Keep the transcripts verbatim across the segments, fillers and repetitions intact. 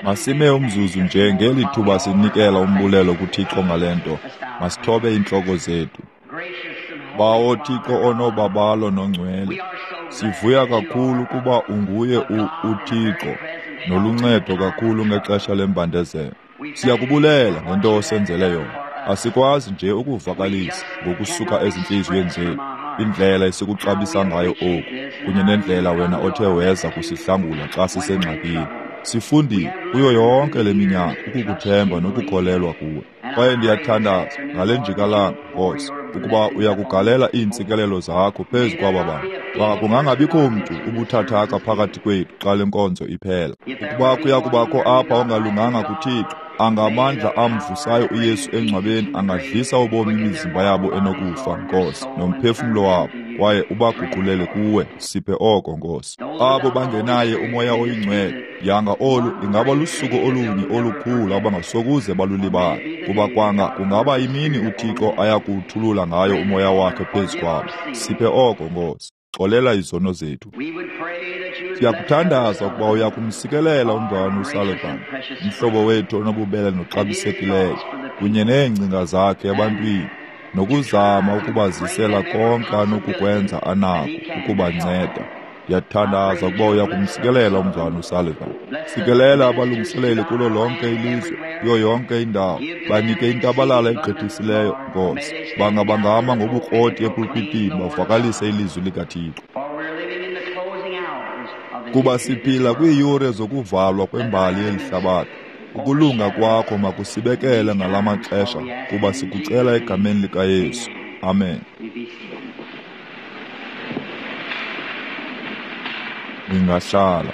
Masime umzuzu nje ngeli thuba sinikela umbulelo kuThixo ngale nto. Masithobe iintloko zethu. Bawo Thixo onobabalo nongcwele, sivuya kakhulu kuba unguye uThixo noluncedo kakhulu ngexesha lembandezelo. Siyakubulela ngento osenzele yona. Asikwazi nje ukuvakalisa ngokusuka ezintliziyweni zethu indlela esikuxabisa ngayo oku kunye nendlela wena othe weza kusihlangula xa sisengxakini. Sifundile kuyo yonke le minyaka ukukuthemba nokukholelwa kuwe. Kwaye ndiyathandaza ngale njikalanga, Nkosi, ukuba uyakugalela iintsikelelo zakho phezu kwaba bantu. Xa kungangabikho mntu ubuthathaka phakathi kwethu xa le nkonzo iphela. Ukuba kuya kubakho apha ongalunganga kuThixo, angamandla amvusayo uYesu engcwabeni angadlisa ubomi imizimba yabo enokufa, Nkosi, nomphefumlo wabo, kwaye ubaguqulele kuwe. Siphe oko, Nkosi. Abo bangenaye uMoya oyiNgcwele, yanga olu ingaba lusuku olunye olukhulu abangasokuze balulibale, kuba kwanga kungaba imini uThixo ayakuwuthulula ngayo uMoya wakhe phezu kwabo. Siphe oko, Nkosi. Xolela izono zethu. Siyakuthandaza ukuba uyakumsikelela umzalwana uSullivan, umhlobo wethu onobubele noxabisekileyo, kunye neengcinga zakhe ebantwini, nokuzama ukubazisela konke anokukwenza anako ukubanceda. Ndiyathandaza ukuba uyakumsikelela umzalwana uSullivan. Sikelela abalungiseleli kulo lonke ilizwe, kuyo yonke indawo. Banike intabalala egqithisileyo, Nkosi. Bangabangama ngobukroti epulpitini bavakalise ilizwi likaThixo. Kuba siphila kwiiyure zokuvalwa kwembali yeli hlabathi. Ukulunga kwakho makusibekele ngala maxesha, kuba sikucela egameni likaYesu. Amen. Ningahlala.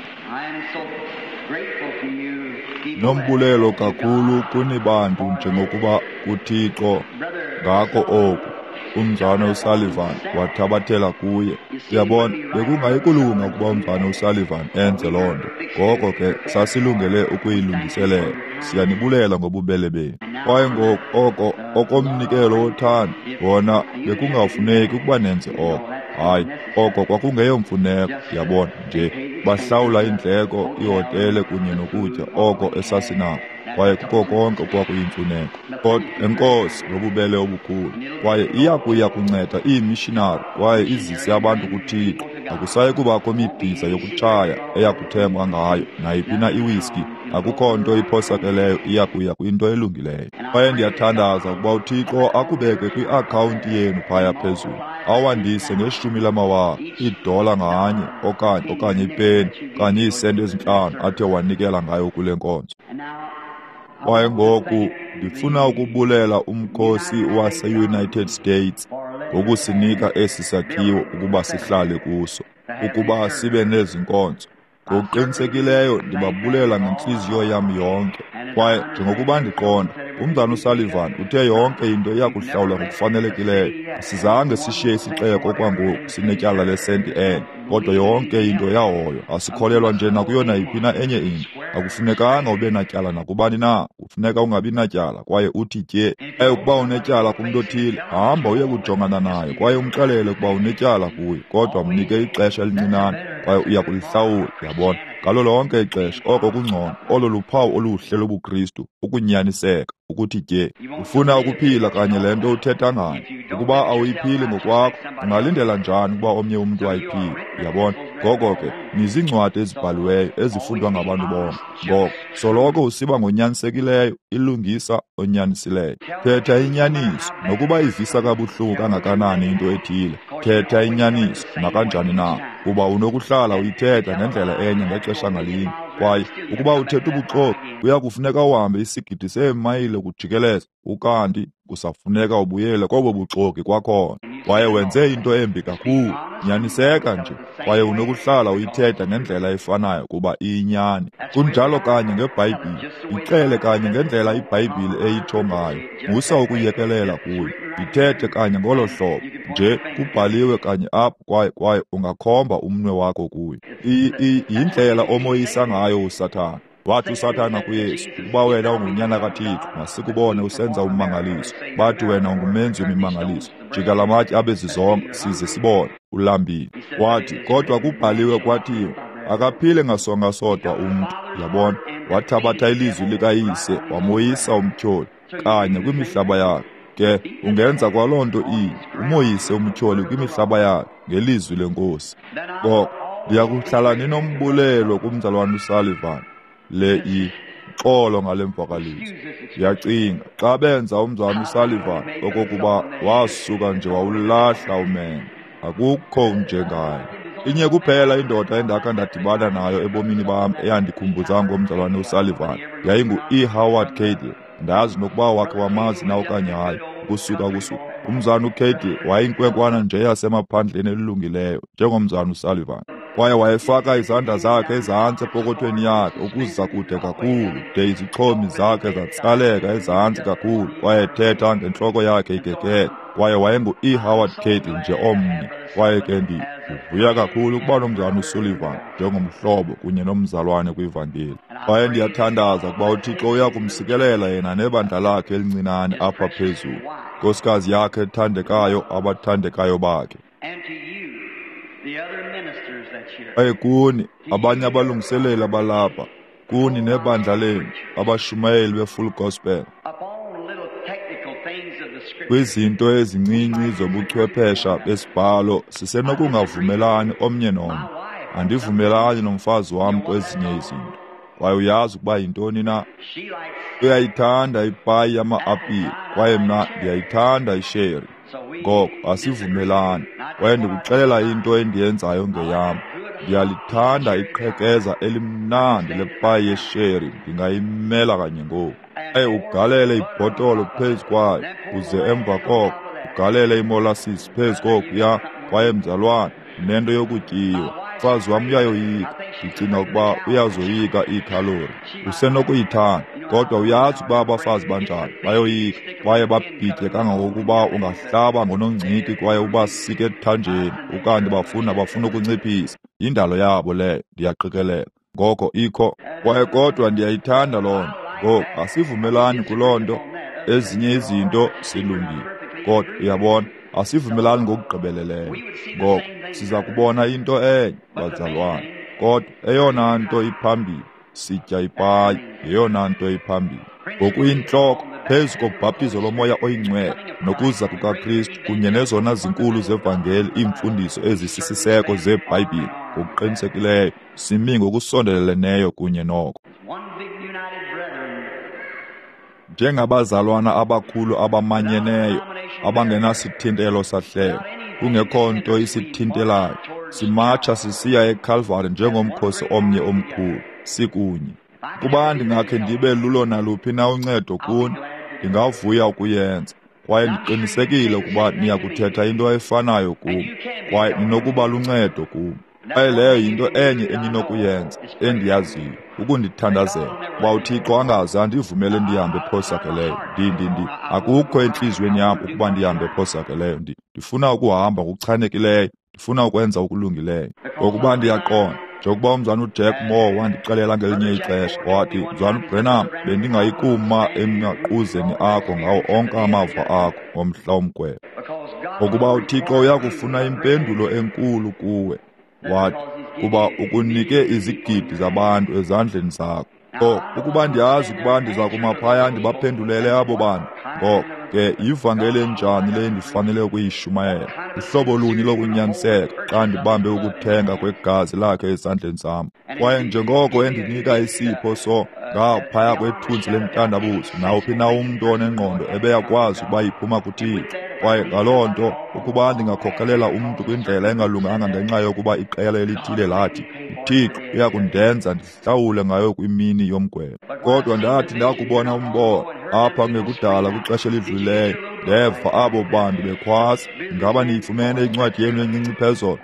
Nombulelo kakhulu kuni bantu njengokuba kuThixo ngako oku. Umzalwana uSullivan wathabathela kuye. Uyabona, bekungayikulunga ukuba umzalwana uSullivan enze loo nto. Ngoko ke sasilungele ukuyilungiselela. Siyanibulela ngobubele benu. Kwaye ngoku oko okomnikelo wothando wona bekungafuneki ukuba nenze oko. Hayi, oko kwakungeyomfuneko, yabona nje. Bahlawula iindleko, ihotele kunye nokutya oko esasinako, kwaye kuko konke okwakuyimfuneko. Kodwa enkosi ngobubele obukhulu, kwaye iya kuya kunceda iimishinari kwaye izise abantu kuThixo. Akusayi kubakho midiza yokutshaya eya kuthengwa ngayo nayiphi na iwiski. Akukho nto iphosakeleyo iya kuya kwinto elungileyo. Kwaye ndiyathandaza ukuba uThixo akubeke kwiakhawunti yenu phaya phezulu, awandise ngeshumi lamawaka iidola nganye okanye okanye ipeni okanye iisenti ezintlanu athe wanikela ngayo kule nkonzo. Kwaye ngoku ndifuna ukubulela umkhosi wase-United States ngokusinika esi sakhiwo ukuba sihlale kuso, ukuba sibe nezi nkonzo. Ngokuqinisekileyo ndibabulela ngentliziyo yam yonke. Kwaye njengokuba ndiqonda, umzalwana uSullivan uthe yonke into iya kuhlawulwa ngokufanelekileyo. Asizange sishiye isixeko okwangoku sinetyala lesenti enye, kodwa yonke into yahoywa. Asikholelwa nje nakuyo nayiphi na enye into. Akufunekanga ube natyala nakubani na, kufuneka ungabi natyala kwaye uthi tye. Kwaye ukuba unetyala kumntu othile, hamba uye kujongana naye kwaye umxelele ukuba unetyala kuye, kodwa mnike ixesha elincinane kwaye uya kulihlawula. Yabona, ngalo lonke ixesha oko kungcono. Olo luphawu oluhle lobuKristu, ukunyaniseka, ukuthi tye. Ufuna ukuphila kanye le nto uthetha ngayo. Ukuba awuyiphili ngokwakho, ungalindela njani ukuba omnye umntu ayiphile? Uyabona? Ngoko ke niziincwadi ezibhaliweyo ezifundwa ngabantu bonke. Ngoko soloko usiba ngonyanisekileyo, ilungisa onyanisileyo. Thetha inyaniso, nokuba ivisa kabuhlungu kangakanani into ethile. Thetha inyaniso nakanjani na, kuba unokuhlala uyithetha ngendlela enye ngexesha ngalinye. Kwaye ukuba uthetha ubuxoki, kuya kufuneka uhambe isigidi seemayile kujikeleza, ukanti kusafuneka ubuyele kobo buxoki kwakhona. Kwaye wenze into embi kakhulu. Nyaniseka nje, kwaye unokuhlala uyithetha ngendlela efanayo kuba iyinyani. Kunjalo kanye ngeBhayibhile. Ixele kanye ngendlela iBhayibhile eyitsho ngayo. Musa ukuyekelela kuyo. Ithethe kanye ngolo hlobo nje kubhaliwe kanye apho, kwaye kwaye ungakhomba umnwe wakho kuyo. Yindlela omoyisa ngayo uSathana. Wathi uSathana kuYesu, ukuba wena ungunyana kaThixo, masikubone usenza ummangaliso. Bathi wena ungumenzi wemimangaliso. Jika la matye abe zizonka size sibone. Ulambile. Wathi, kodwa kubhaliwe kwathiwa, Akaphile ngasonga sodwa umntu, yabona. Wathabatha ilizwi likaYise wamoyisa umtyholi kanye kwimihlaba yakhe. Ke ungenza kwaloo nto inye, umoyise umtyholi kwimihlaba yakhe ngelizwi leNkosi. Ngoko ndiyakuhlala ninombulelo kumzalwana uSullivan. Le i xolo ngale mvakaliso. Ndiyacinga xa benza umzalwana uSullivan okokuba wasuka nje wawulahla umendo. Akukho njengaye. Inye kuphela indoda endakha ndadibana nayo ebomini bam eyandikhumbuza ngomzalwane uSullivan yayingu-E. Howard Cadle. Ndazi nokuba wakhe wamazi na okanye hayi, ukusuka kusuka. Umzalwana uCadle wayeyinkwenkwana nje yasemaphandleni elungileyo njengomzalwana uSullivan. Kwaye wayefaka izandla zakhe ezantsi epokothweni yakhe ukuza kude kakhulu, de izixhomi zakhe zatsaleka ezantsi kakhulu, kwaye ethetha ngentloko yakhe igegele. Kwaye wayengu-E. Howard Cadle nje omnye. Kwaye ke ndivuya kakhulu ukuba nomzalwana uSullivan njengomhlobo kunye nomzalwane kwivangeli. Kwaye ndiyathandaza ukuba uThixo uya kumsikelela yena nebandla lakhe elincinane apha phezulu, nkosikazi yakhe ethandekayo, abathandekayo bakhe. Kwaye kuni abanye abalungiseleli abalapha, kuni nebandla lenu, abashumayeli be-Full Gospel, kwizinto ezincinci zobuchwephesha besibhalo sisenokungavumelani omnye nomnye. Andivumelani nomfazi wam kwezinye izinto. Kwaye uyazi ukuba yintoni na? Uyayithanda ipayi yama-apile, kwaye mna ndiyayithanda isheri. Ngoko asivumelani. Kwaye ndikuxelela into endiyenzayo ngeyam. Ndiyalithanda iqhekeza elimnandi lepayi yesheri, ndingayimela kanye ngoku. Kwaye ugalele ibhotolo phezu kwayo, uze emva koko ugalele imolasisi phezu kokuya, kwaye mzalwane, nento yokutyiwa. Umfazi wam uyayoyika. Ndicinga ukuba uyazoyika iikhalori. Usenokuyithanda, kodwa uyazi ukuba abafazi banjani, bayoyika kwaye babhitye kangangokuba ungahlaba ngonongciki kwaye ubasike ethanjeni, ukanti bafuna bafuna ukunciphisa. Yindalo yabo leyo, ndiyaqikelela. Ngoko ikho, kwaye kodwa ndiyayithanda loo nto. Ngoku asivumelani kuloo nto. Ezinye izinto silungile, kodwa uyabona, asivumelani ngokugqibeleleyo. Ngoko siza kubona into enye, bazalwane, kodwa eyona nto iphambili, sitya ipayi, yeyona nto iphambili. Ngokuyintloko, phezu kobhaptizo lomoya oyingcwele nokuza kukaKristu kunye nezona zinkulu zevangeli, iimfundiso ezisisiseko zeBhayibhile, ngokuqinisekileyo simi ngokusondeleleneyo kunye noko. Njengabazalwana abakhulu abamanyeneyo, abangenasithintelo sahlelo, kungekho nto isithintelayo, simatsha sisiya eKalvari njengomkhosi omnye omkhulu, sikunye. Kuba ndingakhe ndibe lulo naluphi na uncedo kuni, ndingavuya ukuyenza. Kwaye ndiqinisekile ukuba niyakuthetha into efanayo kum, kwaye ninokuba luncedo kum. Kwaye leyo yinto enye eninokuyenza, endiyaziyo, ukundithandazela, kuba uThixo angaze andivumele ndihambe phosakeleyo. Ndi, ndi, ndi, akukho entliziyweni yam ukuba ndihambe phosakeleyo. Ndi, ndifuna ukuhamba ngokuchanekileyo, ndifuna ukwenza okulungileyo. Ngokuba ndiyaqonda, njengokuba umzalwana uJack Moore wandixelela ngelinye ixesha, wathi, Mzalwana uBranham, bendingayikuma emaquzeni akho ngawo onke amava akho ngomhla womgwebo. Ngokuba uThixo uyakufuna impendulo enkulu kuwe. Wathi, kuba ukunike izigidi zabantu ezandleni zakho. Ngoko, ukuba ndiyazi ukuba ndiza kuma phaya ndibaphendulele abo bantu, ngoko ke yivangeli enjani le ndifanele ukuyishumayela? Uhlobo luni lokunyaniseka xa ndibambe ukuthenga kwegazi lakhe ezandleni zam? Kwaye njengoko endinika isipho so ngaphaya kwethunzi lentandabuzo, nawuphi na umntu onengqondo ebeyakwazi ukuba iphuma kuThixo. Kwaye ngaloo nto, ukuba ndingakhokelela umntu kwindlela engalunganga ngenxa yokuba iqela elithile lathi, uThixo uyakundenza ndihlawule ngayo kwimini yomgwebo. Kodwa ndathi ndakubona umbono apha kungekudala kwixesha elidlulileyo, ndeva abo bantu bekhwaza. Ingaba niyifumene incwadi yenu encinci phezolo,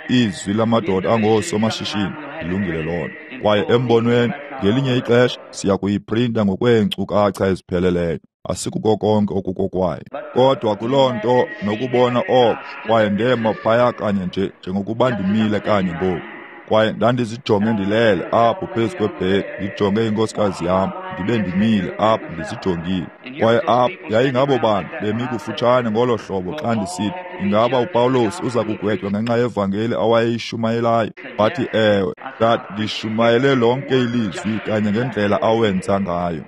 izwi lamadoda angoosomashishini? Ilungile loo nto. Kwaye embonweni, ngelinye ixesha siya kuyiprinta ngokweenkcukacha ezipheleleyo. Asikuko konke okukokwayo. Kodwa kuloo nto nokubona oko, kwaye ndema phaya kanye nje njengokuba ndimile kanye ngoku. Kwaye ndandizijonge ndilele apho phezu kwebhedi, ndijonge inkosikazi yam, ndibe ndimile apha ndizijongile. Kwaye apha yayingabo bantu bemi kufutshane ngolo hlobo xa ndisithi, ingaba uPawulos uza kugwetywa ngenxa yevangeli awayeyishumayelayo? Bathi ewe. Ndathi ndishumayele lonke ilizwi kanye ngendlela awenza ngayo.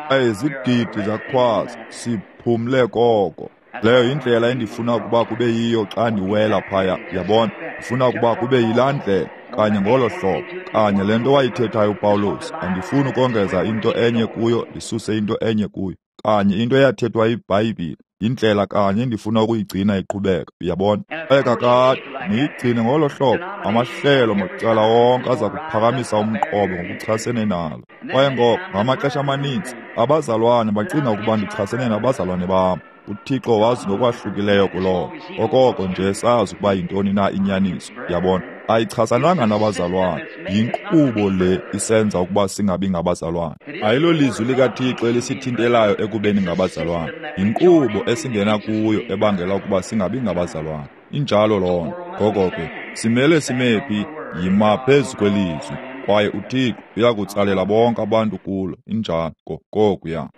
Kwaye izigidi zakhwaza, siphumle koko. Leyo yindlela endifuna ukuba kube yiyo xa ndiwela phaya, yabona. Ndifuna ukuba kube yilaa ndlela, kanye ngolo hlobo, kanye le nto wayithethayo uPawulos. Andifuni ukongeza into enye kuyo, ndisuse into enye kuyo. Kanye into eyathethwa yiBhayibhile, yindlela kanye endifuna ukuyigcina iqhubeka, uyabona. Kwaye kakade niyigcine ngolo hlobo, amahlelo macala wonke aza kuphakamisa umqobo ngokuchasene nalo. Kwaye ngoko ngamaxesha amaninzi abazalwane bacinga ukuba ndichasene nabazalwane bam. UThixo wazi ngokwahlukileyo kuloo. Okoko nje sazi ukuba yintoni na inyaniso, yabona. Ayichasananga nabazalwane, yinkqubo le isenza ukuba singabi ngabazalwane. Ayilolizwi likaThixo elisithintelayo ekubeni ngabazalwane, yinkqubo esingena kuyo ebangela ukuba singabi ngabazalwane. Injalo loo nto. Ngoko ke simele simephi? Yima phezu kwelizwi, kwaye uThixo uyakutsalela bonke abantu kulo. Injalo kokuya.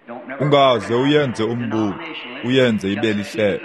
Ungaze uyenze umbutho, uyenze ibe lihlelo.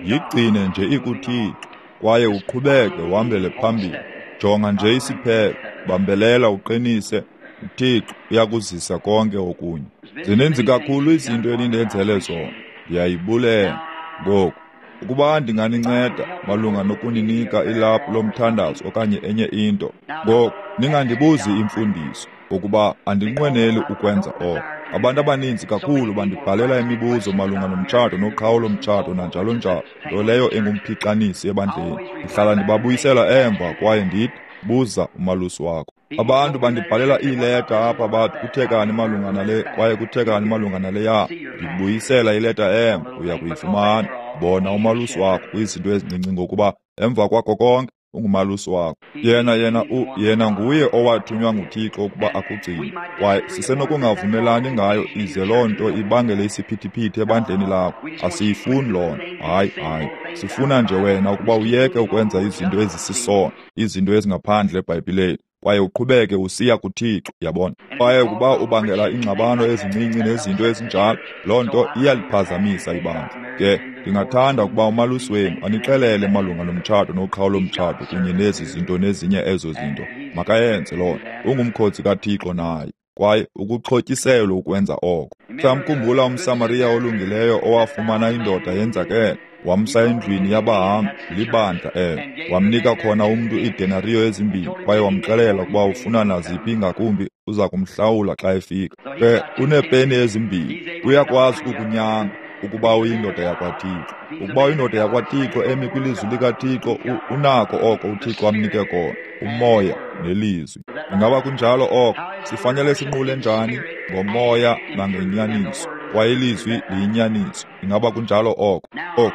Yigcine nje ikuThixo, kwaye uqhubeke uhambele phambili. Jonga nje isiphelo, bambelela uqinise. UThixo uyakuzisa konke okunye. Zininzi kakhulu izinto enindenzele zona, ndiyayibulela. Ngoku, ukuba ndinganinceda malunga nokuninika ilaphu lomthandazo okanye enye into, ngoku ningandibuzi imfundiso, ngokuba andinqweneli ukwenza oko. Abantu abaninzi kakhulu bandibhalela imibuzo malunga nomtshato noqhawulo mtshato nanjalo njalo, nto leyo engumphixanisi ebandleni. Ndihlala ndibabuyisela emva kwaye ndithi, buza umalusi wakho. Abantu bandibhalela iileta apha bathi kuthekani malunga nale kwaye kuthekani malunga naleya. Ndibuyisela ileta emva, uya kuyifumana. Bona umalusi wakho kwizinto ezincinci, ngokuba emva kwakho konke ungumalusi wakho. Yena yena u yena nguye owathunywa nguThixo ukuba akugcine. Kwaye sisenokungavumelani ngayo ize loo nto ibangele isiphithiphithi ebandleni lakho. Asiyifuni loo nto. Hayi, hayi. Sifuna nje wena ukuba uyeke ukwenza izinto ezisisono, izinto ezingaphandle eBhayibhileni, kwaye uqhubeke usiya kuThixo, yabona. Kwaye ukuba ubangela iingxabano ezincinci nezinto ezinjalo, loo nto iyaliphazamisa ibandla. Ke ndingathanda ukuba umalusi wenu anixelele malunga nomtshato noqhawulo mtshato kunye nezi zinto nezinye ezo zinto. Makayenze loo nto. Ungumkhonzi kaThixo naye, kwaye ukuxhotyiselwe ukwenza oko. Mhlawumkhumbula umSamariya olungileyo owafumana indoda yenzakele, wamsa endlwini yabahambi, libandla elo. Wamnika khona umntu iidenariyo ezimbini, kwaye wamxelela ukuba ufuna naziphi ngakumbi uza kumhlawula xa efika. Ke uneepeni ezimbini, uyakwazi ukukunyanga ukuba uyindoda yakwaThixo. Ukuba uyindoda yakwaThixo emi kwilizwi likaThixo, unako oko uThixo amnike kona, umoya nelizwi. Ingaba kunjalo oko? Sifanele sinqule njani? Ngomoya nangenyaniso. Kwaye ilizwi liyinyaniso. Ingaba kunjalo oko? Oko.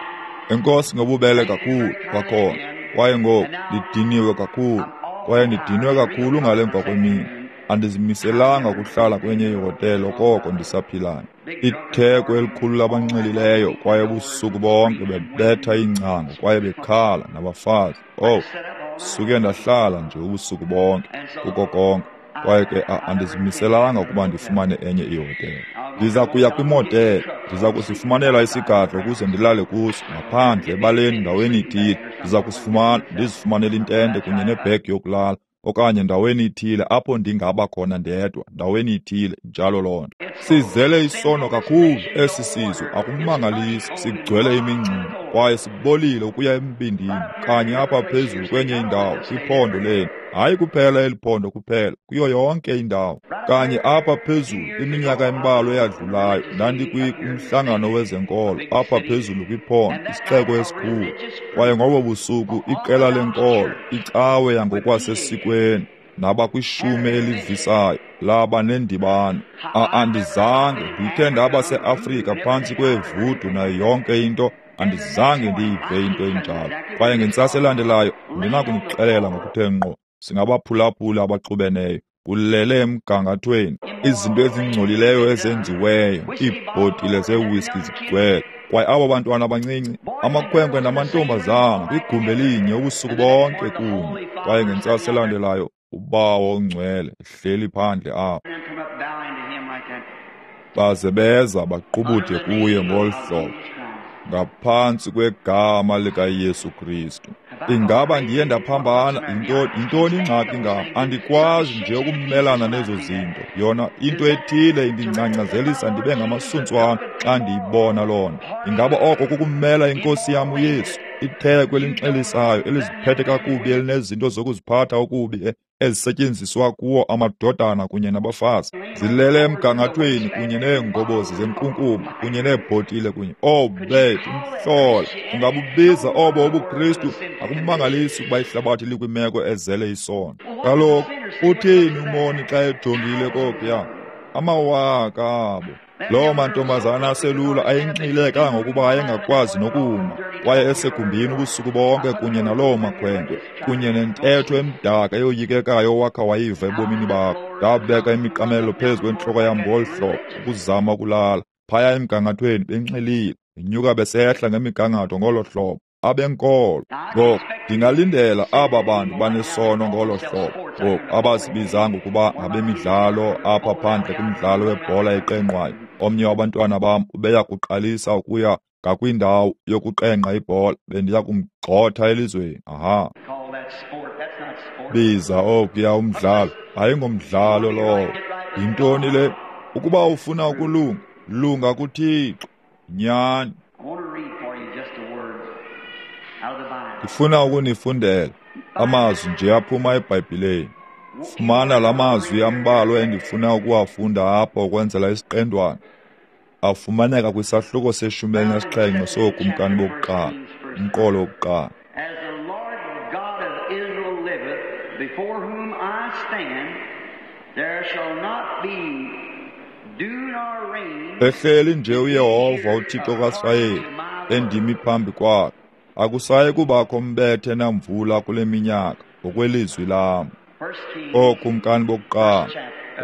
Enkosi ngobubele kakhulu kwakhona. Kwaye ngoku ndidiniwe kakhulu. Kwaye ndidinwe kakhulu ngale mva kwemini. Andizimiselanga ukuhlala kwenye ihotele okoko ndisaphilayo. Itheko elikhulu labanxilileyo, kwaye ubusuku bonke bebetha iingcango kwaye bekhala nabafazi. Oh, suke ndahlala nje ubusuku bonke kuko konke. Kwaye ke andizimiselanga ukuba ndifumane enye ihotele. Ndiza kuya kwimotele, ndiza kusifumanela isigadlo ukuze ndilale kuso, ngaphandle ebaleni ndaweni ithile. Ndiza kusifumana, ndizifumanele intente kunye nebhegi yokulala, okanye ndaweni ithile apho ndingaba khona ndedwa, ndaweni ithile, njalo loo nto. Sizele isono kakhulu esi sizwe, akumangalisi, sigcwele imingxuma, kwaye sibolile ukuya embindini, kanye apha phezulu kwenye indawo, kwiphondo lenu. Hayi kuphela eli phondo kuphela, kuyo yonke indawo. Kanye apha phezulu, iminyaka embalwa eyadlulayo, ndandikumhlangano wezenkolo, apha phezulu kwiphondo, isixeko esikhulu. Kwaye ngobo busuku, iqela lenkolo, icawe yangokwasesikweni, nabakwishumi elivisayo, laba nendibano. Andizange ndikhe ndaba seAfrika phantsi kweevudu nayo yonke into. Andizange ndiyive into enjalo. Kwaye ngentsasa elandelayo, ndinakunixelela ngokuthe ngqo, singabaphulaphuli abaxubeneyo, kulele emgangathweni, izinto ezingcolileyo ezenziweyo, iibhotile zewiski zigcwele. Kwaye abo bantwana abancinci, amakhwenkwe namantombazana, kwigumbi elinye ubusuku bonke kunye. Kwaye ngentsasa elandelayo, uBawo oNgcwele ehleli phandle apho. Baze beza baqubude kuye ngolu hlobo, ngaphantsi kwegama likaYesu Kristu. Ingaba ndiye ndaphambana? Yintoni ingxaki ngam? Andikwazi nje ukumelana nezo zinto. Yona into ethile indingcangcazelisa ndibe ngamasuntswana xa ndiyibona loo nto. Ingaba oko kukumela iNkosi yam uYesu, itheko elinxilisayo, eliziphethe kakubi, elinezinto zokuziphatha okubi ezisetyenziswa kuwo amadodana kunye nabafazi, zilele emgangathweni kunye neengobozi zenkunkuma kunye neebhotile kunye oh bethu, umhlola. Ungabubiza obo ubuKristu? Akumangalisi ukuba ihlabathi likwimeko ezele isono. Kaloku uthini umoni xa ejongile kokuya? Amawaka abo. Loo mantombazana aselula ayenxile kangangokuba ayengakwazi nokuma, kwaye esegumbini ubusuku bonke kunye naloo makhwenkwe, kunye nentetho emdaka eyoyikekayo owakha wayiva ebomini bakho. Ndabeka imiqamelo phezu kwentloko yam ngolu hlobo ukuzama ukulala. Phaya emgangathweni benxilile, benyuka besehla ngemigangatho ngolo hlobo, abenkolo. Ngoku ndingalindela aba bantu banesono ngolo hlobo, ngoku abazibizanga ukuba ngabemidlalo apha phandle kumdlalo webhola eqengqwayo. Omnye wabantwana bam ubeya kuqalisa ukuya ngakwindawo yokuqengqa ibhola, bendiya kumgxotha elizweni. Aha, biza okuya umdlalo, ayingomdlalo lowo. Yintoni le? Ukuba ufuna ukulunga, lunga kuThixo. Nyani. Ndifuna ukunifundela amazwi nje aphuma eBhayibhileni. Fumana la mazwi ambalwa endifuna ukuwafunda apha ukwenzela isiqendwana. Afumaneka kwisahluko seshumi elinesixhenxe sooKumkani bokuqala, umqolo wokuqala. As the Lord God of Israel liveth, before whom I stand, there shall not be dew nor rain. Ehleli nje uYehova uThixo kaSirayeli endimi phambi kwakhe, akusayi kubakho mbethe namvula kule minyaka ngokwelizwi lam. OoKumkani bokuqala,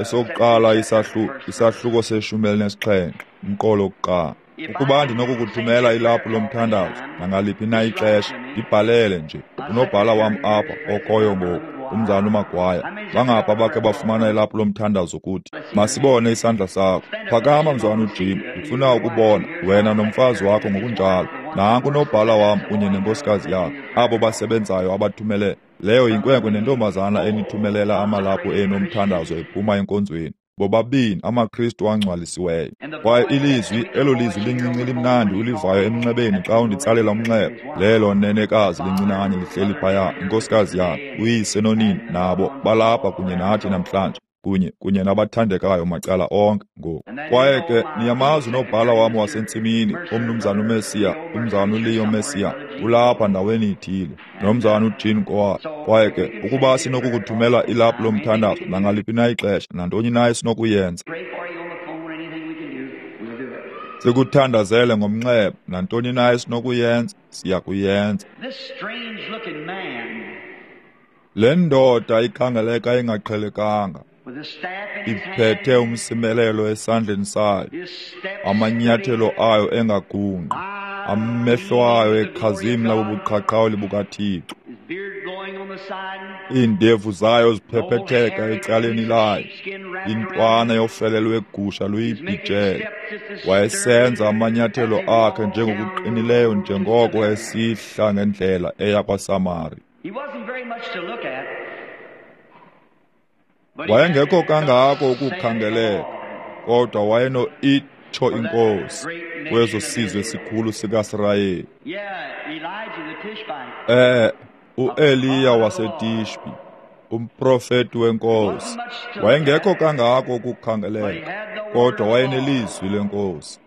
esokuqala isahluko, isahluko seshumi elinesixhenxe, umqolo wokuqala. Ukuba ndinokukuthumela ilaphu lomthandazo nangaliphi na ixesha, ndibhalele nje. Unobhala wam apha okhoyo ngoku, umzana uMagwaya. Bangapha bakhe bafumana ilaphu lomthandazo kuthi. Masibone isandla sakho. Phakama mzwana uJim, ndifuna ukubona wena nomfazi wakho ngokunjalo. Nanku unobhala wam kunye nenkosikazi yakho, abo basebenzayo abathumele. Leyo yinkwenkwe nentombazana enithumelela amalaphu enu omthandazo ephuma enkonzweni. Bobabini amaKristu angcwalisiweyo. Kwaye ilizwi, elo lizwi lincinci limnandi ulivayo emnxebeni xa unditsalela umnxeba, lelo nenekazi lincinane lihleli phaya, inkosikazi yakhe, uyise nonina, nabo balapha kunye nathi namhlanje, kunye kunye nabathandekayo macala onke ngoku. Kwaye ke niyamazi unobhala wam wasentsimini, umnumzana uMesiya, umzana uLeo Mesiya, ulapha ndaweni ithile, nomzana uJean Goa. Kwaye ke ukuba sinokukuthumela ilaphu lomthandazo nangaliphi na ixesha, nantoni na esinokuyenza, sikuthandazele ngomnxeba, nantoni na esinokuyenza, siya kuyenza. Le ndoda ikhangeleka ingaqhelekanga, iphethe umsimelelo esandleni sayo, amanyathelo ayo engagungqi, amehlo ayo ekhazimla bubuqhaqhawuli bukaThixo, iindevu zayo ziphephetheka ecaleni layo, intwana yofele lwegusha luyibhijele. Wayesenza amanyathelo akhe njengokuqinileyo njengoko esihla ngendlela eya kwaSamari. Wayengekho kangako ukukhangeleka, kodwa wayeno-itsho iNkosi kwezo sizwe sikhulu sikaSirayeli. Eh, uEliya waseTishbi, umprofeti wenkosi, wayengekho kangako ukukhangeleka, kodwa wayenelizwi lenkosi.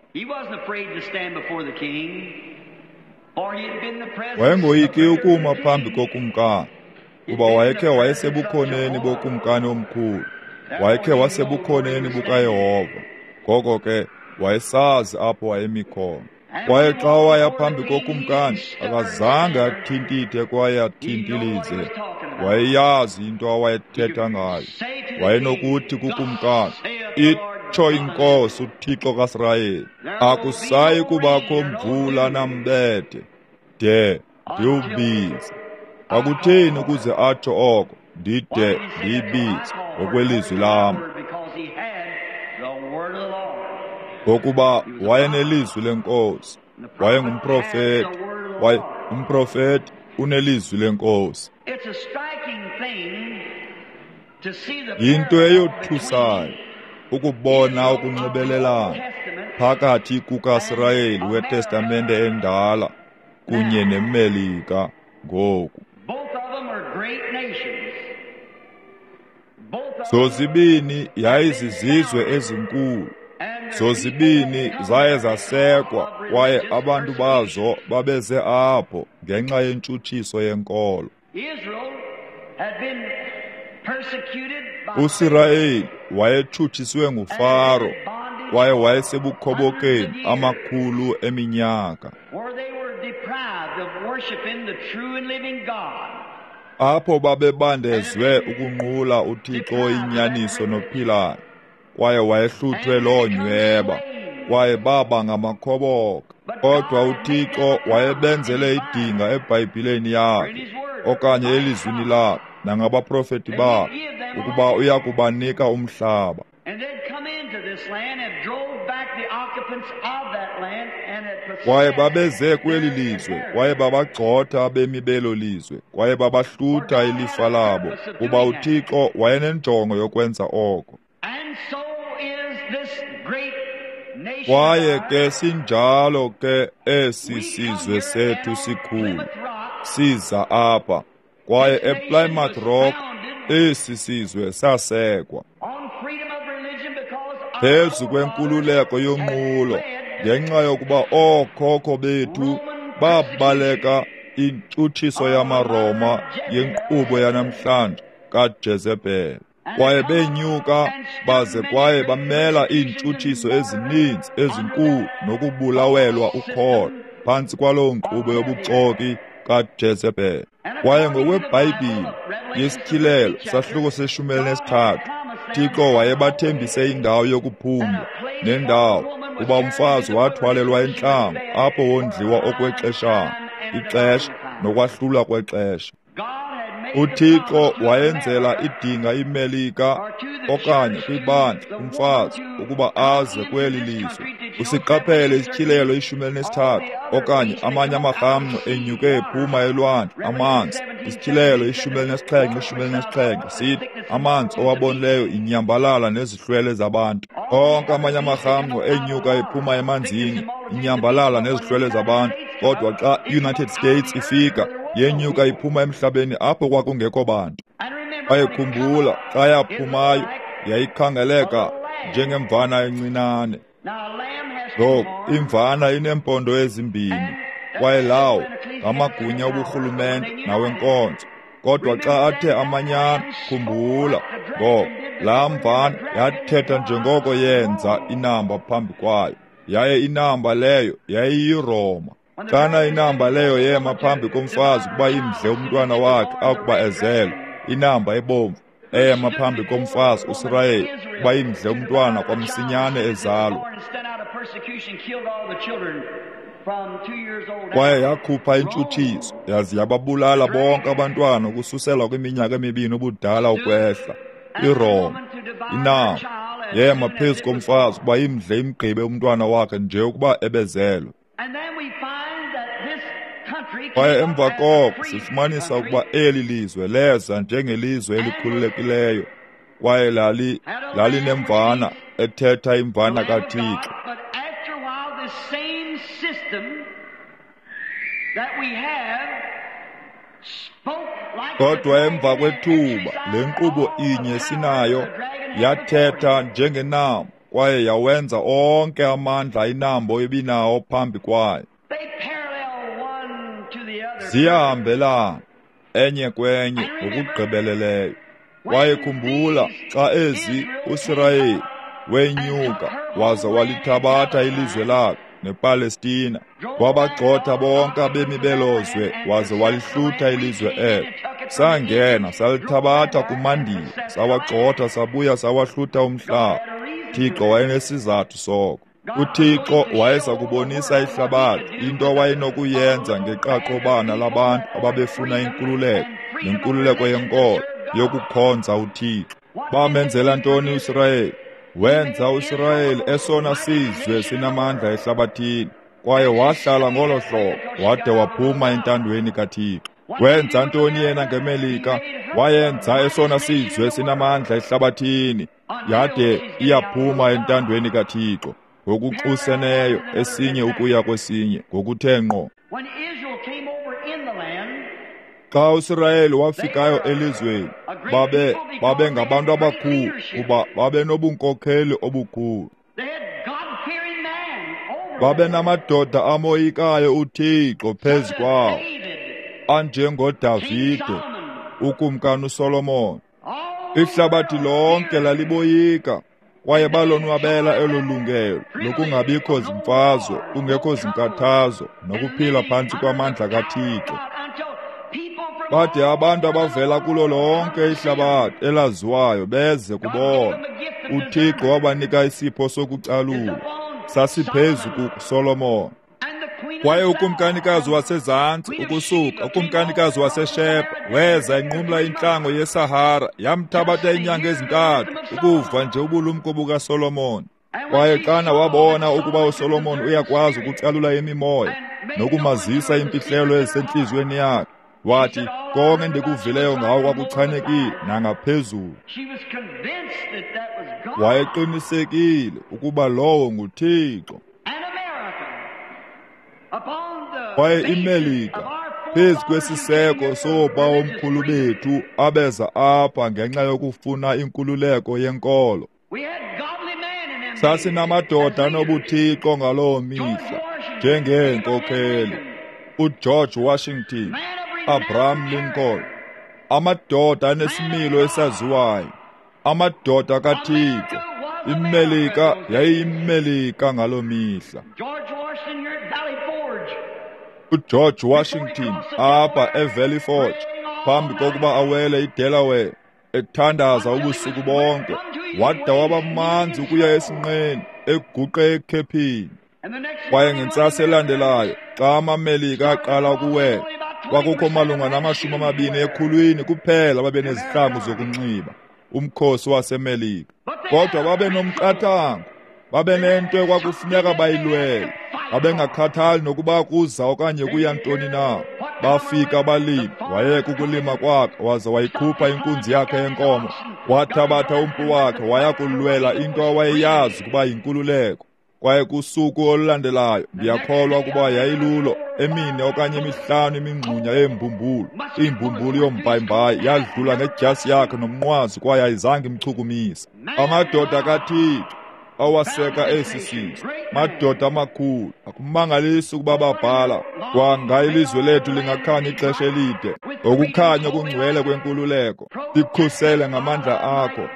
Wayengoyiki ukuma phambi kokumkani, kuba wayekhe wayesebukhoneni bokumkani omkhulu, wayekhe wasebukhoneni bukaYehova. Ngoko ke wayesazi apho wayemi khona. Kwaye xa waya phambi kokumkani, akazange athintithe kwaye athintilize. Wayeyazi into awayethetha ngayo. Wayenokuthi kukumkani, itsho iNkosi uThixo kaSirayeli, akusayi kubakho mvula nambethe de ndiwubize. Kwakutheni ukuze atsho oko? Ndide ndiyibize ngokwelizwi lam. Ngokuba wayenelizwi lenkosi, wayengumprofeti, waye umprofeti unelizwi lenkosi. Yinto eyothusayo ukubona ukunxibelelana phakathi kukaSirayeli weTestamente endala kunye neMelika ngoku. Zozibini yayizizizwe ezinkulu, zozibini zaye zasekwa kwaye abantu bazo babeze apho ngenxa yentshutshiso yenkolo. USirayeli wayetshutshiswe nguFaro kwaye wayesebukhobokeni amakhulu eminyaka, apho babebandezwe ukunqula uThixo oyinyaniso nophilayo, kwaye wayehluthwe loo nyweba, kwaye baba ngamakhoboka. Kodwa uThixo wayebenzele idinga eBhayibhileni yakhe okanye elizwini lakhe nangabaprofeti bakhe ukuba uya kubanika umhlaba. Kwaye babeze kweli lizwe, kwaye babagxotha abemi belo lizwe, kwaye babahlutha ilifa labo, kuba uThixo wayenenjongo yokwenza oko. Kwaye ke sinjalo ke esi sizwe sethu sikhulu siza apha, kwaye ePlymouth Rock esi sizwe sasekwa phezu kwenkululeko yonqulo, ngenxa yokuba ookhokho bethu babaleka intshutshiso yamaRoma yenkqubo yanamhlanje kaJezebhele, kwaye benyuka baze kwaye bamela iintshutshiso ezininzi ezinkulu nokubulawelwa ukholo phantsi kwaloo nkqubo yobuxoki kaJezebhele. Kwaye ngokweBhayibhile yesityhilelo sahluko seshumi elinesithathu, Thixo wayebathembise indawo yokuphumla nendawo kuba umfazi wathwalelwa entlango apho wondliwa okwexeshana, ixesha nokwahlulwa kwexesha. UThixo wayenzela idinga iMelika okanye kwibandla umfazi ukuba aze kweli lizwe. Usiqaphele isityhilelo ishumi elinesithathu okanye amanye amarhamncwa enyuke ephuma elwandle amanzi. Isityhilelo ishumi elinesixhenxe ishumi elinesixhenxe sithi amanzi owabonileyo inyambalala nezihlwele zabantu. Onke amanye amarhamncwa enyuka ephuma emanzini, inyambalala nezihlwele zabantu. Kodwa xa i-United States ifika, yenyuka iphuma emhlabeni apho kwakungekho bantu. Kwaye khumbula, xa yaphumayo yayikhangeleka njengemvana encinane. Ngoku imvana ineempondo ezimbini, kwaye lawo ngamagunya oburhulumente nawenkonzo. Kodwa xa athe amanyana, khumbula, ngoko laa mvana yathetha njengoko yenza inamba phambi kwayo, yaye inamba leyo yayiyiRoma. Xana inamba leyo yema phambi komfazi ukuba imdle umntwana wakhe akuba ezelwe, inamba ebomvu eyema phambi komfazi uSirayeli ukuba imdle umntwana kwamsinyane ezalwa. Kwaye yakhupha intshutshiso yaze yababulala bonke abantwana ukususela kwiminyaka emibini ubudala ukwehla. iRoma, inamba yema phezu komfazi ukuba imdle imgqibe umntwana wakhe nje ukuba ebezelwe. Kwaye emva koko sifumanisa ukuba eli lizwe leza njengelizwe elikhululekileyo, kwaye lali lalinemvana ethetha imvana kaThixo. Kodwa emva kwethuba le nkqubo inye sinayo yathetha njengenambo, kwaye yawenza onke amandla inambo ebinawo phambi kwayo. Ziyahambelana enye kwenye ngokugqibeleleyo. Kwaye khumbula, xa ezi uSirayeli wenyuka waza walithabatha ilizwe lakhe nePalestina, wabagxotha bonke abemi belo zwe waze walihlutha ilizwe elo. Sangena salithabatha kumandiya, sawagxotha sabuya sawahlutha umhlaba. Thixo wayenesizathu soko. UThixo wayeza kubonisa ihlabathi into awayenokuyenza ngeqaqobana labantu ababefuna inkululeko nenkululeko yenkolo yokukhonza uThixo. Bamenzela ntoni uSirayeli? Wenza uSirayeli esona sizwe sinamandla ehlabathini, kwaye wahlala ngolo hlobo wade waphuma entandweni kaThixo. Wenza ntoni yena ngeMelika? Wayenza esona sizwe sinamandla ehlabathini, yade iyaphuma entandweni kaThixo ngokuxuseneyo esinye ukuya kwesinye ngokuthe ngqo. Xa uSirayeli wafikayo elizweni, babe babe ngabantu abakhulu kuba babe nobunkokheli obukhulu. Babe namadoda amoyikayo uThixo phezu kwawo, anjengoDavide, ukumkani uSolomon. Ihlabathi lonke laliboyika, kwaye balonwabela elo lungelo lokungabikho zimfazwe, kungekho zinkathazo, nokuphila phantsi kwamandla kaThixo. Bade abantu abavela kulo lonke ihlabathi elaziwayo beze kubona. UThixo wabanika isipho sokucalula, sasiphezu kuSolomon. Kwaye ukumkanikazi wasezantsi ukusuka ukumkanikazi waseSheba weza enqumla intlango yeSahara, yamthabatha iinyanga ezintathu ukuva nje ubulumko bukaSolomon. Kwaye xana wabona ukuba uSolomon uyakwazi ukucalula imimoya nokumazisa imfihlelo ezisentliziyweni yakhe, wathi, konke ndikuvileyo ngawo kwakuchanekile nangaphezulu. Wayeqinisekile ukuba lowo nguThixo. Kwaye iMelika, phezu kwesiseko soobawomkhulu bethu abeza apha ngenxa yokufuna inkululeko yenkolo, sasinamadoda anobuthixo ngaloo mihla njengeenkokheli, uGeorge Washington, Abraham Lincoln, amadoda anesimilo esaziwayo, amadoda kaThixo. IMelika yayiyiMelika ngaloo mihla. uGeorge Washington apha eValley Forge, phambi kokuba awele iDelaware, ethandaza ubusuku bonke, wada waba manzi ukuya esinqeni, eguqe ekhephini. Kwaye ngentsasa elandelayo, xa amaMelika aqala ukuwela, kwakukho malunga namashumi amabini ekhulwini kuphela babenezihlangu zokunxiba, umkhosi waseMelika. Kodwa babenomqathango, babenento ekwakufuneka bayilwele. Babengakhathali nokuba kuza okanye kuya ntoni na. Bafika balima, wayeka ukulima kwakhe, waza wayikhupha inkunzi yakhe yenkomo, wathabatha umpu wakhe waya kulwela into awayeyazi ukuba yinkululeko. Kwaye kusuku olulandelayo, ndiyakholwa ukuba yayilulo, emine okanye emihlanu imingxunya yeembumbulu, imbumbulu yombhayibhayi yadlula ngedyasi yakhe nomnqwazi, kwaye ayizange imchukumise. Amadoda kaThixo awaseka esi sizwe, madoda amakhulu. Akumangalisi ukuba babhala, kwanga ilizwe lethu lingakhanya ixesha elide, ukukhanya okungcwele kwenkululeko. Sikhusele ngamandla akho,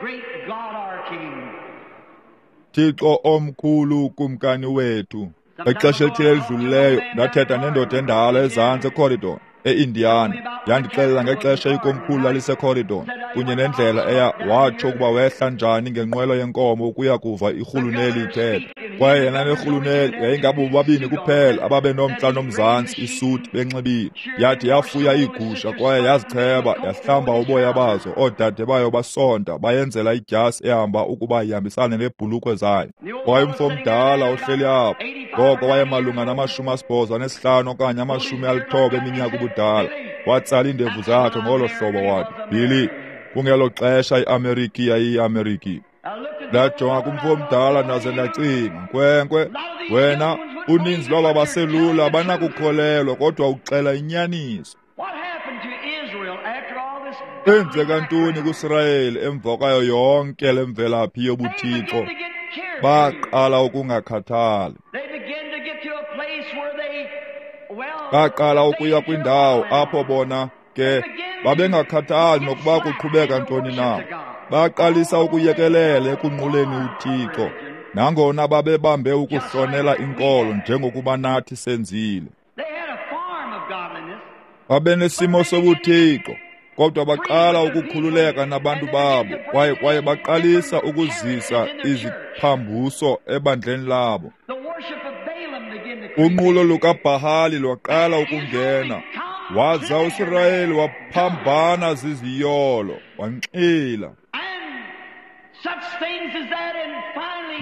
Thixo omkhulu, kumkani wethu. Ixesha elithile elidlulileyo ndathetha nendoda endala ezantsi eCorridon, eIndiana. Yandixelela ngexesha ikomkhulu laliseCorridon kunye nendlela eya watsho ukuba wehla njani ngenqwelo yenkomo ukuya kuva irhuluneli ithetha. Kwaye yena nerhuluneli yayingabo bobabini kuphela ababenomntla nomzantsi isuti benxibile. Yathi yafuya iigusha kwaye yazicheba, yahlamba uboya bazo. Oodade bayo basonta bayenzela idyasi ehamba ukuba ihambisane neebhulukhwe zayo. Kwaye umfo omdala ohleli apho, ngoko wayemalunga namashumi asibhozo anesihlanu okanye amashumi alithoba eminyaka ubudala, watsala iindevu zakhe ngolo hlobo wathi, Billy, kungelo xesha iAmerika yayiyiAmerika. Ndajonga kumfo omdala ndaze ndacinga, nkwenkwe, wena, uninzi lwaba baselula abanakukholelwa, kodwa uxela inyaniso. Kwenzeka ntoni kuSirayeli emva kwayo yonke le mvelaphi yobuthixo? Baqala ukungakhathali. Baqala ukuya kwindawo apho bona ke babengakhathali nokuba kuqhubeka ntoni na. Baqalisa ukuyekelela ekunquleni uThixo, nangona babebambe ukuhlonela inkolo njengokuba nathi senzile. Babenesimo sobuthixo, kodwa baqala ukukhululeka nabantu babo, kwaye kwaye baqalisa ukuzisa iziphambuso ebandleni labo. Unqulo lukaBhahali lwaqala ukungena, waza uSirayeli waphambana ziziyolo, wanxila.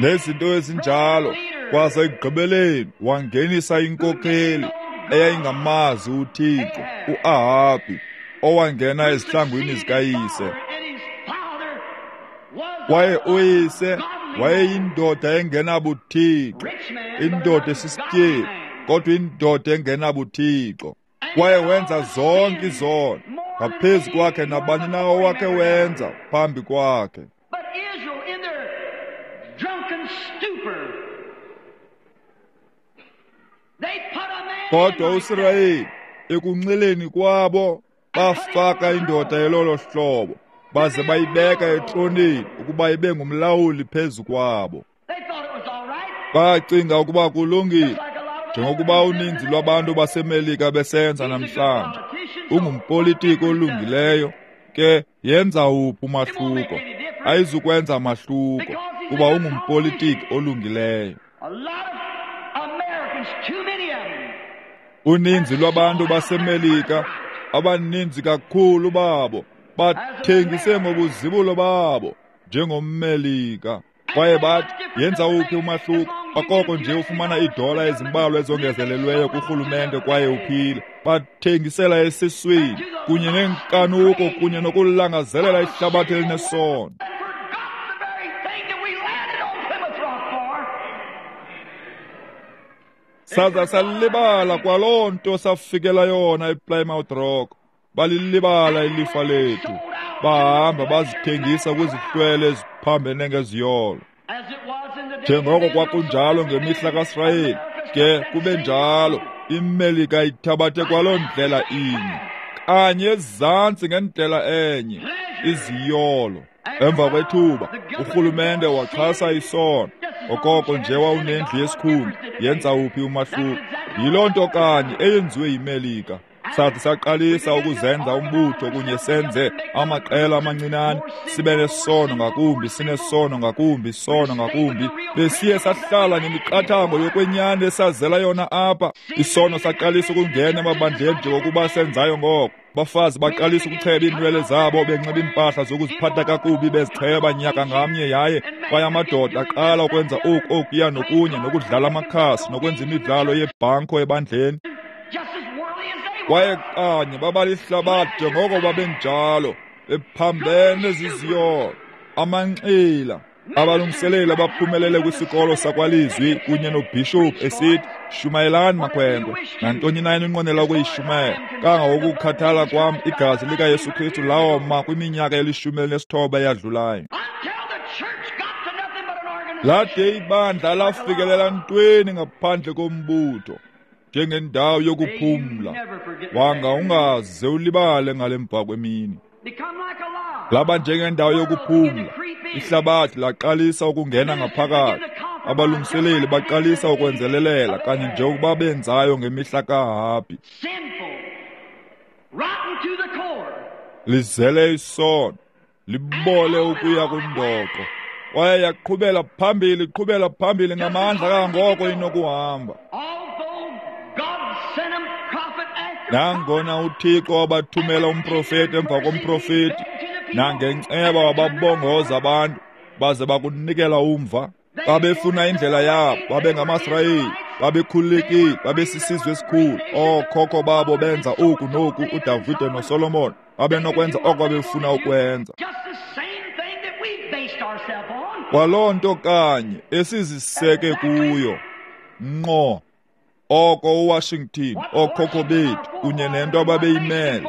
Nezinto ezinjalo, kwaze ekugqibeleni wangenisa inkokheli eyayingamazi uThixo, uAhabhi, owangena ezihlangwini zikayise. Kwaye uyise wayeyindoda engenabuthixo, indoda esisityebi, kodwa indoda engenabuthixo. Kwaye wenza zonke izono ngaphezu kwakhe nabani na owakhe wenza phambi kwakhe. Kodwa uSirayeli ekunxileni kwabo bafaka indoda elolo hlobo, baze bayibeka etroneni ukuba ibe ngumlawuli phezu kwabo. Bacinga ukuba kulungile, njengokuba uninzi lwabantu baseMelika besenza namhlanje. Ungumpolitiki olungileyo, ke yenza uphi umahluko? Ayizukwenza mahluko, kuba ungumpolitiki olungileyo. Uninzi lwabantu baseMelika, abaninzi kakhulu babo, bathengise ngobuzibulo babo njengommelika. Kwaye bathi, yenza uphi umahluko? Akoko nje ufumana iidola ezimbalwa ezongezelelweyo kurhulumente kwaye uphile. Bathengisela esiswini kunye nenkanuko kunye nokulangazelela ihlabathi elinesono. Saza salibala kwaloo nto safikela yona ePlymouth Rock. Balilibala ilifa lethu, bahamba bazithengisa kwizihlwele eziphambene ngeziyolo. Njengoko kwakunjalo ngemihla kaSirayeli, ke kube njalo iMelika ithabathe kwaloo ndlela inye, kanye ezantsi ngendlela enye, iziyolo. Emva kwethuba urhulumente waxhasa isono. Okoko nje wawunendlu yesikhulu, yenza uphi umahluko? Yiloo nto kanye eyenziwe yiMelika. Sathi saqalisa ukuzenza umbutho kunye senze amaqela amancinane, sibe nesono ngakumbi, sinesono ngakumbi, sono ngakumbi. Besiye sahlala nemiqathango yokwenyani esazela yona apha. Isono saqalisa ukungena emabandleni njengokuba senzayo ngoko. Bafazi baqalisa ukucheba iinwele zabo, benxiba iimpahla zokuziphatha kakubi, bezicheba nyaka ngamnye, yaye kwaye amadoda aqala ukwenza oku okuya nokunye, nokudlala amakhasi, nokwenza imidlalo yebhanko ebandleni. Kwaye kanye babalihlabathi njengoko babenjalo, bephambene ziziyolo, amanxila. Abalungiseleli abaphumelele kwisikolo sakwalizwi kunye nobhishophu esithi, shumayelani makhwenkwe, nantoni na eninqwenela ukuyishumayela. Kangangokukhathala kwam igazi likaYesu Kristu lawoma kwiminyaka elishumi elinesithoba eyadlulayo. Lade ibandla lafikelela ntweni ngaphandle kombutho, njengendawo yokuphumla. Wanga ungaze ulibale ngale mva kwemini. Laba njengendawo yokuphumla. Ihlabathi laqalisa ukungena ngaphakathi. Abalungiseleli baqalisa ukwenzelelela kanye njengokuba benzayo ngemihla kaAhabhi. Lizele isono, libole ukuya kundoqo. Kwaye yaqhubela phambili, iqhubela phambili ngamandla kangangoko inokuhamba. Nangona uThixo wabathumela umprofeti emva komprofeti, nangenceba wababongoza abantu, baze bakunikela umva. Babefuna indlela yabo, babengamaSirayeli, babekhululekile, babesisizwe esikhulu. Ookhokho babo benza oku noku, uDavide noSolomon babenokwenza oko babefuna ukwenza. Kwaloo nto kanye esiziseke kuyo ngqo, oko uWashington, ookhokho bethu kunye nento ababeyimele.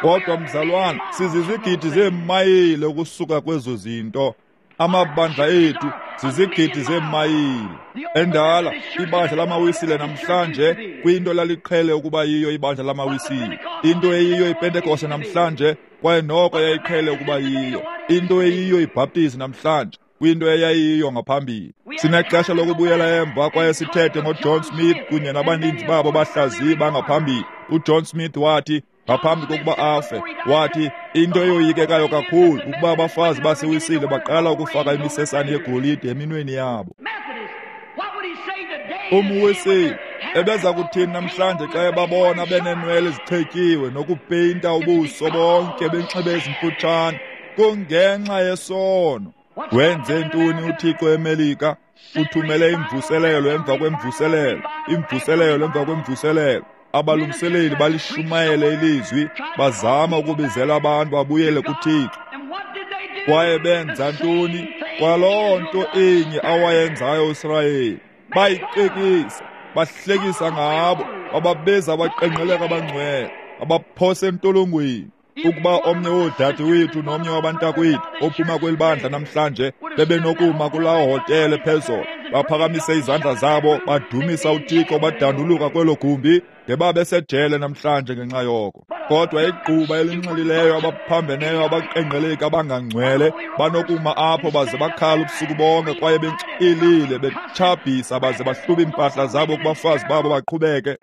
Kodwa mzalwana, sizizigidi zeemayile ukusuka kwezo zinto. Amabandla ethu zizigidi zeemayile. Endala ibandla lamaWisile namhlanje kwinto laliqhele ukuba yiyo ibandla lamaWisile, into eyiyo iPentekoste namhlanje kwaye noko yayiqhele ukuba yiyo, into eyiyo iBhaptizi namhlanje kwinto eyayiyo ngaphambili. Sinexesha lokubuyela emva kwaye sithethe ngoJohn Smith kunye nabaninzi babo bahlaziyi bangaphambili. UJohn Smith wathi ngaphambi kokuba afe, wathi into eyoyikekayo kakhulu ukuba abafazi baseWisile baqala ukufaka imisesane yegolide eminweni yabo. UmWisile ebeza kuthini namhlanje xa ebabona beneenwele ezichetyiwe nokupeyinta ubuso bonke benxibe ezimfutshane? Kungenxa yesono. Wenze ntoni uThixo eMelika? Uthumele imvuselelo emva kwemvuselelo, imvuselelo emva kwemvuselelo. Abalungiseleli balishumayele ilizwi, bazama ukubizela abantu babuyele kuThixo. Kwaye benza ntoni? Kwaloo nto inye awayenzayo uSirayeli. Bayiqekisa, bahlekisa ngabo, bababiza abaqengqeleka abangcwele, abaphosa entolongweni. Ukuba omnye woodade wethu nomnye wabantakwethu ophuma kweli bandla namhlanje bebenokuma kulaa hotele phezolo, baphakamise izandla zabo, badumisa uThixo, badanduluka kwelo gumbi, ngebabesejele namhlanje ngenxa yoko. Kodwa igquba elinxilileyo, abaphambeneyo, abaqengqeleki, abangangcwele banokuma apho baze bakhala ubusuku bonke kwaye benxilile, betshabhisa baze bahlube iimpahla zabo kubafazi babo baqhubeke,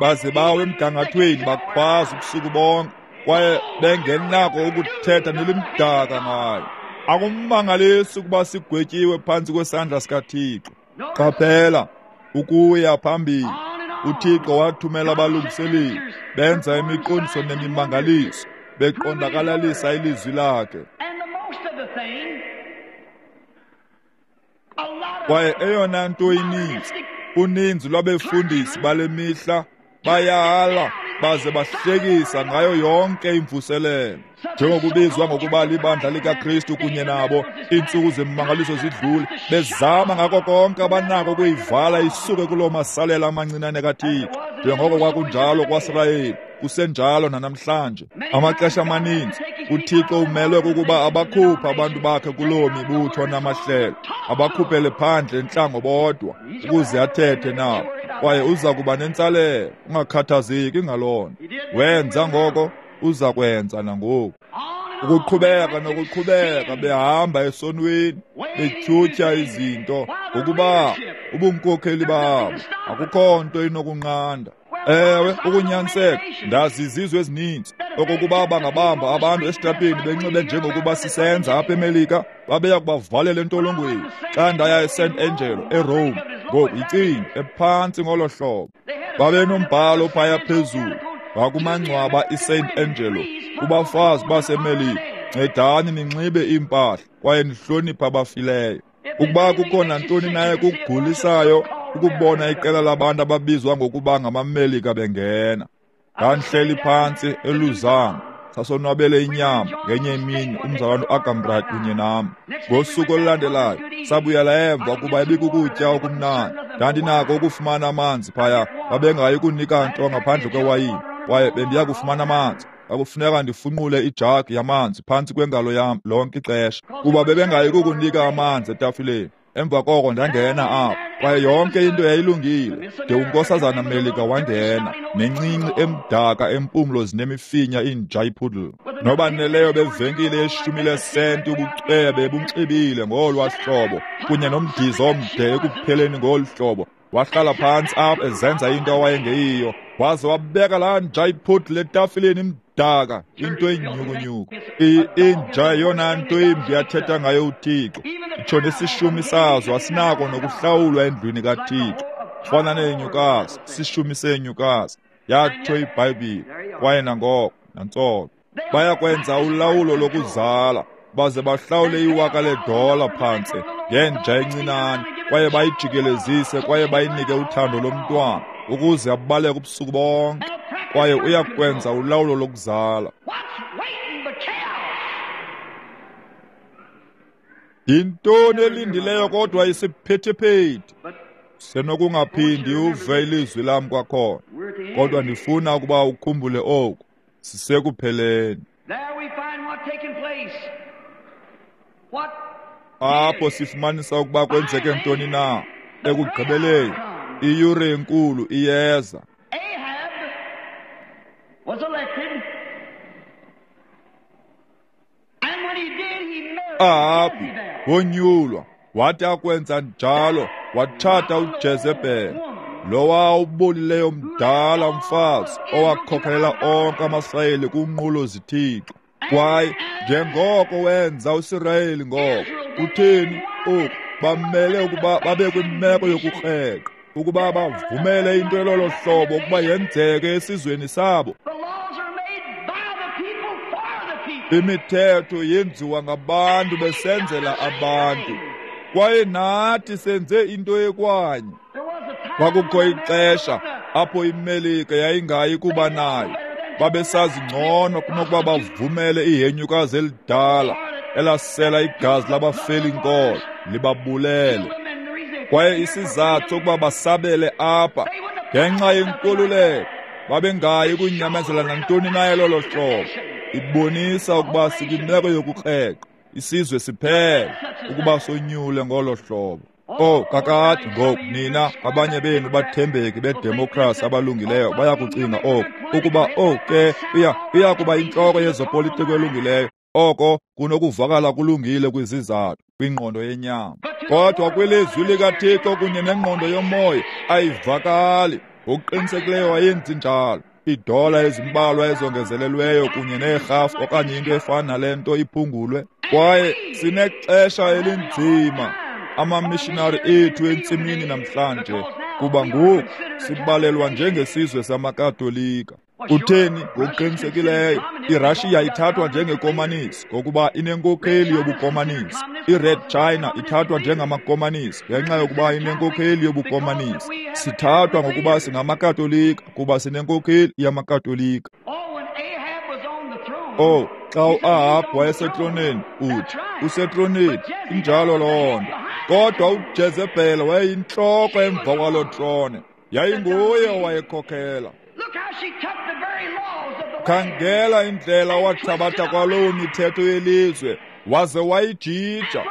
baze bawe emgangathweni bakhwaza ubusuku bonke kwaye bengenako ukuthetha nelimdaka ngayo. Akumangalisi ukuba sigwetyiwe phantsi kwesandla sikaThixo. Qaphela, ukuya phambili, uThixo wathumela abalungiseleli, benza imiqondiso nemimangaliso, beqondakalalisa ilizwi lakhe. Kwaye eyona nto ininzi, uninzi lwabefundisi bale mihla bayala baze bahlekisa ngayo yonke imvuselelo. Njengokubizwa ngokuba libandla likaKristu kunye nabo, iintsuku zemimangaliso zidlule, bezama ngako konke abanako ukuyivala isuke kuloo masalela amancinane kaThixo. Njengoko kwakunjalo kwaSirayeli, kusenjalo nanamhlanje. Amaxesha amaninzi uThixo umelwe kukuba abakhuphe abantu bakhe kuloo mibutho namahlelo, abakhuphele phandle entlango bodwa ukuze athethe nabo. Kwaye uza kuba nentsalelo, ungakhathazeki ngaloo nto. Wenza ngoko, uza kwenza nangoku. Ukuqhubeka nokuqhubeka behamba esonweni, betyhutyha izinto, ngokuba ubunkokheli babo akukho nto inokunqanda. Ewe, ukunyaniseka, ndazi izizwe ezininzi okokuba bangabamba abantu esitratweni benxibe njengokuba sisenza apha eMelika, babeya kubavalela entolongweni. Xa ndaya eSan Angelo eRome, ngoku yicinga ephantsi ngolo hlobo, babenombhalo phaya phezulu ngakumangcwaba iSaint Angelo kubafazi baseMelika: ncedani ninxibe iimpahla kwaye nihloniphe abafileyo. Ukuba kukho nantoni naye kukugulisayo ukubona iqela labantu ababizwa ngokuba ngamaMelika bengena. Ndandihleli phantsi eLuzana, sasonwabele inyama ngenye imini umzalwane uAgambrad kunye nam. Ngosuku olulandelayo sabuyela emva kuba ibikukutya okumnandi. Ndandinako ukufumana amanzi phaya, babengayi kunika nto ngaphandle kwewayini, kwaye bendiya kufumana amanzi. Kwakufuneka ndifunqule ijagi yamanzi phantsi kwengalo yam lonke ixesha, kuba bebengayi kukunika amanzi etafileni. Emva koko ndangena apho, kwaye yonke into yayilungile de uNkosazana Melika wangena nencinci emdaka empumlo zinemifinya inja ipoodle, nobaneleyo bevenkile yeshumi lesenti ubucwebe bunxibile ngolwa hlobo kunye nomdizo omde ekupheleni ngolu hlobo. Wahlala phantsi apho ezenza into awayengeyiyo, waze wabeka laa nja ipoodle etafileni imdaka, into enyhukunyhuku. Inja yeyona nto imbi athetha ngayo uThixo. Itsho nesishumi sazo asinako nokuhlawulwa endlwini kaThixo. Fana neenyukazi, sishumi seenyukazi, yatsho iBhayibhile. Kwaye nangoko, nantsolo, bayakwenza ulawulo lokuzala, baze bahlawule iwaka ledola phantsi ngenja encinane, kwaye bayijikelezise kwaye bayinike uthando lomntwana ukuze abaleke ubusuku bonke. Kwaye uyakwenza ulawulo lokuzala. Yintoni elindileyo kodwa isiphithiphithi? Senokungaphindi uve ilizwi lam kwakhona, kodwa ndifuna ukuba ukhumbule oku: sisekupheleni. Apho sifumanisa ukuba kwenzeke ntoni na. Ekugqibeleni, iyure enkulu iyeza. Ahabi wonyulwa, wathi akwenza njalo watshata uJezebhele, lowa ubolileyo mdala umfazi owakhokhelela onke amaSirayeli kunqulo zithixo. Kwaye njengoko wenza uSirayeli ngoko, kutheni oku bamele ukuba babe kwimeko yokukreqa, ukuba bavumele into elolo hlobo ukuba yenzeke esizweni sabo. Imithetho yenziwa ngabantu besenzela abantu, kwaye nathi senze into ekwanye. Kwakukho ixesha apho iMelika yayingayi kuba nayo. Babesazi ngcono kunokuba bavumele ihenyukazi elidala elasela igazi labafeli inkolo libabulele. Kwaye isizathu sokuba basabele apha ngenxa yenkululeko, babengayi kunyamezela nantoni na elolo hlobo. Ibonisa ukuba sikwimeko yokukreqa, isizwe siphela ukuba sonyule ngolo hlobo. Oh, kakade ngoku nina abanye benu bathembeki bedemokrasi abalungileyo bayakucinga oku, ukuba oh ke uya uya kuba intloko yezopolitiko elungileyo. Oko kunokuvakala kulungile kwizizathu, kwingqondo yenyama, kodwa kwilizwi likaThixo kunye nengqondo yomoya ayivakali. Ngokuqinisekileyo ayenzi njalo. Iidola ezimbalwa ezongezelelweyo kunye neerhafu okanye into efana nale nto iphungulwe. Kwaye sinexesha elinzima amamishinari ethu entsimini namhlanje, kuba ngoku sibalelwa njengesizwe samaKatolika. Kutheni? Ngokuqinisekileyo iRashiya ithathwa njengekomanisi ngokuba inenkokheli yobukomanisi. IRed China ithathwa njengamakomanisi ngenxa yokuba inenkokheli yobukomanisi. Sithathwa ngokuba singamaKatolika kuba sinenkokheli yamaKatolika. Oh, xa uAhabu wayesetroneni, uthi usetroneni, injalo loo nto. Kodwa uJezebhele wayeyintloko emva kwaloo trone, yayinguye owayekhokhela. Khangela indlela wathabatha kwaloo mithetho yelizwe waze wayijija,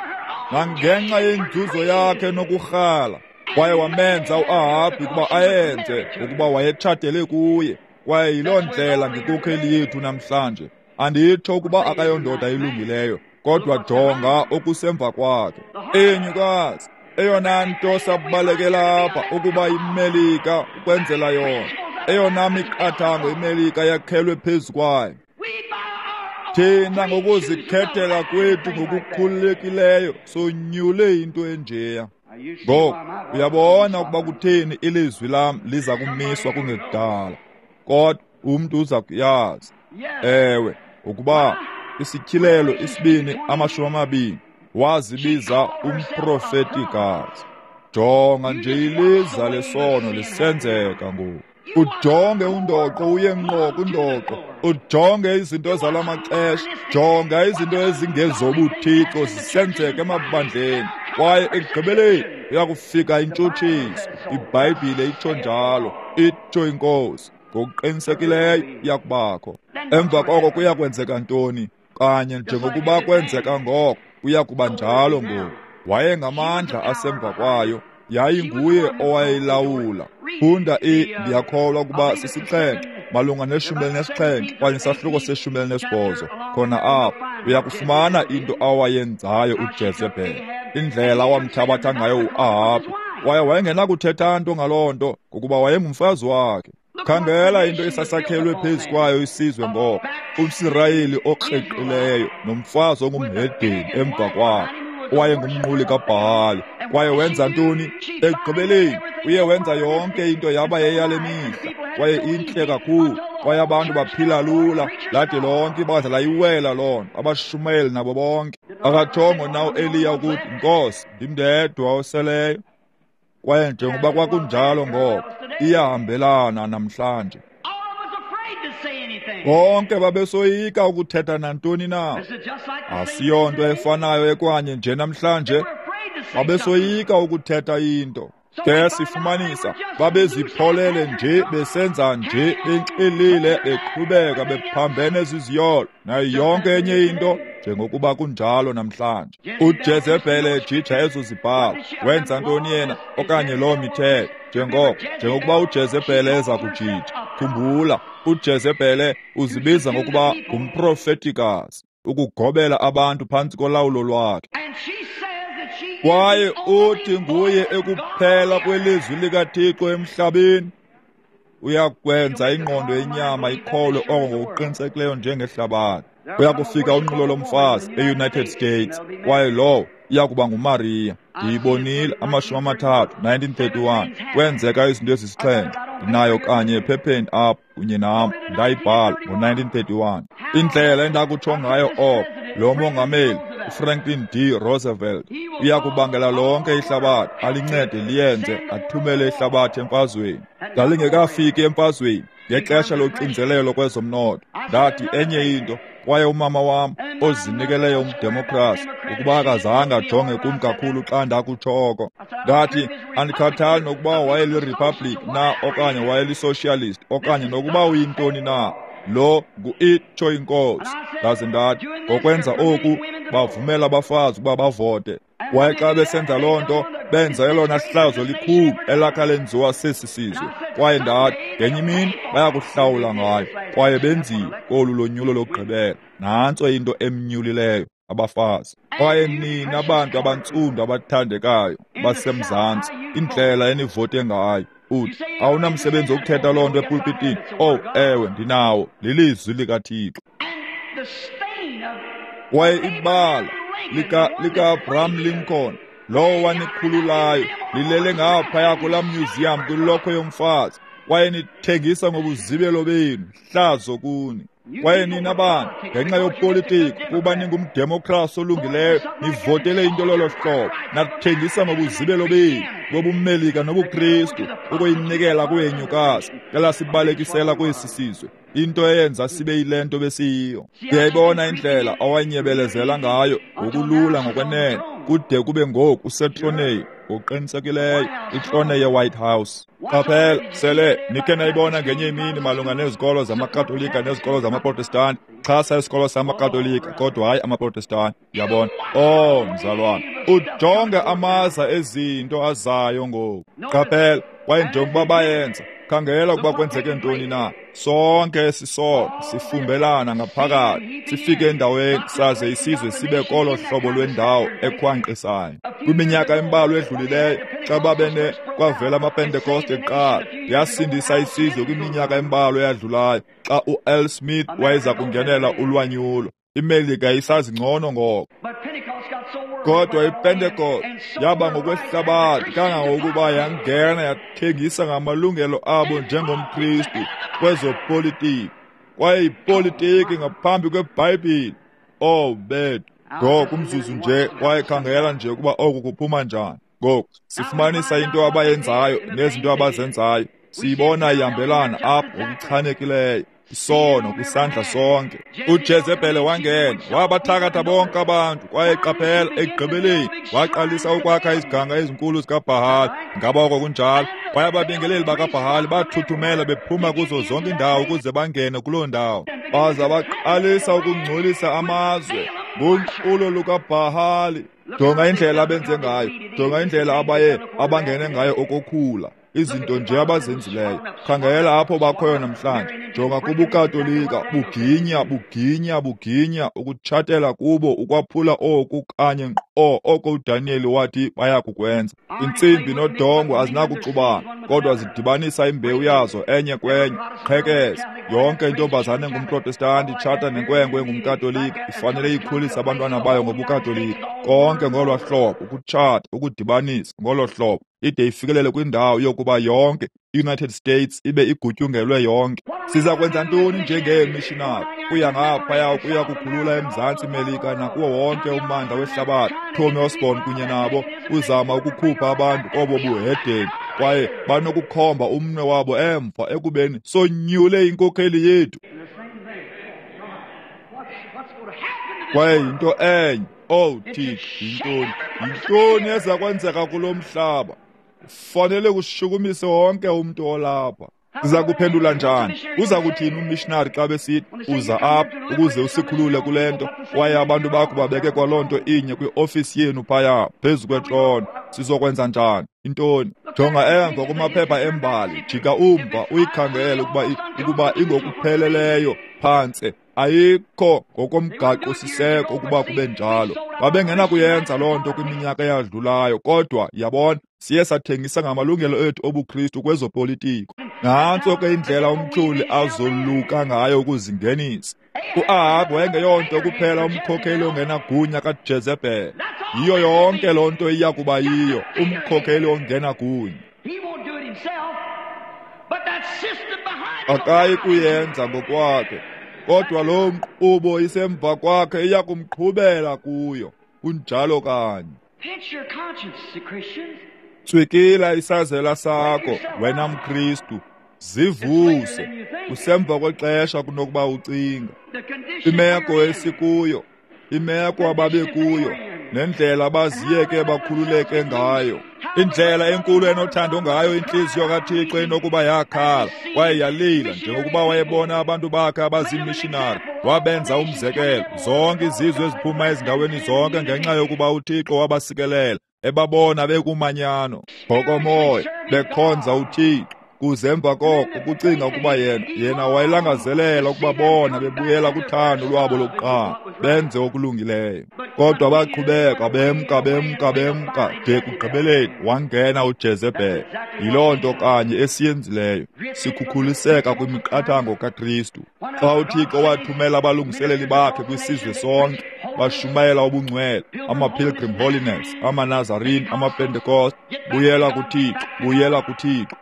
nangenxa yenzuzo yakhe nokurhala. Kwaye wamenza uAhabi ukuba ayenze ukuba wayetshatele kuye. Kwaye yiloo ndlela ngenkokheli yethu namhlanje. Anditsho ukuba akayondoda ilungileyo, kodwa jonga okusemva kwakhe. Enyukazi, eyona nto sabalekela apha ukuba iMelika ukwenzela yona, eyona miqathango iMelika yakhelwe phezu kwayo. Thina ngokuzikhethela kwethu ngokukhululekileyo sonyule into enjeya. Ngoku uyabona ukuba kutheni ilizwi lam liza kumiswa kungekudala, kodwa umntu uza kuyazi. Ewe, ukuba isityhilelo isibini amashumi amabini wazibiza umprofetikazi. Jonga nje iliza lesono lisenzeka ngoku. Ujonge undoqo uye ngqo kundoqo, ujonge izinto zala maxesha, jonga izinto ezingezobuthixo zisenzeka emabandleni, kwaye ekugqibeleni uyakufika intshutshiso. IBhayibhile itsho njalo, itsho iNkosi. Ngokuqinisekileyo iyakubakho. Emva koko kuya kwenzeka ntoni? Kanye njengokuba kwenzeka ngoko, kuya kuba njalo ngoku. Wayengamandla asemva kwayo, yayinguye owayelawula. Funda i, ndiyakholwa ukuba sisixhenxe, malunga neshumi elinesixhenxe okanye isahluko seshumi elinesibhozo. Khona apho uyakufumana into awayenzayo uJezebhele, indlela awamthabatha ngayo uAhabi. Kwaye wayengenakuthetha nto ngaloo nto ngokuba wayengumfazi wakhe. Khangela into esasakhelwe phezu kwayo isizwe ngoko, umSirayeli okreqileyo nomfazi ongumhedeni emva kwakhe owayengumnquli kaBhahali. Kwaye wenza ntoni? Ekugqibeleni uye wenza yonke into yaba yeyale mihla, kwaye intle kakhulu, kwaye abantu baphila lula, lade lonke ibandla layiwela loo nto, abashumayeli nabo bonke. Akatshongo na uEliya ukuthi, Nkosi, ndim ndedwa oseleyo? Kwaye njengoba kwakunjalo ngoko, iyahambelana namhlanje. Bonke babesoyika ukuthetha nantoni na. Asiyonto efanayo ekwanye nje namhlanje. Babesoyika ukuthetha into. Ke sifumanisa babezipholele nje, besenza nje, benxilile, beqhubeka, bephambene ziziyolo nayo yonke enye into, njengokuba kunjalo namhlanje. uJezebhele ejija ezo zibhalo, wenza ntoni yena okanye loo mithetho? Njengoko njengokuba uJezebhele eza kujija. Khumbula, uJezebhele uzibiza ngokuba ngumprofetikazi, ukugobela abantu phantsi kolawulo lwakhe. Kwaye uthi nguye ekuphela kwelizwi likaThixo emhlabeni. Uyakwenza ingqondo yenyama ikholwe oko ngokuqinisekileyo njengehlabathi. Uyakufika unqulo lomfazi e-United States, kwaye lowo Iyakuba nguMariya. Ndiyibonile amashumi amathathu, nineteen thirty-one. Kwenzeka izinto ezisixhenxe. Ndinayo kanye ephepheni apha kunye nam, ndayibhala ngo-nineteen thirty-one. Indlela endakutsho ngayo oko, lo mongameli uFranklin D. Roosevelt uyakubangela lonke ihlabathi alincede liyenze athumele ihlabathi emfazweni. Lalingekafiki emfazweni ngexesha loxinzelelo kwezomnotho. Ndathi enye into, kwaye umama wam ozinikeleyo umdemokrasi ukuba akazange ajonge kum kakhulu xa ndakutsho oko. Ndathi andikhathali nokuba wayeliRepublic na okanye wayeli-socialist okanye nokuba uyintoni na, lo ngu-itsho inkosi. Ndaze ndathi ngokwenza oku bavumela abafazi ukuba bavote. Kwaye xa besenza loo nto benza elona hlazo likhulu elakha lenziwa sesi sizwe. Kwaye ndathi ngenye imini bayakuhlawula ngayo. Kwaye benziwe kolu lonyulo lokugqibela. Nantso into emnyulileyo abafazi. Kwaye nina bantu abantsundu abathandekayo baseMzantsi, indlela enivote ngayo. Uthi awunamsebenzi wokuthetha loo nto epulpitini. Oh, ewe, ndinawo. Lilizwi likaThixo. Kwaye ibala lika lika-Abraham Lincoln, lowo wanikhululayo, lilele ngaphaya kulaa museum kwilokhwe yomfazi. Kwaye nithengisa ngobuzibelo benu, hlazo kuni. Kwaye nina bantu, ngenxa yopolitiko, kuba ningumdemokrasi olungileyo, nivotele into lolo hlobo, nathengisa ngobuzibelo benu, bobumelika nobuKristu, ukuyinikela kuyenyukazi, elasibalekisela kwesi sizwe. Into eyenza sibe yile nto besiyiyo. Ndiyayibona indlela awanyebelezela ngayo ngokulula ngokwenene, kude kube ngoku usetroneni ngokuqinisekileyo, itrone ye-White House. Qaphela, sele nikhe nayibona ngenye imini malunga nezikolo zamaKatolika nezikolo zamaProtestanti. Xhasa isikolo samaKatolika kodwa hayi amaProtestanti. Yabona? Oh, mzalwana, ujonge amaza ezinto azayo ngoku. Qaphela, kwaye njengokuba bayenza, khangela ukuba kwenzeke ntoni na. Sonke esisono sifumbelana ngaphakathi, sifike endaweni saze isizwe sibe kolo hlobo lwendawo ekhwankqisayo. Kwiminyaka embalwa edlulileyo, xa babene kwavela amaPentekoste kuqala, yasindisa isizwe kwiminyaka embalwa eyadlulayo xa u-L. Smith wayeza kungenela ulwanyulo. IMelika isazi ngcono ngoko. Kodwa iPentekoste yaba ngokwehlabathi kangangokuba yangena yathengisa ngamalungelo abo njengomKristu kwezopolitiki. Kwaye ipolitiki ngaphambi kweBhayibhile. Oh, bethu. Ngoku umzuzu nje, kwaye khangela nje ukuba oku kuphuma njani. Ngoku sifumanisa into abayenzayo nezinto abazenzayo. Siyibona ihambelana apho ngokuchanekileyo. Isono kwisandla sonke. uJezebhele wangena, wabathakatha bonke abantu, kwaye qaphela ekugqibeleni waqalisa ukwakha iziganga ezinkulu zikaBhahali. Ngaba oko kunjalo? Kwaye ababingeleli bakaBhahali bathuthumela bephuma kuzo zonke iindawo ukuze bangene kuloo ndawo. Baza baqalisa ukungcolisa amazwe ngonqulo lukaBhahali. Jonga indlela abenze ngayo, jonga indlela abaye abangene ngayo okokhula. Izinto nje abazenzileyo. Khangela apho bakhoyo namhlanje. Jonga kubuKatolika, buginya, buginya, buginya, ukutshatela kubo, ukwaphula oku kanye ngqo oko uDaniel wathi bayakukwenza. Intsimbi nodongo azinakuxubana, kodwa zidibanisa imbewu yazo enye kwenye. Qhekeza. Yonke intombazane engumProtestanti itshata nenkwenkwe engumKatolika ifanele ikhulise abantwana bayo ngobuKatolika. Konke ngolo hlobo, ukutshata, ukudibanisa ngolo hlobo, ide ifikelele kwindawo yokuba yonke i-United States ibe igutyungelwe yonke. Siza kwenza ntoni njengeemishinari? Kuya ngaphaya ukuya kukhulula eMzantsi Melika nakuwo wonke ummandla wehlabathi. Tommy Osborne kunye nabo uzama ukukhupha abantu kobo buhedeni, kwaye banokukhomba umnwe wabo emva ekubeni sonyule inkokheli yethu. Kwaye yinto enye. Oh Thixo, yintoni? Yintoni eza kwenzeka kulo mhlaba? Fanele kushukumise wonke umntu olapha. Siza kuphendula njani? Uza kuthini ummissionary xa besithi uza apha ukuze usikhulule kule nto, kwaye abantu bakho babeke kwaloo nto inye kwiofisi yenu phaya phezu kwetrone? Sizokwenza njani? Intoni? Jonga emva kumaphepha embali, jika umva uyikhangele ukuba ukuba ingokupheleleyo phantse. Ayikho ngokomgaqo siseko ukuba kube njalo. Babengenakuyenza loo nto kwiminyaka eyadlulayo, kodwa yabona, siye sathengisa ngamalungelo ethu obuKristu kwezopolitiko. Nantso ke indlela umtyholi azoluka ngayo ukuzingenisa. U-Ahabi wayengeyonto kuphela umkhokheli ongenagunya kaJezebhele. Yiyo yonke loo nto iya kuba yiyo, umkhokeli ongena gunya. Akayi kuyenza ngokwakhe, kodwa loo nkqubo isemva kwakhe iya kumqhubela kuyo. Kunjalo kanye. Tswikila isazela sakho, wena mKristu. Zivuse. Kusemva kwexesha kunokuba ucinga. Imeko esikuyo, imeko ababekuyo, nendlela abaziyeke bakhululeke ngayo, indlela enkulu enothando ngayo intliziyo kaThixo enokuba yakhala kwaye yalila njengokuba wayebona abantu bakhe abazimishinari, wabenza umzekelo zonke izizwe eziphuma ezindaweni zonke ngenxa yokuba uThixo wabasikelela, ebabona bekumanyano ngokomoya, bekhonza uThixo. Kuze emva koko ukucinga ukuba yena yena wayelangazelela ukuba bona bebuyela kuthando lwabo lokuqala, benze okulungileyo. Kodwa baqhubeka bemka bemka bemka de kugqibeleni wangena uJezebhele. Yiloo nto kanye esiyenzileyo, sikhukhuliseka kwimiqathango kaKristu. Xa uThixo wathumela abalungiseleli bakhe kwisizwe sonke, bashumayela ubungcwele, ama-Pilgrim Holiness, amaNazarene, amaPentecost, buyela kuThixo, buyela kuThixo.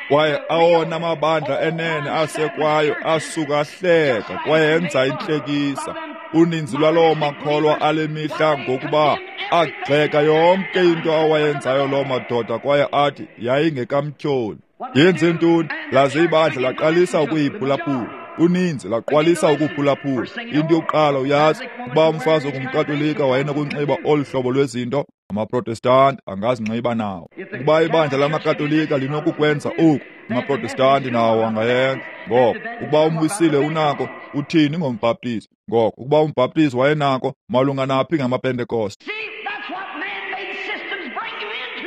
Kwaye awona mabandla enene asekwayo asuka ahleka kwaye enza intlekisa. Uninzi lwaloo makholwa ale mihla ngokuba agxeka yonke into awayenzayo loo madoda kwaye athi yayingekamtyholi. Yenze ntoni? Laze ibandla laqalisa ukuyiphulaphula. Uninzi laqalisa ukuphulaphula. Into yokuqala uyazi ukuba umfazi ongumKatolika wayenokunxiba olu hlobo lwezinto, amaProtestanti angazinxiba nawo. Ukuba ibandla lamaKatolika linokukwenza oku, amaProtestanti nawo angayenza. Ngoko ukuba umwisile unako, uthini ngombhaptizi? Ngoko ukuba umbhaptizi wayenako, malunga naphi ngamaPentekoste?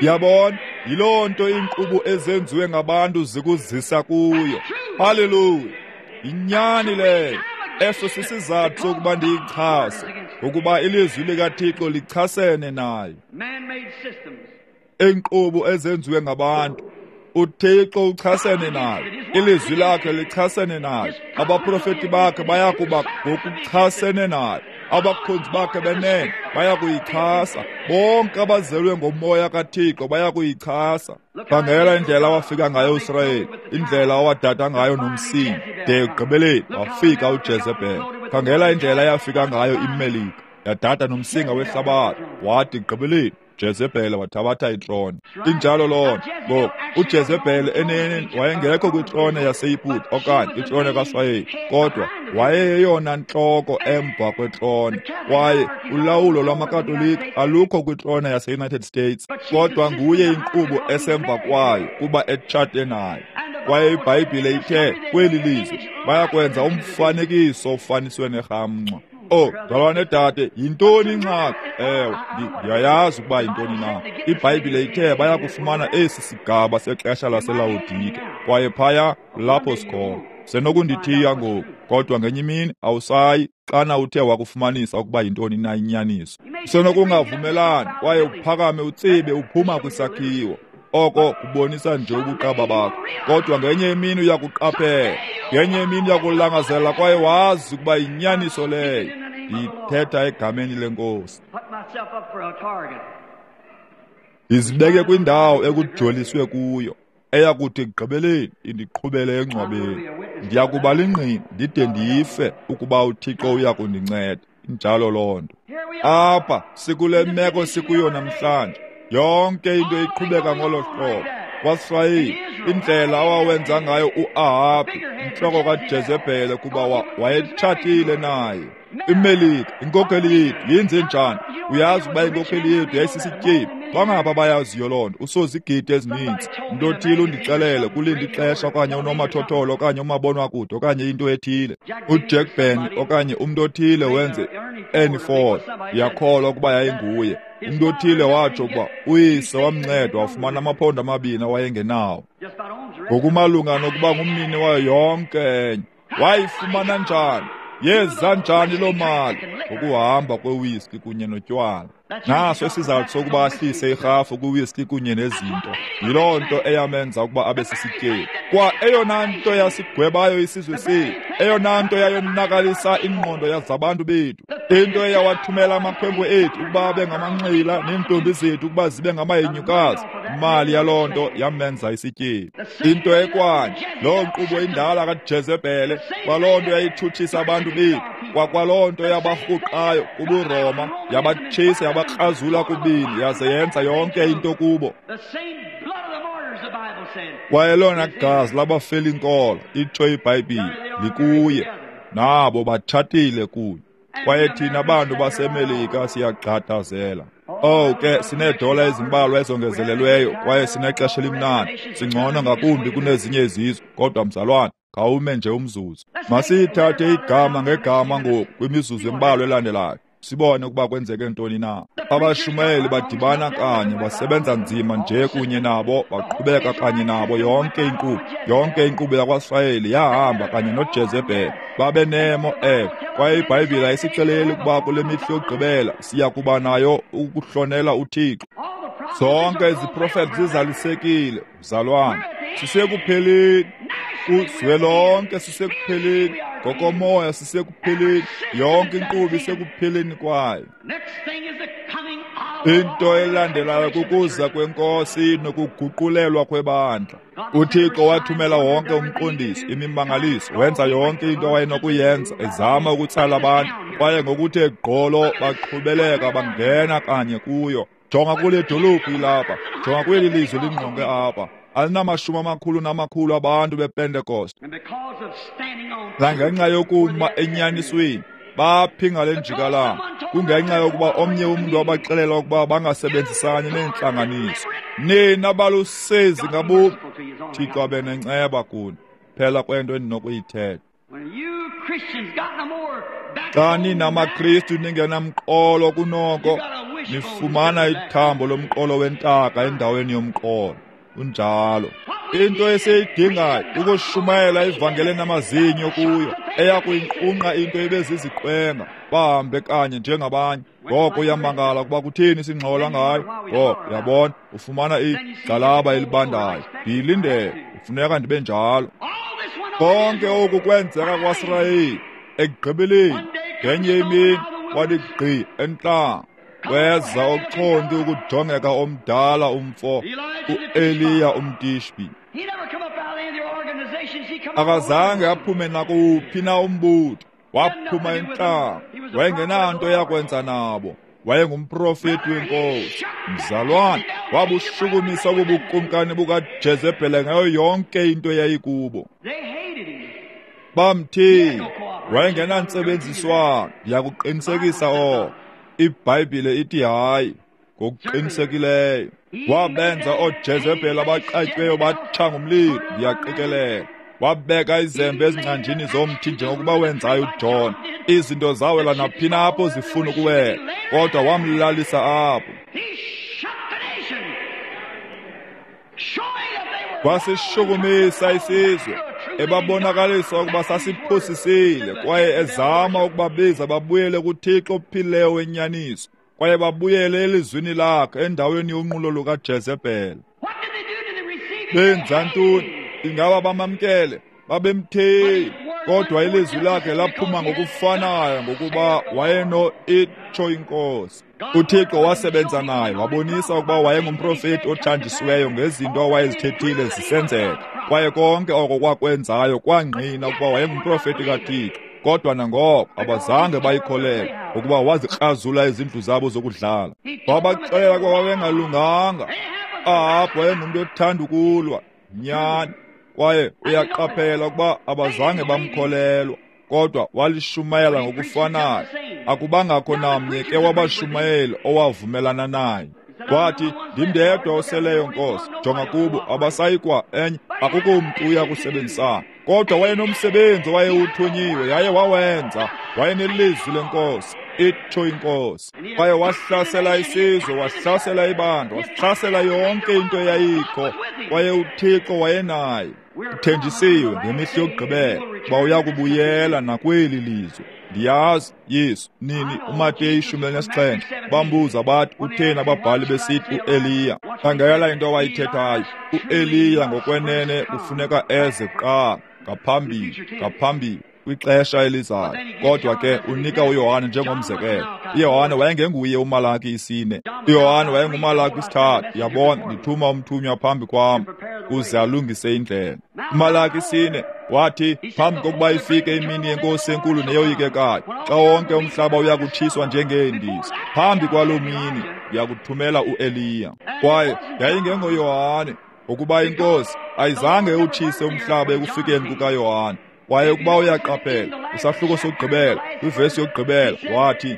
Yabona, yiloo nto iinkqubo ezenziwe ngabantu zikuzisa kuyo. Haleluya! Inyani leyo. Eso sisizathu sokuba ndiyichase, ukuba ilizwi likaThixo lichasene nayo. Iinkqubo ezenziwe ngabantu, uThixo uchasene nayo, ilizwi lakhe lichasene nayo, abaprofeti bakhe bayakuba ngokuchasene nayo, abakhonzi bakhe benene bayakuyichasa, bonke abazelwe ngomoya kaThixo bayakuyichasa. Khangela indlela awafika ngayo uIsrayeli, indlela awadada ngayo nomsinga, de ekugqibeleni wafika uJezebhele. Khangela indlela eyafika ngayo iMelika, yadada nomsinga wehlabathi, wathi ekugqibeleni Jezebhele wathabatha itrone. Injalo loo nto. Ngoku uJezebhele eneneni wayengekho kwitrone yaseYiputa okanye itrone kaSirayeli, kodwa wayeyeyona ntloko emva kwetrone. Kwaye ulawulo lwamaKatolika alukho kwitrone yaseUnited States, kodwa nguye inkqubo esemva kwayo kuba etshate nayo. Kwaye iBhayibhile ithe kweli lizwe bayakwenza umfanekiso ofaniswe nerhamncwa. Oh, mzalwane dade, yintoni ingxaki? Ewe, ndiyayazi ukuba yintoni na. IBhayibhile ithe bayakufumana esi sigaba sexesha laseLawodike, kwaye phaya lapho sikhona. Senokundithiya ngoku, kodwa ngenye imini awusayi xana uthe wakufumanisa ukuba yintoni na inyaniso. Usenokungavumelani kwaye uphakame utsibe uphuma kwisakhiwo. Oko kubonisa nje ubuqaba bakho. Kodwa ngenye imini uyakuqaphela, ngenye imini uyakulangazela kwaye wazi ukuba yinyaniso leyo. Ndiyithetha egameni leNkosi. Ndizibeke kwindawo ekujoliswe kuyo, eyakuthi ekugqibeleni indiqhubele engcwabeni. Ndiyakuba lingqina ndide ndife ukuba uThixo uyakundinceda. Injalo loo nto. Apha sikule meko sikuyo namhlanje, yonke into iqhubeka ngolo hlobo. KwaSirayeli, indlela awawenza ngayo uAhabhi, intloko kaJezebhele, kuba wayetshatile naye. IMelika, inkokheli yethu, yenze njani? Uyazi ukuba inkokheli yethu yayisisityebi. Bangapha bayaziyo loo nto, usozigidi ezininzi. Umntu othile undixelele kulinda ixesha okanye unomathotholo okanye umabonwakude okanye into ethile. UJack Ben okanye umntu othile wenze Ernie Ford. Ndiyakholwa ukuba yayinguye. Umntu othile watsho ukuba uyise wamnceda wafumana amaphondo amabini awayengenawo. Ngokumalunga nokuba ngumnini wayo yonke enye. Wayifumana njani? Yeza njani loo mali? Ngokuhamba kwewiski kunye notywala. Naso isizathu sokuba ahlise irhafu kwiwiski kunye nezinto. Yiloo nto eyamenza ukuba abe sisityebi. Kwa eyona nto yasigwebayo isizwe sethu, eyona nto yayonakalisa ingqondo yazabantu bethu, Into eyawathumela amakhwenkwe ethu ukuba abe ngamanxila neentombi zethu ukuba zibe ngamahenyukazi, imali yaloo nto yamenza isityebi. Into ekwanye, loo nkqubo indala kaJezebhele, kwaloo nto yayitshutshisa abantu bethu, kwakwaloo nto yabarhuqayo kubuRoma, yabatshisa yabakrazula kubini, yaze yenza yonke into kubo. Kwaye lona gazi labafela inkolo, itsho iBhayibhile, likuye, nabo batshatile kunye. Kwaye thina bantu baseMelika siyagxadazela. Oh ke, sineedola ezimbalwa ezongezelelweyo kwaye sinexesha elimnandi, singcono ngakumbi kunezinye izizwe. Kodwa mzalwane, khawume nje umzuzu. Masiyithathe igama ngegama ngoku kwimizuzu embalwa elandelayo, sibone ukuba kwenzeke ntoni na. Abashumayeli badibana kanye, basebenza nzima nje kunye nabo, baqhubeka kanye nabo yonke inkqubo. Yonke inkqubo yakwaSirayeli yahamba kanye noJezebhele. Babenemo ewe, kwaye iBhayibhile ayisixeleli ukuba kule mihla yokugqibela siya kuba nayo ukuhlonela uThixo. Zonke iziprofethi zizalisekile, mzalwane. Sisekupheleni kuzwelonke, sisekupheleni ngokomoya, sisekupheleni. Yonke inkqubo isekupheleni kwayo. Into elandelayo kukuza kweNkosi nokuguqulelwa kwebandla. UThixo wathumela wonke umqondiso, imimangaliso, wenza yonke into awayenokuyenza, ezama ukutsala abantu, kwaye ngokuthe gqolo baqhubeleka bangena kanye kuyo. Jonga kule dolophu ilapha, jonga kweli lizwe lingqonge apha, alinamashumi amakhulu namakhulu abantu bePentecost. Nangenxa yokuma enyanisweni, baphi ngale njikalanga? Kungenxa yokuba omnye umntu wabaxelela ukuba bangasebenzisani neentlanganiso. Nina balusezi ngabomi, Thixo abe nenceba kuni. Phela kwento endinokuyithetha. Xa ninamaKristu ningenamqolo kunoko, nifumana ithambo lomqolo wentaka endaweni yomqolo. Unjalo. Into esiyidingayo ukushumayela ivangeli namazinyo kuyo, eya kuyinqunqa into ebeziziqwenga, bahambe kanye njengabanye. Ngoko uyamangala ukuba kutheni singxola ngayo. Ngoko uyabona, ufumana igxalaba elibandayo. Ndiyilindele, kufuneka ndibe njalo. Konke oku kwenzeka kwaSirayeli. Ekugqibeleni, ngenye imini kwathi gqi entlango, weza ochonti ukujongeka omdala umfo, uEliya umTishbi. Akazange aphume nakuphi na umbutho, waphuma entlango. Wayengenanto yakwenza nabo, wayengumprofeti wenkosi. Mzalwane, wabushukumisa obubukumkani bukaJezebhele ngayo yonke into eyayikubo. Bamthini, wayengenantsebenziswano. Ndiyakuqinisekisa oko. iBhayibhile ithi hayi, ngokuqinisekileyo. Wabenza ooJezebhele abaqatyweyo batsha ngumlilo, ndiyaqikelela. Wabeka izembe ezingcanjini zomthi njengokuba wenzayo uJohn. Izinto zawela naphi na apho zifuna ukuwela, kodwa wamlalisa apho. Wasishukumisa isizwe, ebabonakalisa ukuba sasiphosisile, kwaye ezama ukubabiza babuyele kuThixo ophilileyo wenyaniso, kwaye babuyele elizwini lakhe endaweni yonqulo lukaJezebhele. Benza ntoni? Ingaba bamamkele? Babemthile, kodwa ilizwi lakhe laphuma ngokufanayo ngokuba wayeno itsho inkosi. UThixo wasebenza naye, wabonisa ukuba wayengumprofeti othanjisiweyo ngezinto awayezithethile zisenzeka, kwaye konke oko kwakwenzayo kwangqina ukuba wayengumprofeti kaThixo. Kodwa nangoko abazange bayikholelwe ukuba wazikrazula izindlu zabo zokudlala. Wabaxelela ukuba babengalunganga. Ahabu wayengumntu othanda ukulwa, nyani, kwaye uyaqaphela ukuba abazange bamkholelwa, kodwa walishumayela ngokufanayo. Akubangakho namnye ke wabashumayeli owavumelana naye. Wathi, ndimndedwa oseleyo Nkosi, jonga kubo abasayikwa enye, akukho mntu uya kusebenzisana. Kodwa wayenomsebenzi owayewuthunyiwe, yaye wawenza. Wayenelizwi lenkosi, itsho inkosi. Kwaye wahlasela isizwe, wahlasela ibandla, wahlasela yonke into eyayikho, kwaye uThixo wayenaye. Uthenjisiwe ngemihla yokugqibela uba uya kubuyela nakweli lizwe. Ndiyazi, Yesu, nini uMateyu ishumi elinesixhenxe bambuza bathi, utheni ababhali besithi uEliya? Khangela into awayithethayo. uEliya ngokwenene kufuneka eze kuqala, ngaphambili, ngaphambili kwixesha elizayo. Kodwa ke unika uYohane njengomzekelo. UYohane wayengenguye uMalaki isine. UYohane wayenguMalaki isithathu. Yabona, ndithuma umthunywa phambi kwam uze alungise indlela. UMalaki isine wathi, phambi kokuba ifike imini yenkosi enkulu neyoyikekayo, xa wonke umhlaba uyakutshiswa njengeendiza, phambi kwaloo mini ndiyakuthumela uEliya. Kwaye yayingengoYohane, ukuba inkosi ayizange utshise umhlaba ekufikeni kukaYohane. Kwaye ukuba uyaqaphela, isahluko sokugqibela, kwivesi yokugqibela, wathi,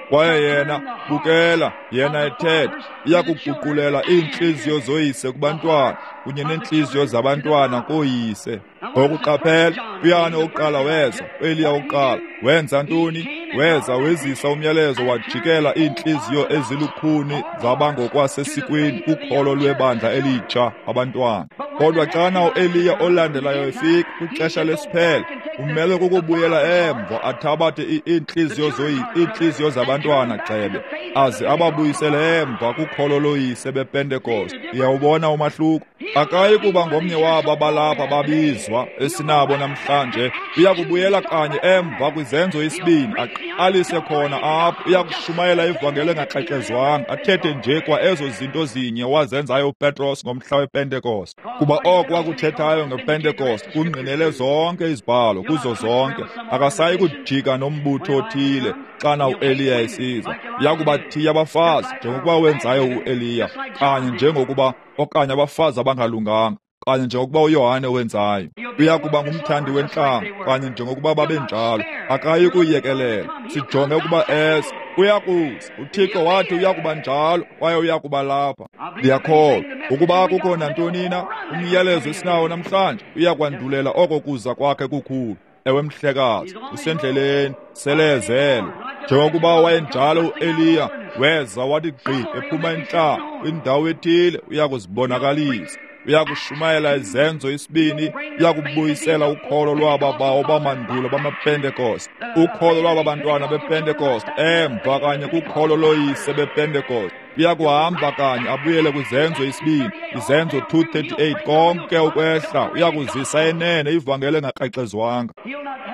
kwaye yena, bukela, yena ethetha, iyakuguqulela iintliziyo zoyise kubantwana kunye neentliziyo zabantwana koyise. Ngokuqaphela, uYohane wokuqala weza, uEliya wokuqala wenza ntoni? Weza wezisa umyalezo, wajikela iintliziyo ezilukhuni zabangokwasesikweni kukholo lwebandla elitsha, abantwana. Kodwa xana uEliya olandelayo efika kwixesha lesiphelo, umele kukubuyela emva athabathe iintliziyo zoyi iintliziyo zabantwana gxebe, aze ababuyisele emva kukholo loyise bePentekoste. Uyawubona umahluko? Akayi kuba ngomnye wabo abalapha babizwa esinabo namhlanje. Uyakubuyela kanye emva kwizenzo isibini, aqalise khona apho. Uyakushumayela ivangeli engaxexezwanga, athethe nje kwa ezo zinto zinye wazenzayo uPetros ngomhla wePentekoste. Kuba oko akuthethayo ngePentekoste kungqinele zonke izibhalo kuzo zonke. Akasayi kujika nombutho othile xana uEliya esiza. Uyakubathiya abafazi njengokuba wenzayo uEliya, kanye njengokuba okanye abafazi abangalunganga, kanye njengokuba uYohane wenzayo. Uyakuba ngumthandi wentlanga, kanye njengokuba babenjalo. Akayi kuyekelela. Sijonge ukuba eze. Uyakuza. UThixo wathi uyakuba njalo, kwaye uyakuba lapha. Ndiyakholwa ukuba kukho nantoni na umyalezo esinawo namhlanje, uyakwandulela oko kuza kwakhe kukhulu. Ewe mhlekazi, usendleleni, selezele. Njengokuba wayenjalo uEliya, weza wathi gqi ephuma entlango kwindawo ethile, uyakuzibonakalisa. Uyakushumayela izenzo isibini, uyakubuyisela ukholo lwaba bawo bamandulo bamaPentekoste, ukholo lwaba bantwana bePentekoste emva kanye kukholo loyise bePentekoste. Uyakuhamba kanye abuyele kwizenzo isibini, izenzo two thirty-eight, konke ukwehla. Uyakuzisa enene ivangeli engakrexezwanga.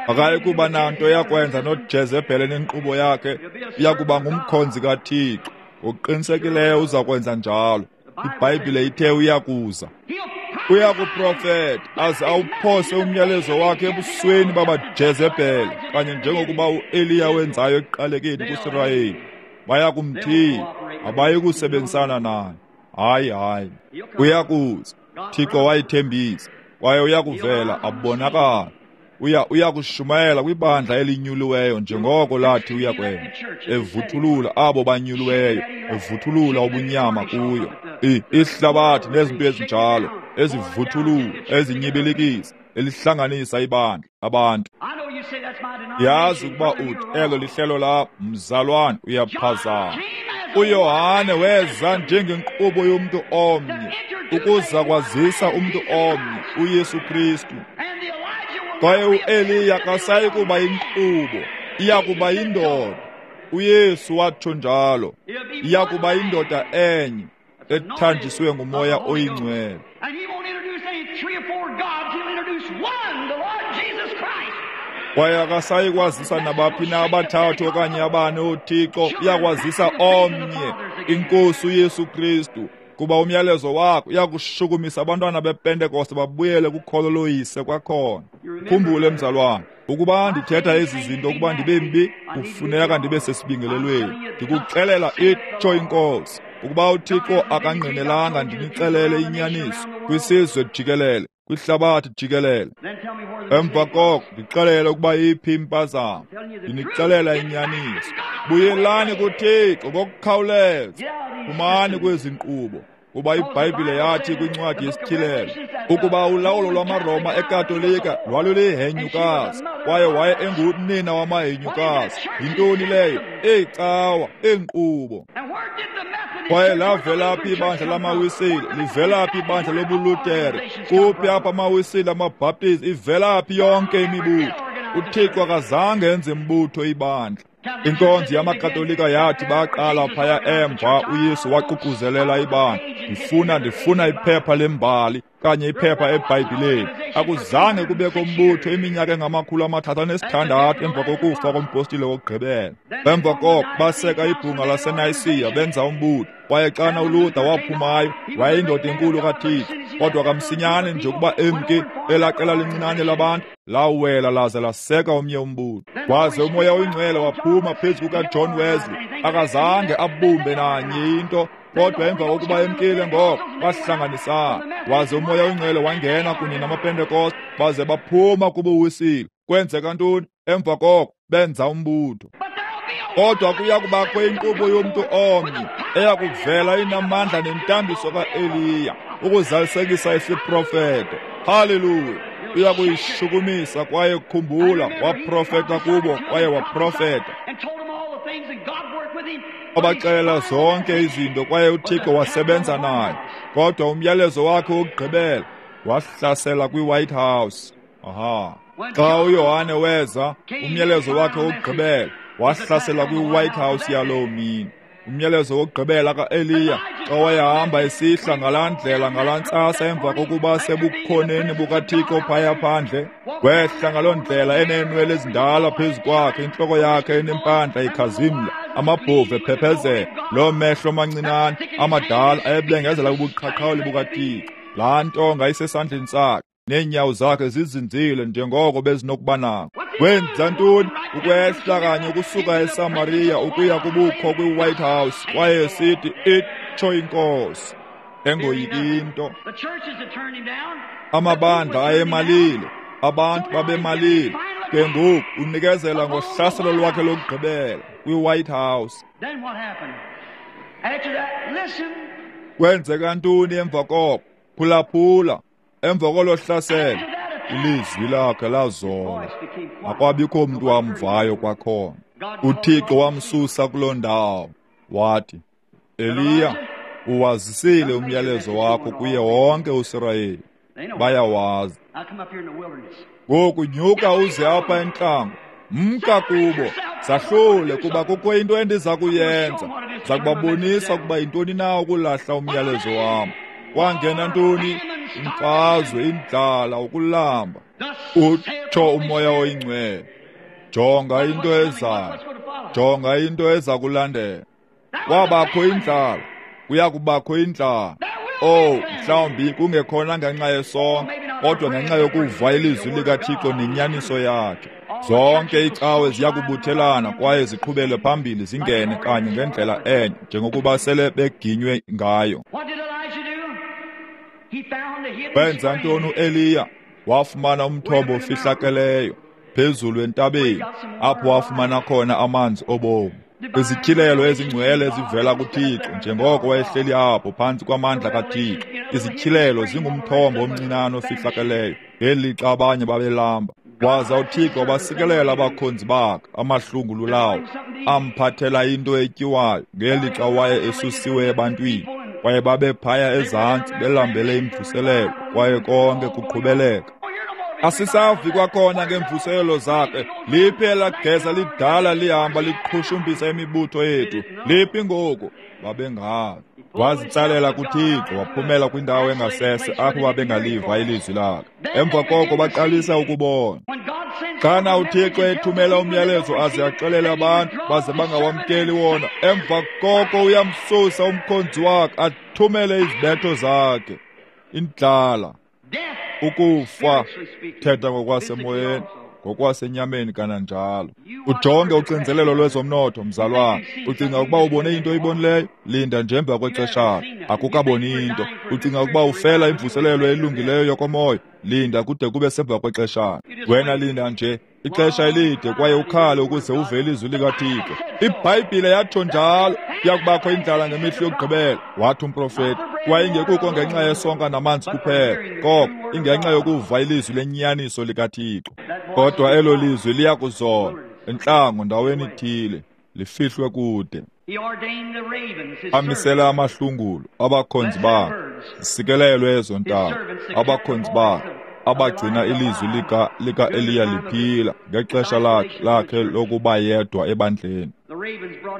Akayi kuba nanto yakwenza noJezebhele nenkqubo yakhe. Uyakuba ngumkhonzi kaThixo. Ngokuqinisekileyo uza kwenza njalo. iBhayibhile ithe uyakuza. Uyakuprofeta aze awuphose umyalezo wakhe ebusweni babaJezebhele, kanye njengokuba uEliya wenzayo ekuqalekeni kuSirayeli. Bayakumthiya, abayi kusebenzisana naye. Hayi, hayi. Uyakuza. Thixo wayithembisa, kwaye uyakuvela abonakala. Uya uyakushumayela kwibandla elinyuliweyo njengoko lathi uyakwenza, evuthulula abo banyuliweyo, evuthulula ubunyama kuyo. Ihlabathi nezinto ezinjalo ezivuthulula, ezinyibilikisa, elihlanganisa ibandla abantu. Yazi ukuba uthi elo lihlelo la mzalwane, uyaphazama. uYohane weza njengenkqubo yomntu omnye ukuza kwazisa umntu omnye, uYesu Kristu. Kwaye uEliya akasayi kuba yinkqubo, iyakuba yindoda. uYesu watsho njalo, iyakuba yindoda enye ethanjiswe nguMoya oyiNgcwele. Kwaye akasayi kwazisa nabaphi na abathathu okanye abane ooThixo, uyakwazisa omnye, iNkosi uYesu Kristu. Kuba umyalezo wakho uyakushukumisa abantwana bePentekoste babuyele kukholo loyise kwakhona. Khumbule mzalwane, ukuba ndithetha ezi zinto ukuba ndibe mbi, kufuneka ndibe sesibingelelweni. Ndikuxelela itsho iNkosi, ukuba uThixo akangqinelanga ndinixelele inyaniso kwisizwe jikelele, kwihlabathi jikelele. Emva koko ndixelele ukuba iphi impazamo, ndinixelela inyaniso. Buyelani kuThixo ngokukhawuleza, phumani kwezi nkqubo. Kuba iBhayibhile yathi kwincwadi yesiTyhilelo ukuba ulawulo lwamaRoma eKatolika lwalulihenyukazi, kwaye waye engunina wamahenyukazi. Yintoni leyo? Iicawa, iinkqubo. Kwaye lavela phi ibandla lamaWisile? Livela phi ibandla lobuLutere? Kuphi apha amaWisile, amaBhaptizi? Ivela phi yonke imibutho? UThixo akazange enze mbutho ibandla. Inkonzo yamaKatolika yathi baqala phaya emva, uYesu waququzelela ibandla. Ndifuna ndifuna iphepha lembali okanye iphepha eBhayibhileni. Akuzange kubekho umbutho iminyaka engamakhulu amathathu anesithandathu emva kokufa kompostile wokugqibela. Emva koko baseka ibhunga laseNayisiya benza umbutho. Kwaye xana uLuther waphumayo, wayeyindoda enkulu kaThixo, kodwa kamsinyane nje ukuba emke, elaa qela lincinane labantu lawela laze laseka omnye umbutho. Waze uMoya oyiNgcwele waphuma phezu kukaJohn Wesley. Akazange abumbe nanye into, kodwa emva kokuba emkile ngoko bahlanganisana. Waze uMoya oyiNgcwele wangena kunye namaPentekoste, baze baphuma kubuwisile. Kwenzeka ntoni? Emva koko benza umbutho. Kodwa kuya kubakho inkqubo yomntu omnye eya kuvela inamandla nentambiso kaEliya ukuzalisekisa isiprofeto. Haleluya! Uya kuyishukumisa. Kwaye khumbula, waprofeta kubo kwaye waprofeta, wabaxelela zonke izinto, kwaye uThixo wasebenza naye. Kodwa umyalezo wakhe wokugqibela wahlasela kwiWhite House. Aha. Xa uYohane weza, umyalezo wakhe wokugqibela wahlasela kwiWhite House yaloo mini. Umyalezo wokugqibela kaEliya, xa wayehamba esihla ngalaa ndlela ngalaa ntsasa emva kokuba sebukhoneni bukaThixo phaya phandle, wehla ngaloo ndlela eneenwele ezindala phezu kwakhe, intloko yakhe enempandla ikhazimla, amabhovu ephephezela, loo mehlo mancinane amadala ayebengezela ubuqhaqhawuli bukaThixo. Laa ntonga isesandleni sakhe, neenyawo zakhe zizinzile njengoko bezinokuba nako. Wenza ntoni? Ukwehla kanye ukusuka eSamaria ukuya kubukho kwiWhite House, kwaye esithi, itsho iNkosi, engoyiki into. Amabandla ayemalile, abantu babemalile. Ke ngoku unikezela ngohlaselo lwakhe lokugqibela kwiWhite House. Kwenzeka ntoni emva koko? Phulaphula. Emva kolo hlaselo, ilizwi lakhe lazola. Akwabikho mntu wamvayo kwakhona. UThixo wamsusa kuloo ndawo. Wathi, Eliya, uwazisile umyalezo wakho kuye wonke uSirayeli. Bayawazi. Ngoku nyuka uze apha entlango. Mka kubo, zahlule, kuba kukho into endiza kuyenza. Ndiza kubabonisa ukuba yintoni na ukulahla umyalezo wam. Kwangena ntoni? Imfazwe, indlala, ukulamba. Utsho uMoya oyiNgcwele. Jonga into ezayo, jonga into eza kulandela. Kwabakho indlala, kuya kubakho indlala. Oh, mhlawumbi kungekhona ngenxa yesonka, kodwa ngenxa yokuva ilizwi likaThixo nenyaniso yakhe. Zonke iicawe ziya kubuthelana kwaye ziqhubele phambili zingene kanye ngendlela enye njengokuba sele beginywe ngayo. Wenza ntoni uEliya? Wafumana umthombo ofihlakeleyo phezulu entabeni, apho wafumana khona amanzi obomi. Izityhilelo ezingcwele ezivela kuThixo, njengoko wayehleli apho phantsi kwamandla kaThixo. Izityhilelo zingumthombo omncinane ofihlakeleyo ngelixa abanye babelamba. Waza uThixo wabasikelela abakhonzi bakhe amahlungulu lawo, amphathela into etyiwayo ngelixa waye esusiwe ebantwini. Kwaye babephaya ezantsi belambele imvuselelo, kwaye konke kuqhubeleka. Asisavi kwakhona ngeemvuselelo zakhe. Liphi elaa geza lidala lihamba liqhushumbisa imibutho yethu? Liphi ngoku? Babengazi. Wazitsalela kuThixo, waphumela kwindawo engasese apho babengaliva ilizwi lakhe. Emva koko baqalisa ukubona. Xana uThixo ethumela umyalezo aze axelele abantu baze bangawamkeli wona, emva koko uyamsusa umkhonzi wakhe athumele izibetho zakhe. Indlala, ukufa, thetha ngokwasemoyeni, ngokwasenyameni kananjalo. Ujonge uxinzelelo lwezomnotho, mzalwane. Ucinga ukuba ubone into oyibonileyo? Linda nje emva kwexeshana, akukaboni into. Ucinga ukuba ufela imvuselelo elungileyo yokomoya? Linda kude kube semva kwexeshana. Wena linda nje ixesha elide kwaye ukhale ukuze uve ilizwi likaThixo. IBhayibhile yatsho njalo, kuya kubakho indlala ngemihla yokugqibela, wathi umprofeti. Kwaye ingekuko ngenxa yesonka namanzi kuphela, koko ingenxa yokuva ilizwi lenyaniso likaThixo. Kodwa elo lizwi liya kuzola entlango ndaweni ithile, lifihlwe kude. Amisela amahlungulu abakhonzi bakhe, zisikelelwe ezo ntaba, abakhonzi bakhe abagcina ilizwi lika lika-Eliya liphila ngexesha lakhe lakhe lokuba yedwa ebandleni.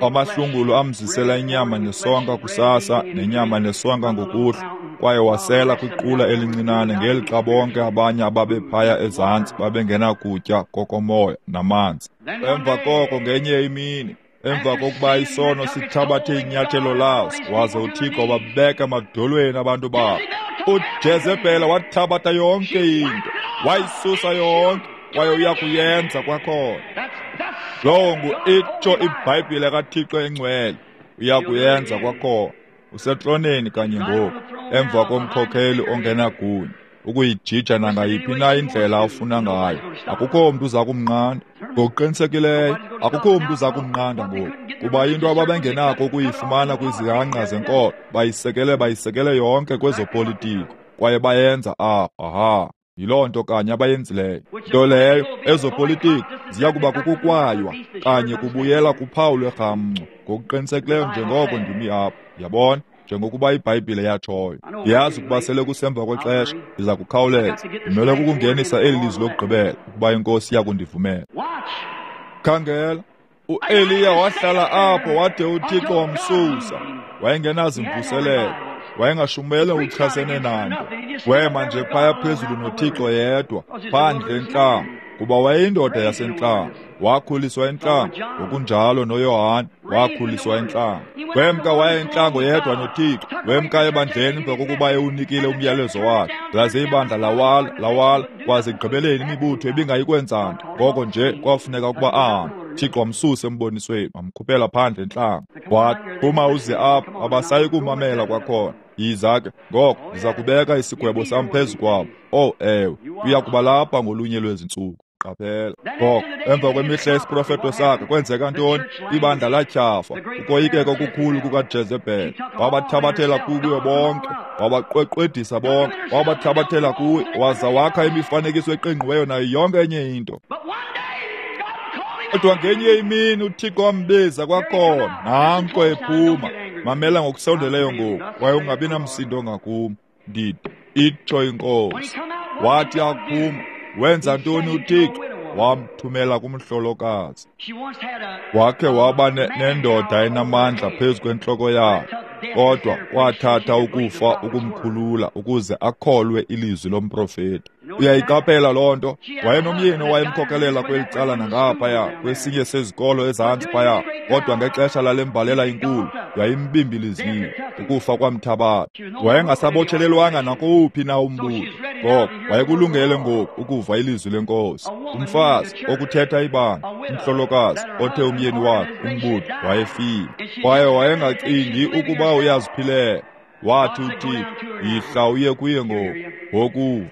Amahlungulu amzisela inyama nesonka kusasa nenyama nesonka ngokuhlwa, kwaye wasela kwiqula elincinane ngelixa bonke abanye ababephaya ezantsi babengenakutya kokomoya namanzi. Emva koko ngenye imini, emva kokuba isono sithabathe inyathelo laso, waze uThixo wabeka emadolweni abantu bakhe, uJezebhele wathabatha yonke into, wayisusa yonke, kwaye uya kuyenza kwakhona. Lowo ngu itsho iBhayibhile kaThixo engcwele, uya kuyenza kwakhona. Usetroneni kanye ngoku, emva komkhokheli ongenagunya, ukuyijija nangayiphi na indlela afuna ngayo. Akukho mntu uza kumnqanda. Ngokuqinisekileyo, akukho mntu uza kumnqanda ngoku, kuba into ababengenako ukuyifumana kwizihanqa zenkolo, bayisekele bayisekele yonke kwezopolitiko, kwaye bayenza apha. Aha, yiloo nto kanye abayenzileyo. Nto leyo, ezopolitiko ziya kuba kukukwaywa kanye kubuyela kuphawu lwerhamncwa, ngokuqinisekileyo njengoko ndimi apha. Yabona? Njengokuba iBhayibhile yatshoyo. Ndiyazi ukuba sele kusemva kwexesha, ndiza kukhawuleza. Ndimele kukungenisa eli lizwi lokugqibela, ukuba iNkosi iya kundivumela. Khangela, uEliya wahlala apho wade uThixo wamsusa. Wayengenazimvuselelo, wayengashumayeli ngokuchasene nanto. Wema nje phaya phezulu noThixo yedwa, phandle entlango, kuba wayeyindoda yasentlango. Wakhuliswa entlango, ngokunjalo noYohane wakhuliswa entlango. Wemka waya entlango yedwa noThixo, wemka ebandleni emva kokuba ewunikile umyalezo wakhe. Laze ibandla lawala, lawala, kwaze ekugqibeleni imibutho ibingayikwenza nto. Ngoko nje kwafuneka ukuba ahambe. Thixo wamsusa embonisweni, wamkhuphela phandle entlango. Wathi, phuma uze apha, abasayi kumamela kwakhona. Yiza ke, ngoko ndiza kubeka isigwebo sam phezu kwabo. Oh ewe, uya kuba lapha ngolunye lwezi ntsuku. Qaphela. Ngoko, emva kwemihla yesiprofeto sakhe, kwenzeka ntoni? Ibandla latyhafa, ukoyikeka okukhulu kukaJezebhele. Wabathabathela kuyo bonke, wabaqweqwedisa bonke, wabathabathela kuye, waza wakha imifanekiso eqingqiweyo nayo yonke enye into. Kodwa ngenye imini uThixo wambiza kwakhona, nanko ephuma. Mamela ngokusondeleyo ngoku, kwaye ungabi namsindo ngakum. Ndithi, itsho iNkosi. Wathi akuphuma, wenza ntoni uThixo? Wamthumela kumhlolokazi. Wakhe waba nendoda enamandla phezu kwentloko yakhe, kodwa kwathatha ukufa ukumkhulula ukuze akholwe ilizwi lomprofeti. Uyayiqaphela loo nto? Wayenomyeni owayemkhokelela kweli cala nangaphaya, kwesinye sezikolo ezantsi phaya, kodwa ngexesha lale mbalela inkulu yayimbimbilizile, ukufa kwamthabatha. Wayengasabotshelelwanga nakowuphi na umbutho. Ngoko wayekulungele ngoku ukuva ilizwi lenkosi. Umfazi okuthetha ibandla, umhlolokazi othe umyeni wakhe umbutho wayefile, kwaye wayengacingi ukuba uyaziphilela. Wathi uThixo, yihla uye kuye ngoku, ngokuva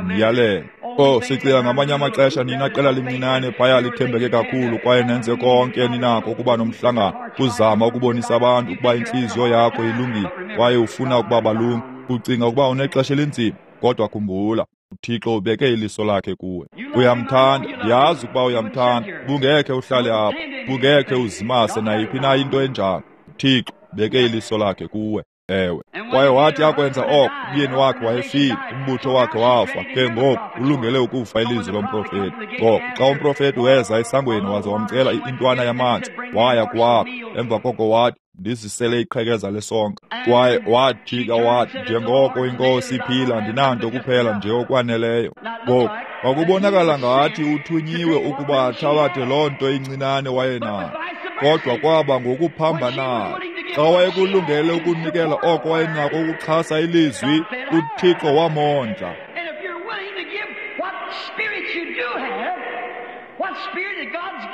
myalele. Oh, sicinga ngamanye amaxesha nina qela lincinane phaya lithembeke kakhulu kwaye nenze konke ninako ukuba nomhlangano, kuzama ukubonisa abantu ukuba intliziyo yakho ilungile kwaye ufuna ukuba balunge. Ucinga ukuba unexesha elinzima, kodwa khumbula, uThixo ubeke iliso lakhe kuwe. Uyamthanda, ndiyazi ukuba uyamthanda. Bungekhe uhlale apha, bungekhe uzimase nayiphi na into enjalo. uThixo ubeke iliso lakhe kuwe. Ewe. Kwaye wathi akwenza oko, umyeni wakhe wayefile, umbutho wakhe wafa. Ke ngoku ulungele ukufa ilizwi lomprofeti. Ngoko xa umprofeti weza esangweni waze wamcela intwana yamanzi, waya kuwakha. Emva koko wathi, ndizisele iqhekeza lesonka. Kwaye wajika wathi, njengoko iNkosi iphila, ndinanto kuphela nje okwaneleyo. Ngoku kwakubonakala ngathi uthunyiwe ukuba athabathe loo nto incinane wayenayo, kodwa kwaba ngokuphambanayo. Xa wayekulungele ukunikela oko wayenako ukuxhasa ilizwi, uThixo wamondla.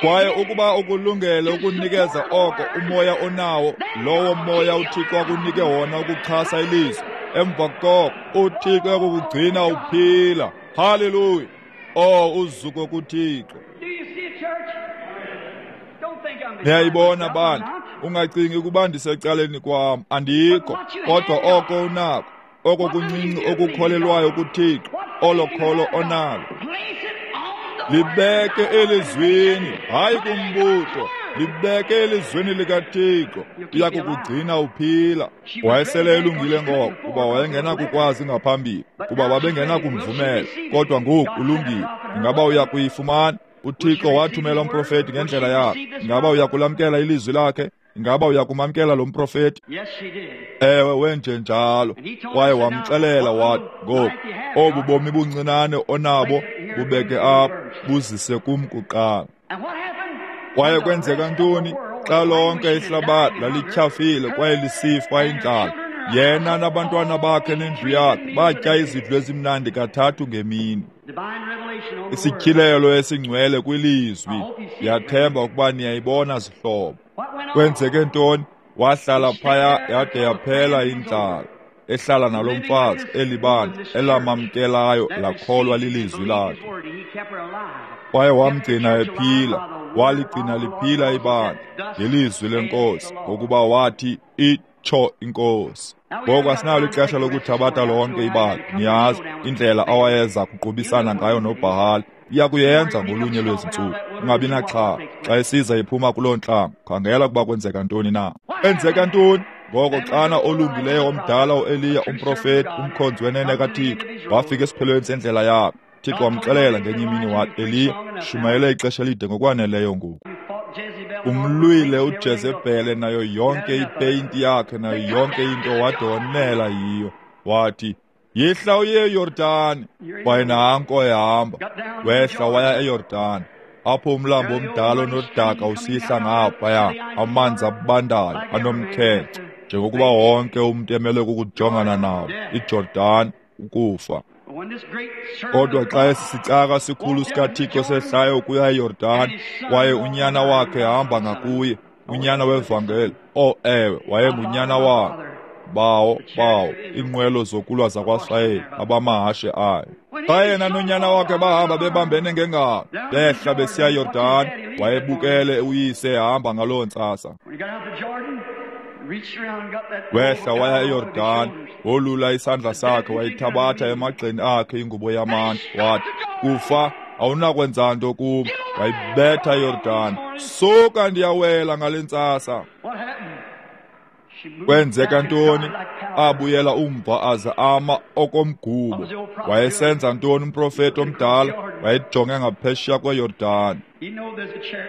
Kwaye ukuba ukulungele ukunikeza oko umoya onawo, lowo moya uThixo akunike wona ukuxhasa ilizwi, emva koko uThixo uyakukugcina uphila. Haleluya! Oh, uzuko kuThixo. Niyayibona bantu, ungacingi ukuba ndisecaleni kwam, andikho. Kodwa oko unako, oko kuncinci okukholelwayo kuThixo, olo kholo onalo, libeke elizwini, hayi kumbutho, libeke elizwini likaThixo, uya kukugcina uphila. Wayesele elungile ngoko, kuba wayengenakukwazi ngaphambili, kuba babengenakumvumela. Kodwa ngoku ulungile. Ingaba uya kuyifumana? uThixo wathumela umprofeti ngendlela yakhe. Ingaba uya kulamkela ilizwi lakhe? Ingaba uyakumamkela lo mprofeti? Ewe, wenje njalo. Kwaye wamxelela wathi, ngoku obu bomi buncinane onabo bubeke apha, buzise kum kuqala. Kwaye kwenzeka ntoni? Xa lonke ihlabathi lalityhafile kwaye lisifa indlala, yena nabantwana bakhe nendlu yakhe batya izidlo ezimnandi kathathu ngemini. Isityhilelo esingcwele kwilizwi. Ndiyathemba ukuba niyayibona, zihlobo. Kwenzeke ntoni? Wahlala phaya yade yaphela indlala, ehlala nalo mfazi elibandla elamamkelayo lakholwa lilizwi lakhe. Kwaye wamgcina ephila, waligcina liphila ibandla ngelizwi lenkosi, ngokuba wathi itsho inkosi. Ngoku asinalo ixesha lokuthabatha lonke ibandla. Niyazi indlela awayeza kuqubisana ngayo noBhahali. Iya kuyenza ngolunye lwezi ntsuku. Ungabi naxhala xa isiza iphuma kuloo ntlango. Khangela ukuba kwenzeka ntoni na. Kwenzeka ntoni? Ngoko xana olungileyo omdala uEliya umprofeti, umkhonzi wenene kaThixo, wafika esiphelweni sendlela yakhe. Thixo wamxelela ngenye imini wathi, Eliya, shumayele ixesha elide ngokwaneleyo ngoku. Umlwile uJezebhele nayo yonke ipeyinti yakhe nayo yonke into wade wonela yiyo. Wathi, yihla uye eYordani. Kwaye nanko ehamba, wehla waya eYordani, apho umlambo omdala onodaka usihla ngaphaya, amanzi abandayo anomkhenkce, njengokuba wonke umntu emele kukujongana nawo, iJordani, ukufa. Kodwa xa esi sicaka sikhulu sikaThixo sehlayo ukuya eYordani, kwaye unyana wakhe ehamba ngakuye, unyana wevangeli, oh ewe, wayengunyana wakhe, bawo, bawo, iinqwelo zokulwa zakwaSirayeli, abamahashe ayo. Xa yena nonyana wakhe bahamba bebambene ngengalo, behla besiya eYordani, wayebukele uyise ehamba ngaloo ntsasa. Wehla waya eYordani, wolula isandla sakhe wayithabatha emagxeni akhe ingubo yamantu, wathi, kufa, awunakwenza nto kum. Wayibetha eYordani, suka ndiyawela ngale ntsasa. Kwenzeka ntoni? Abuyela umva aze ama okomgubo. Wayesenza ntoni umprofeti omdala? Wayejonge ngaphesheya kweYordani.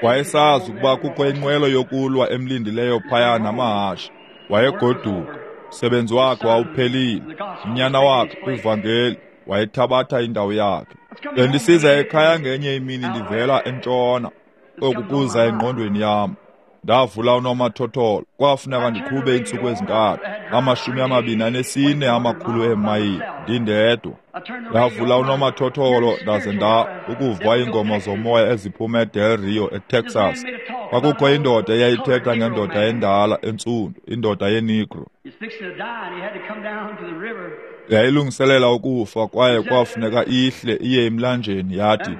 Wayesazi ukuba kukho inqwelo yokulwa emlindileyo phaya namahashe. Wayegoduka. Umsebenzi wakhe wawuphelile. Unyana wakhe kwivangeli wayethabatha indawo yakhe. Bendisiza ekhaya ngenye imini ndivela entshona, oku kuza engqondweni yam. Ndavula unomathotholo, kwafuneka ndiqhube iintsuku ezintathu, amashumi amabini anesine amakhulu eemayile, ndindedwa. Ndavula unomathotholo ndaze nda ukuva iingoma zomoya eziphuma eDel Rio, eTexas. Kwakukho indoda eyayithetha ngendoda endala entsundu, indoda yeNegro. Yayilungiselela ukufa kwaye kwafuneka ihle iye emlanjeni. Yathi,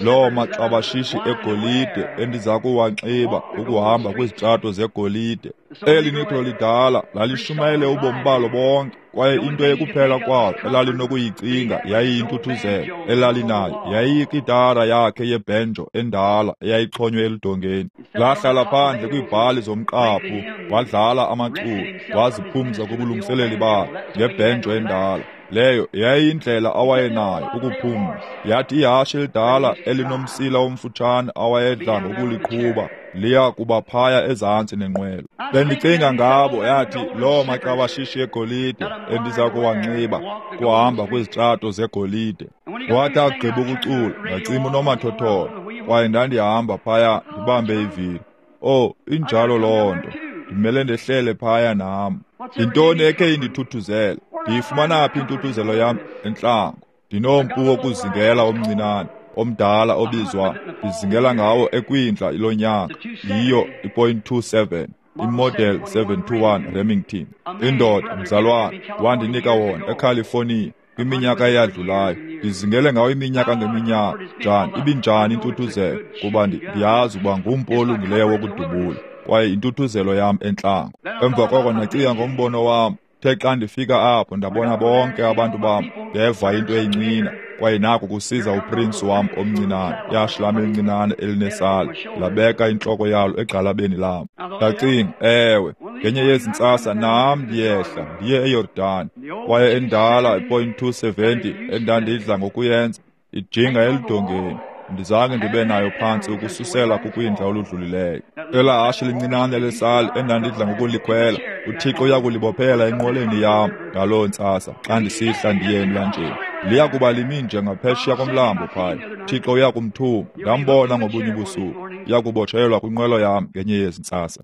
loo maxabashishi egolide endiza kuwanxiba ukuhamba kwizitrato zegolide. Eli negro lidala lalishumayele ubomi balo bonke, kwaye into ekuphela kwalo elalinokuyicinga yayiyintuthuzelo elalinayo yayiyikitara yakhe yebhenjo endala eyayixhonywe eludongeni. Lahlala phandle kwiibhali zomqaphu, wadlala amaculo, waziphumza kubulungiseleli bakhe ngebhenjo endala. Leyo yayiyindlela awayenayo ukuphumla. Yathi ihashe elidala elinomsila omfutshane awayedla ngokuliqhuba liya kuba phaya ezantsi nenqwelo. Bendicinga ngabo, yathi loo maxabashishi egolide endiza kuwanxiba kuhamba kwizitrato zegolide. Wathi agqiba ukucula, ndacima unomathotholo, kwaye ndandihamba phaya ndibambe ivili. Oh, injalo loo nto. Ndimele ndehlele phaya nam. Yintoni ekhe indithuthuzele? Ndiyifumana phi intuthuzelo yam? Entlango. Ndinompu wokuzingela omncinane, omdala obizwa, ndizingela ngawo ekwindla lonyaka. Yiyo i-point two seven, imodel seven two one Remington. Indoda, mzalwane, wandinika wona eCalifornia kwiminyaka eyadlulayo. Ndizingele ngawo iminyaka ngeminyaka. Njani, ibinjani intuthuzelo? Kuba ndiyazi ukuba ngumpu olungileyo wokudubula, kwaye intuthuzelo yam entlango. Emva koko ndacinga ngombono wam. Uthe xa ndifika apho ndabona bonke abantu bam, ndeva into eyincina, kwaye naku kusiza uprince wam omncinane, ihashe lam elincinane elinesala, labeka intloko yalo egxalabeni lam. Ndacinga, ewe, ngenye yezi ntsasa nam ndiyehla ndiye eYordani, kwaye endala i-point two seventy endandidla ngokuyenza ijinga eludongeni. Andizange ndibe nayo phantsi ukususela kukwindla oludlulileyo. Elaa hashe lincinane lesali endandidla ngokulikhwela, uThixo uyakulibophela enqweleni yam ngaloo ntsasa xa ndisihla ndiye emlanjeni. Liya kuba limi nje ngaphesheya komlambo phaya. Thixo uyakumthuma. Ndambona ngobunye ubusuku. Uyakubotshelwa kwinqwelo yam ngenye yezi ntsasa.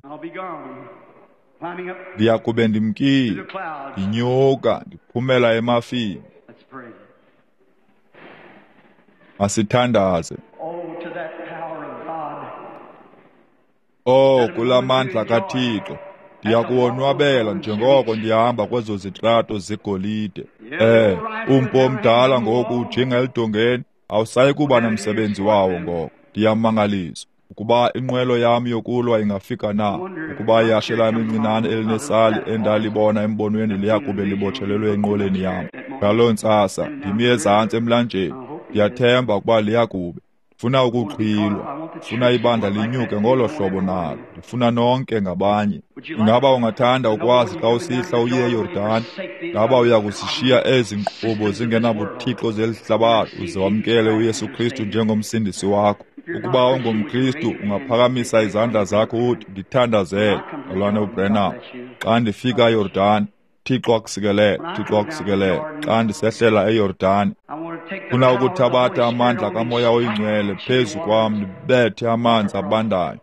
Ndiya kube ndimkile, ndinyuka, ndiphumela emafini. Masithandaze. Oh, kula mandla kaThixo, ndiyakuwonwabela njengoko ndihamba kwezo zitrato zegolide. Eh, umpu omdala ngoku ujinga elidongeni, awusayi kuba namsebenzi wawo ngoko. Ndiyamangaliswa ukuba inqwelo yam yokulwa ingafika na, ukuba ihashe lam elincinane elinesali endalibona embonweni liyakube libotshelelwe enqweleni yam. Ngaloo ntsasa ndimi ezantsi emlanjeni, ndiyathemba ukuba liyakube. Ndifuna ukuxhilwa, ndifuna ibandla linyuke ngolo hlobo nalo, ndifuna nonke ngabanye. Ingaba ungathanda ukwazi xa usihla uye eYordani? Ngaba uya kusishiya ezi nkqubo zingenabuthixo zeli hlabathi uze wamkele uYesu Kristu njengomsindisi wakho? Ukuba ungumKristu, ungaphakamisa izandla zakho uthi, ndithandazele, Mzalwane uBranham. Xa ndifika eYordani, Thixo akusikelele, Thixo akusikelele. Xa ndisehlela eYordani, funa ukuthabatha amandla kaMoya oyiNgcwele phezu kwam, ndibethe amanzi abandayo,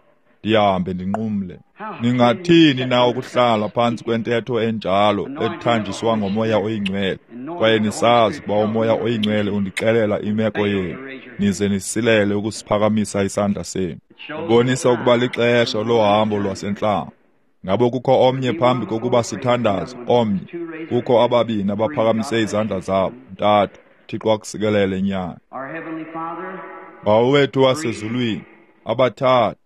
ndihambe ndinqumle. Ningathini na ukuhlala phantsi kwentetho enjalo ethanjiswa ngoMoya oyiNgcwele, kwaye nisazi ukuba uMoya oyiNgcwele undixelela imeko yenu, nize nisilele ukusiphakamisa isandla senu? Ubonisa ukuba lixesha lohambo lwasentlango. Ngabo kukho omnye phambi kokuba sithandaze, omnye. Kukho ababini abaphakamise izandla zabo, ntathu. Thixo akusikelele nyana. Bawo wethu wasezulwini, abathathu,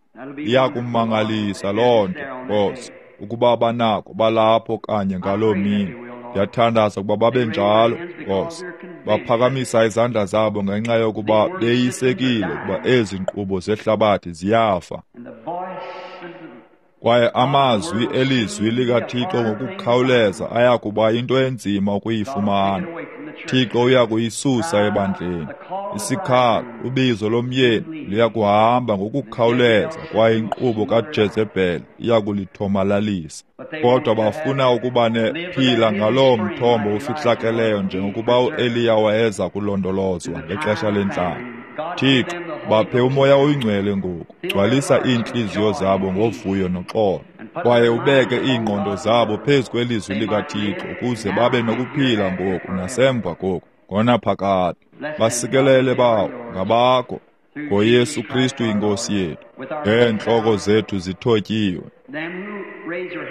iyakumangalisa loo nto, Nkosi, ukuba banako balapho kanye ngaloo mini. Ndiyathandaza ukuba babe njalo, Nkosi. Baphakamisa izandla zabo ngenxa yokuba beyisekile ukuba ezi nkqubo zehlabathi ziyafa. Kwaye amazwi elizwi likaThixo ngokukhawuleza ayakuba into enzima ukuyifumana. Thixo uyakuyisusa ebandleni. Isikhalo, ubizo lomyeni liyakuhamba ngokukhawuleza, kwaye inkqubo kaJezebhele iyakulithomalalisa. Kodwa bafuna ukuba nephila ngaloo mthombo ufihlakeleyo njengokuba uEliya wayeza kulondolozwa ngexesha lentlango. Thixo, baphe uMoya oyiNgcwele ngoku, gcwalisa iintliziyo zabo ngovuyo noxolo, kwaye ubeke iingqondo zabo phezu kwelizwi likaThixo ukuze babe nokuphila ngoku nasemva koku ngonaphakade. Basikelele bawo ngabakho ngoYesu Kristu iNkosi yethu. Ngeentloko zethu zithotyiwe,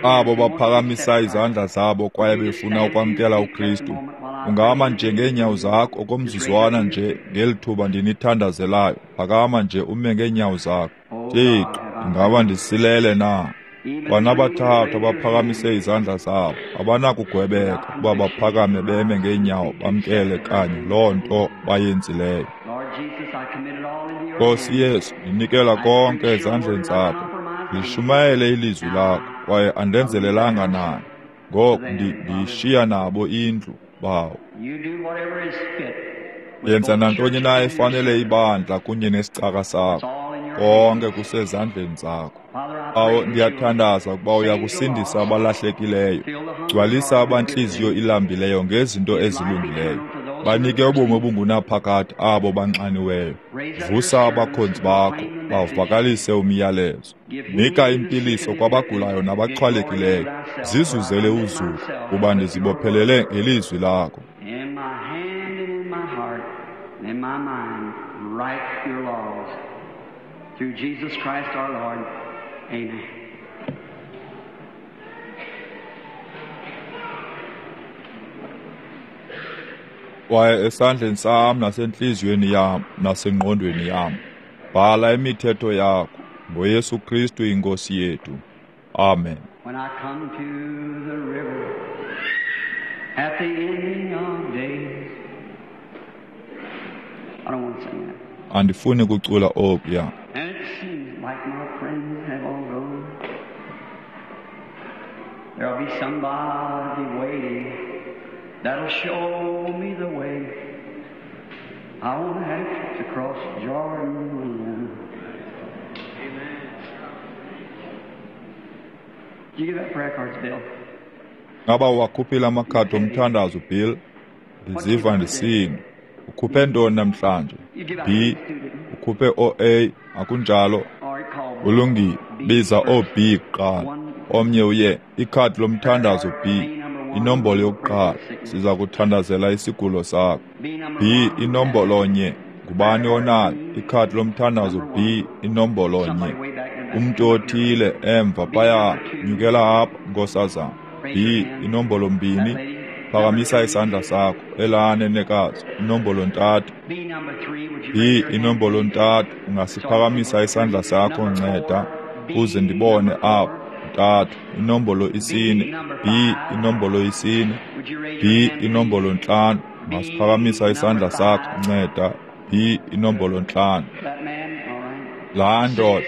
abo baphakamisa izandla zabo kwaye befuna ukwamkela uKristu, ungama nje ngeenyawo zakho okomzuzwana nje ngeli thuba ndinithandazelayo. Phakama nje ume ngeenyawo zakho. Thixo, ingaba ndisilele na? Kwanabathathu abaphakamise izandla zabo abanakugwebeka ukuba baphakame beme ngeenyawo bamkele kanye loo nto bayenzileyo. Nkosi Yesu, ndinikela konke ezandleni zakho. Ndishumayele ilizwi lakho kwaye andenzelelanga nayo. Ngoku ndiyishiya nabo indlu, Bawo. Yenza nantoni na efanele ibandla kunye nesicaka sakho. Konke kusezandleni zakho. Bawo, ndiyathandaza ukuba uyakusindisa abalahlekileyo. Gcwalisa abantliziyo ilambileyo ngezinto ezilungileyo. Banike ubomi obungunaphakade abo banxaniweyo. Vusa abakhonzi bakho, bavakalise umyalezo. Nika impiliso kwabagulayo nabaxhwalekileyo. Zizuzele uzuko, kuba ndizibophelele ngelizwi lakho. In my hand and in my heart and in my mind, write your laws. Through Jesus Christ our Lord. Amen. Kwaye esandleni sam nasentliziyweni yam nasengqondweni yam, bhala imithetho yakho ngoYesu Kristu iNkosi yethu. Amen. When I come to the river at the ending of days. I don't want to sing that. Andifuni kucula okuya. And it seems like my friends have all gone. There'll be somebody waiting that'll show me the way. I won't have to cross Jordan. Amen. Did you give that prayer cards, Bill? Ngaba uwakhuphile amakhadi omthandazo, Bill? Ndiziva ndisini. Ukhuphe ntoni namhlanje? B. Ukhuphe O A, akunjalo? Ulungile. Biza o-B kuqala. Omnye uye ikhadi lomthandazo B. Inombolo yokuqala. Siza kuthandazela isigulo sakho. B inombolo nye. Ngubani onayo ikhadi lomthandazo B inombolo nye? Umntu othile emva phaya, nyukela apha, nkosazana. B inombolo mbini. Phakamisa isandla sakho, elaa nenekazi. Inombolo ntathu. B inombolo ntathu. Ungasiphakamisa isandla sakho, nceda, uze ndibone apho. Ntathu. Inombolo isine. B inombolo isine. B inombolo ntlanu. Ungasiphakamisa isandla sakho, nceda. B inombolo ntlanu. Laa ndoda.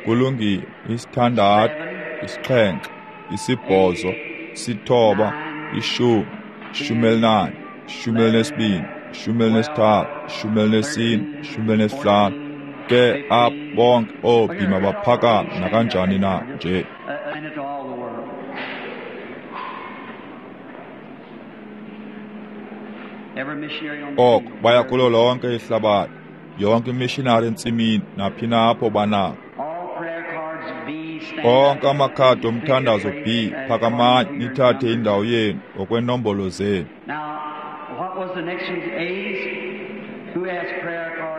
Kulungile. Isithandathu, isixhenxe, isibhozo, isithoba, ishumi, ishumi elinane, ishumi elinesibini, ishumi elinesithathu, ishumi elinesine, ishumi elinesihlanu. Ke apha bonke oo-B mabaphakame nakanjani na nje. Oko baya kulo lonke ihlabathi, yonke imishinari entsimini naphi na apho banako. Onke amakhadi omthandazo B, phakamani nithathe indawo yenu ngokwenombolo zenu.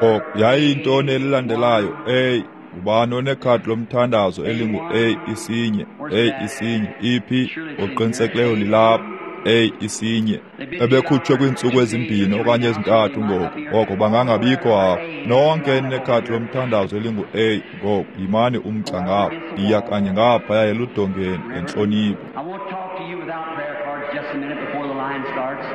Oko yayiyintoni elilandelayo? A. Ngubani onekhadi lomthandazo elingu-A isinye? A isinye. Iphi? Ngokuqinisekileyo lilapha. A isinye. Ebekhutshwe kwiintsuku ezimbini okanye ezintathu ngoku, ngoko bangangabikho apha. Nonke eninekhadi lomthandazo elingu-A ngoku, yimani umgca ngapha. Yiya kanye ngaphaya eludongeni ngentlonipho. I won't talk to you without prayer cards just a minute before the line starts.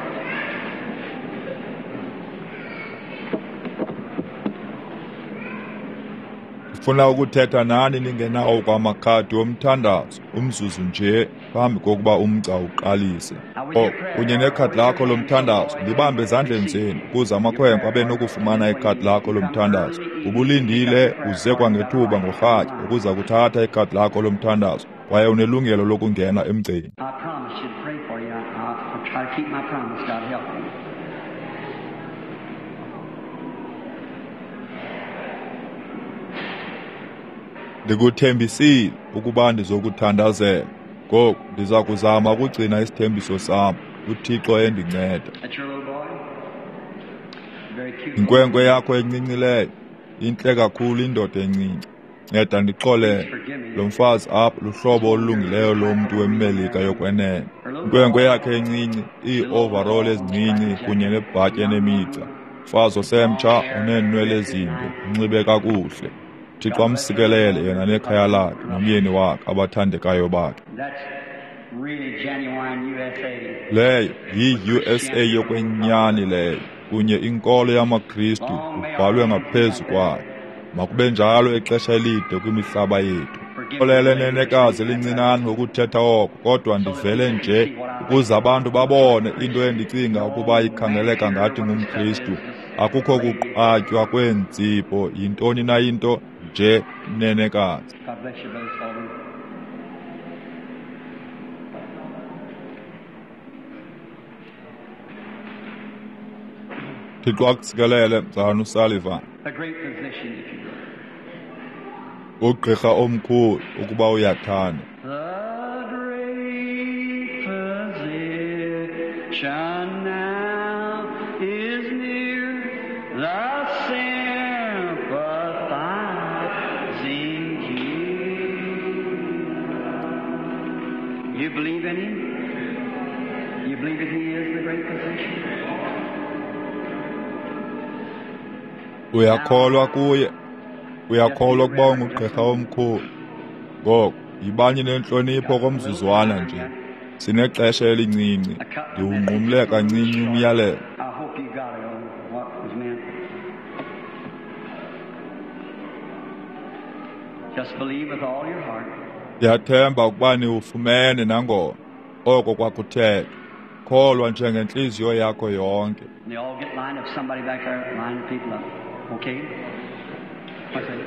Ndifuna ukuthetha nani ningenawo kwamakhadi omthandazo umzuzu nje phambi kokuba umgca uqalise. Oh, kunye nekhadi lakho lomthandazo libambe ezandleni zenu ukuze amakhwenkwe abe nokufumana ikhadi lakho lomthandazo. Ubulindile uze kwangethuba ngorhatya ukuza kuthatha ikhadi lakho lomthandazo kwaye unelungelo lokungena emgceni. I promise you to pray for you. I, I'll try to keep my promise. God help me. Ndikuthembisile ukuba ndizokuthandazela. Ngoku ndiza kuzama ukugcina isithembiso sam, uThixo endinceda. That's your little boy? Very cute. Inkwenkwe yakho encincileyo, intle kakhulu indoda encinci. Nceda ndixolele. Lo mfazi apha luhlobo olulungileyo lomntu weMelika yokwenene. Inkwenkwe yakhe encinci, ii-overall ezincinci kunye nebhatyi enemigca. Mfazi osemtsha oneenwele ezinde, unxibe kakuhle. Thixo amsikelele yena nekhaya lakhe nomyeni wakhe abathandekayo bakhe. That's really genuine U S A. Leyo yi-U S A yokwenyani leyo, kunye inkolo yamaKristu kubhalwe ngaphezu kwayo. Makube njalo ixesha elide kwimihlaba yethu. Xolele nenekazi elincinane ngokuthetha oko, kodwa ndivele nje ukuze abantu babone into endicinga ukuba ikhangeleka ngathi ngumKristu. Akukho kuqatywa kweentsipho, yintoni na into nje nenekazi. God bless you, Brother Sullivan. Thixo akusikelele, mzalwana uSullivan. A great physician, if you will. Ugqirha omkhulu ukuba uyathanda. The great physician now is near, the sympathizing healer. You believe in him? You believe that he is the great physician? Uyakholwa kuye? Uyakholwa ukuba ungugqirha omkhulu? Ngoku, yibani nentlonipho komzuzwana nje. Sinexesha elincinci. Ndiwunqumle kancinci umyalelo. I hope you got it on what was meant. Just believe with all your heart. Ndiyathemba ukuba niwufumene nangona oko kwakuthethwa. Kholwa njengentliziyo yakho yonke. And they all get lined up. Somebody back there, line the people up. Okay? What's that?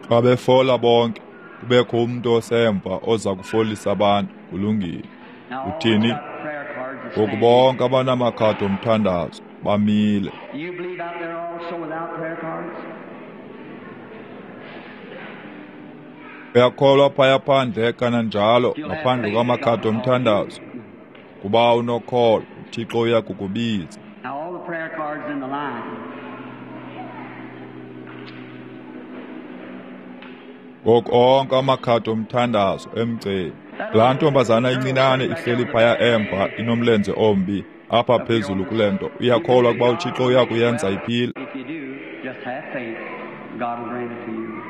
Xa befola bonke, kubekho umntu osemva oza kufolisa abantu. Kulungile. Now, all Uthini? got prayer cards is Ngoku standing. bonke abanamakhadi omthandazo bamile. Do you believe out there also without prayer cards? Uyakholwa phaya phandle kananjalo You'll have ngaphandle faith that kwamakhadi God will call omthandazo. you. Kuba unokholo, uThixo uya kukubiza. Now all the prayer cards in the line. Ngoku onke amakhadi omthandazo emgceni. Laa ntombazana incinane ihleli phaya emva inomlenze ombi apha phezulu kule nto. Uyakholwa ukuba uThixo uya kuyenza iphile? If you do, just have faith. God will grant it to you.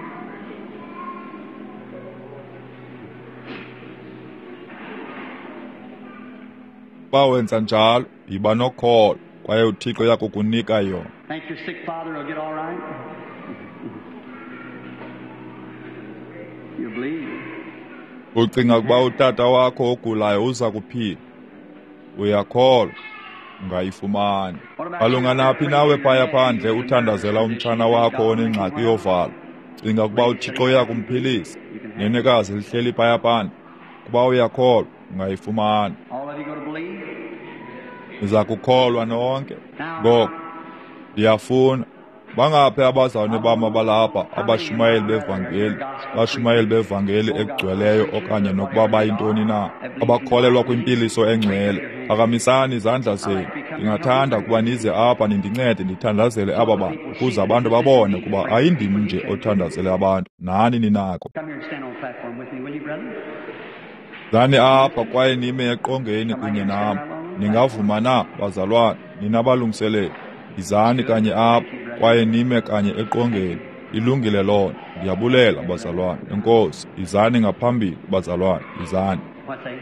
Uba wenza njalo, yiba nokholo kwaye uThixo uya kukunika yona. Think your sick father will get all right? You believe. Ucinga ukuba utata wakho ogulayo uza kuphila? Uyakholwa, ungayifumana. Malunga naphi nawe phaya phandle uthandazela umtshana wakho onengxaki yovalo? Cinga ukuba uThixo uya kumphilisa? Nenekazi lihleli phaya phandle. Ukuba uyakholwa, ungayifumana. All of you going to believe? Niza kukholwa nonke. Ngoku ndiyafuna bangaphi abazalwane bam abalapha abashumayeli bevangeli, bashumayeli bevangeli egcweleyo okanye nokuba bayintoni na, abakholelwa kwimpiliso engcwele. Phakamisani izandla zenu. Ndingathanda ukuba nize apha nindincede ndithandazele aba bantu, ukuze abantu babone ukuba ayindim nje othandazele abantu, nani ninako. Come here and stand on the platform with me, will you, brother? Zani apha kwaye nime eqongeni kunye nam. Ningavuma na, bazalwane, nina balungiseleli? Yizani kanye apha kwaye nime kanye eqongeni. Ilungile loo nto. Ndiyabulela, bazalwane. Enkosi. Yizani ngaphambili, bazalwane. Yizani. What's that?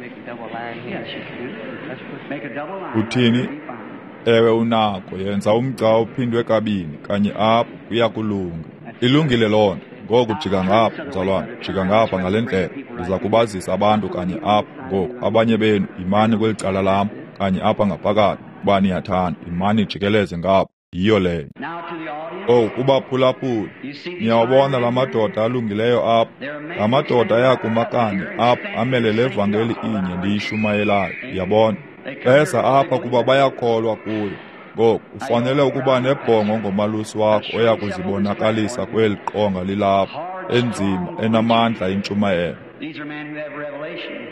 Make a double line here. Yes, you can do it. Let's make a double line. Uthini? That'll be fine. Ewe, unako. Yenza umgca ophindwe kabini kanye apha, kuya kulunga. Ilungile loo nto. Ngoku jika ngapha, mzalwane. Jika ngapha ngale ndlela. Ndiza kubazisa abantu kanye apha ngoku. Abanye benu yimani kweli cala lam kanye apha ngaphakathi. Ukuba niyathanda, yimani jikeleze ngapha. Yiyo leyo. Now to the audience. Owu, kubaphulaphuli, You see these niyawabona la fine men here? madoda alungileyo apha. La madoda ayakuma kanye apha amele le vangeli inye ndiyishumayelayo. Uyabona? Beza apha kuba bayakholwa kuyo. Ngoku ufanele ukuba nebhongo ngomalusi wakho oya kuzibonakalisa kweli qonga lilapha, enzima, enamandla intshumayelo. These are men who have revelation.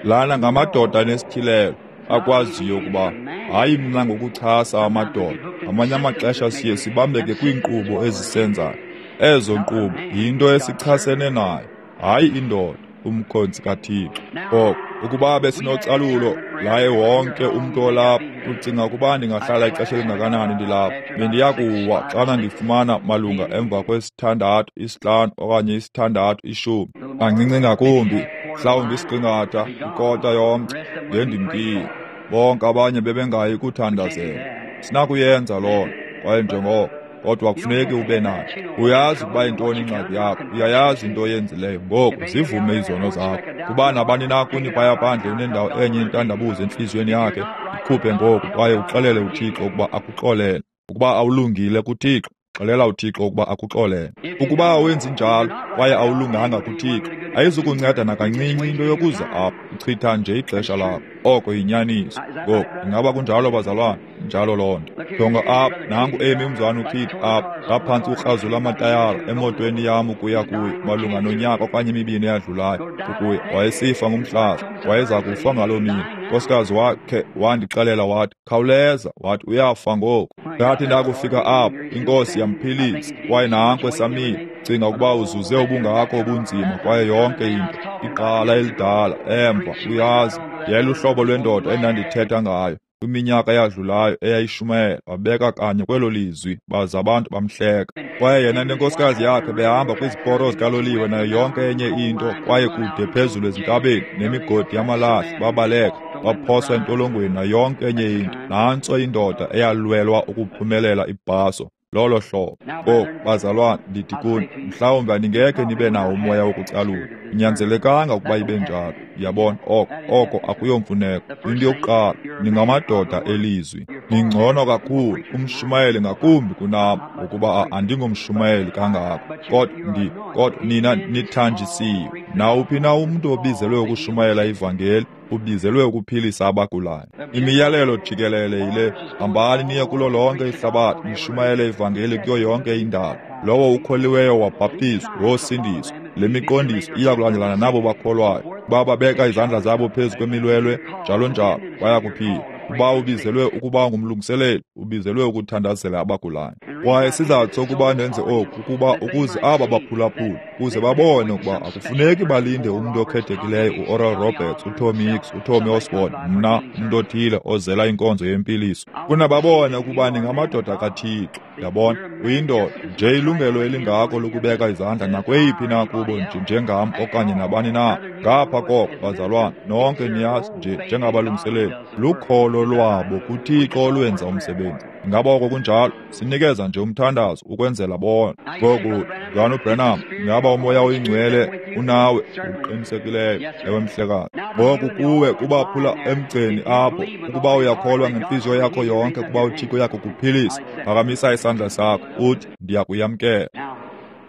Lana ngamadoda anesityhilelo akwaziyo ukuba hayi mna ngokuchasa amadoda. Ngamanye amaxesha siye sibambeke kwiinkqubo ezisenzayo. Ezo nkqubo yinto esichasene nayo, hayi indoda, umkhonzi kaThixo. Ngoko ukuba besinocalulo laye wonke umntu olapha, ucinga ukuba ndingahlala ixesha elingakanani ndilapha? Bendiya kuwa xana ndifumana malunga emva kwesithandathu, isihlanu okanye isithandathu ishumi, kancinci ngakumbi, mhlawumbi isiqingatha, ikota yomgca, ngendimkile. Bonke abanye bebengayi kuthandazela. Sinakuyenza loo nto, kwaye njengoko, kodwa kufuneki ube nayo. Uyazi ukuba yintoni ingxaki yakho, uyayazi into oyenzileyo. Ngoku zivume izono zakho. Kuba nabani na kuni phaya phandle unendawo enye intandabuzo entliziyweni yakhe, ikhuphe ngoku kwaye uxelele uThixo ukuba akuxolele. Ukuba awulungile kuThixo, xelela uThixo ukuba akuxolele. Ukuba awenzi njalo kwaye awulunganga kuThixo, ayizukunceda nakancinci into yokuza apha. Uchitha nje ixesha lakho. Oko yinyaniso. Ngoku ingaba kunjalo, bazalwane? Njalo loo nto. Jonga apha, nangu emi umzalwana uKid apha, ngaphantsi ukrazula amatayara emotweni yam ukuya kuye malunga nonyaka okanye emibini eyadlulayo ukuya. Wayesifa ngumhlaza, wayeza kufa ngaloo mini. Nkosikazi wakhe wandixelela wathi, khawuleza, wathi uyafa ngoku. Ndathi ndakufika apho, iNkosi yamphilisa, kwaye nanko esamile. Cinga ukuba uzuze ubungako obunzima kwaye yonke into, igqala elidala emva, uyazi, yayiluhlobo lwendoda endandithetha ngayo kwiminyaka eyadlulayo eyayishumayela, wabeka kanye kwelo lizwi, baza abantu bamhleka. Kwaye yena nenkosikazi yakhe behamba kwiziporo zikaloliwe nayo yonke enye into, kwaye kude phezulu ezintabeni nemigodi yamalahle, babaleka, baphoswa entolongweni nayo yonke enye into. Nantso indoda eyalwelwa ukuphumelela ibhaso. Lolo hlobo. Ngoku, bazalwane, ndithi kuni, mhlawumbi aningekhe nibe nawo umoya wokucalula. Inyanzelekanga ukuba ibe njalo. Yabona, oko oko akuyomfuneko. Into yokuqala, ningamadoda elizwi. Ningcono kakhulu, umshumayeli ngakumbi kunam, ngokuba andingomshumayeli kangako. Kodwa ndi kodwa nina nithanjisiwe. Nawuphi na umntu obizelwe ukushumayela ivangeli, ubizelwe ukuphilisa abagulayo. Imiyalelo jikelele yile: hambani niye kulo lonke ihlabathi, nishumayele ivangeli kuyo yonke indalo. Lowo ukholiweyo wabhaptizwa wosindiswa. Le miqondiso iya kulandelana nabo bakholwayo. Bababeka izandla zabo phezu kwemilwelwe, njalo njalo, baya kuphila. Uba ubizelwe ukuba ngumlungiseleli, ubizelwe ukuthandazela abagulayo. Kwaye isizathu sokuba ndenze oku kukuba ukuze aba baphulaphuli, ukuze babone ukuba akufuneki balinde umntu okhethekileyo, uOral Roberts, uTommy Hicks, uTommy Osborn, mna, umntu othile ozela inkonzo yempiliso. Funa babone ukuba ningamadoda kaThixo. Yabona, uyindoda nje, ilungelo elingako lokubeka izandla nakweyiphi na kubo nje njengam okanye nabani na. Ngapha koko, bazalwane, nonke niyazi nje njengabalungiseleli, lukholo lwabo kuThixo olwenza umsebenzi. Ingaba oko kunjalo? Sinikeza nje umthandazo ukwenzela bona. Ngoku, Mzalwana uBranham, ingaba uMoya oyiNgcwele unawe? Uqinisekileyo, ewe mhlekazi. Ngoku kuwe kubaphula emgceni apho, ukuba uyakholwa ngentliziyo yakho yonke ukuba uThixo uyakukuphilisa, phakamisa isandla sakho uthi, ndiyakuyamkela.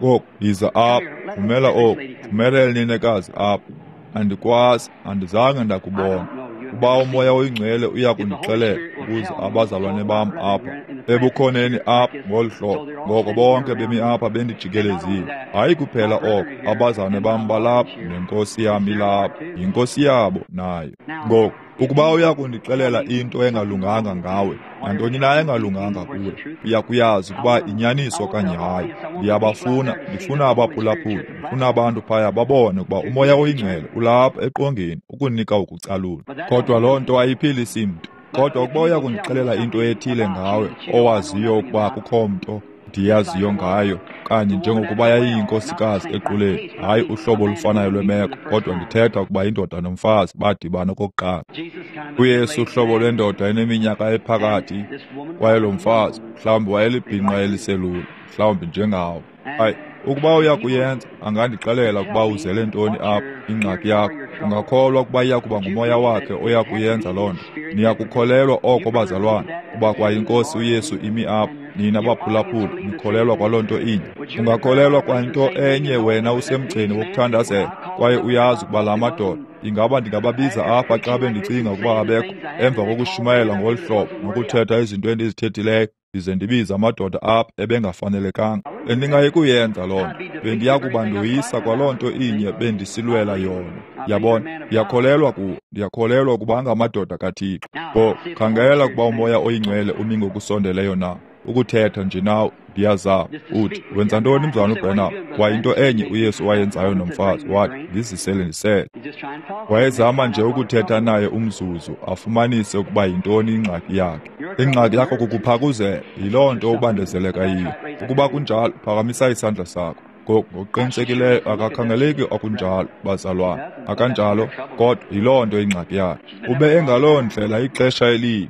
Ngoku yiza apha, vumela oku, vumela eli nenekazi apha. Andikwazi, andizange ndakubona. Uba uMoya oyiNgcwele uyakundixelela ukuze abazalwane bam apha ebukhoneni apha ngolu hlobo, ngoko bonke bemi apha bendijikelezile. Hayi kuphela oko, abazalwane bam balapha nenkosi yam ilapha, yinkosi yabo nayo. Ngoku, ukuba uyakundixelela into engalunganga ngawe, nantoni na engalunganga kuwe, uyakuyazi ukuba inyaniso okanye hayi. Ndiyabafuna, ndifuna abaphulaphuli, ndifuna abantu phaya babone ukuba uMoya oyiNgcwele ulapha eqongeni ukunika ukucalula. Kodwa loo nto ayiphilisi mntu. Kodwa ukuba uyakundixelela into ethile ngawe owaziyo ukuba akukho mnto ndiyaziyo ngayo, kanye njengokuba yayiyinkosikazi equleni, hayi uhlobo olufanayo lwemeko, kodwa ndithetha ukuba indoda nomfazi badibana okokuqala. UYesu uhlobo lwendoda eneminyaka ephakathi, kwaye lo mfazi mhlawumbi wayelibhinqa eliselula, mhlawumbi njengawo. Hayi, ukuba uyakuyenza, angandixelela ukuba uzele ntoni apha, ingxaki yakho. Ungakholwa ukuba iya kuba ngumoya wakhe oya kuyenza loo nto? Niyakukholelwa oko, bazalwane, kuba kwayinkosi uYesu imi apha. Nina baphulaphuli, nikholelwa kwaloo nto inye. Ungakholelwa kwanto enye wena usemgceni wokuthandazela, kwaye uyazi ukuba la madoda, ingaba ndingababiza apha xa bendicinga ukuba abekho, emva kokushumayela ngolu hlobo nokuthetha izinto endizithethileyo, ndize ndibize amadoda apha ebengafanelekanga. Bendingayi kuyenza loo nto. Bendiya kuba ndoyisa kwaloo nto inye bendisilwela yona. Yabona, ndiyakholelwa kuwo, ndiyakholelwa ukuba angamadoda kaThixo. Ngoku, khangela ukuba uMoya oyiNgcwele umi ngokusondeleyo na. Ukuthetha nje nawe, ndiyazama. Uthi, wenza ntoni mzalwana uBranham? Kwaye into enye uYesu wayenzayo nomfazi, wathi, ndizisele ndisele. Wayezama nje ukuthetha naye umzuzu, afumanise ukuba yintoni ingxaki yakhe. Ingxaki yakho kukuphakuzela, yiloo nto ubandezeleka yiyo. Ukuba kunjalo, phakamisa isandla sakho. Ngokuqinisekileyo akakhangeleki akunjalo, bazalwane, akanjalo, kodwa yiloo nto ingxaki yakhe. Ube engaloo ndlela ixesha elide.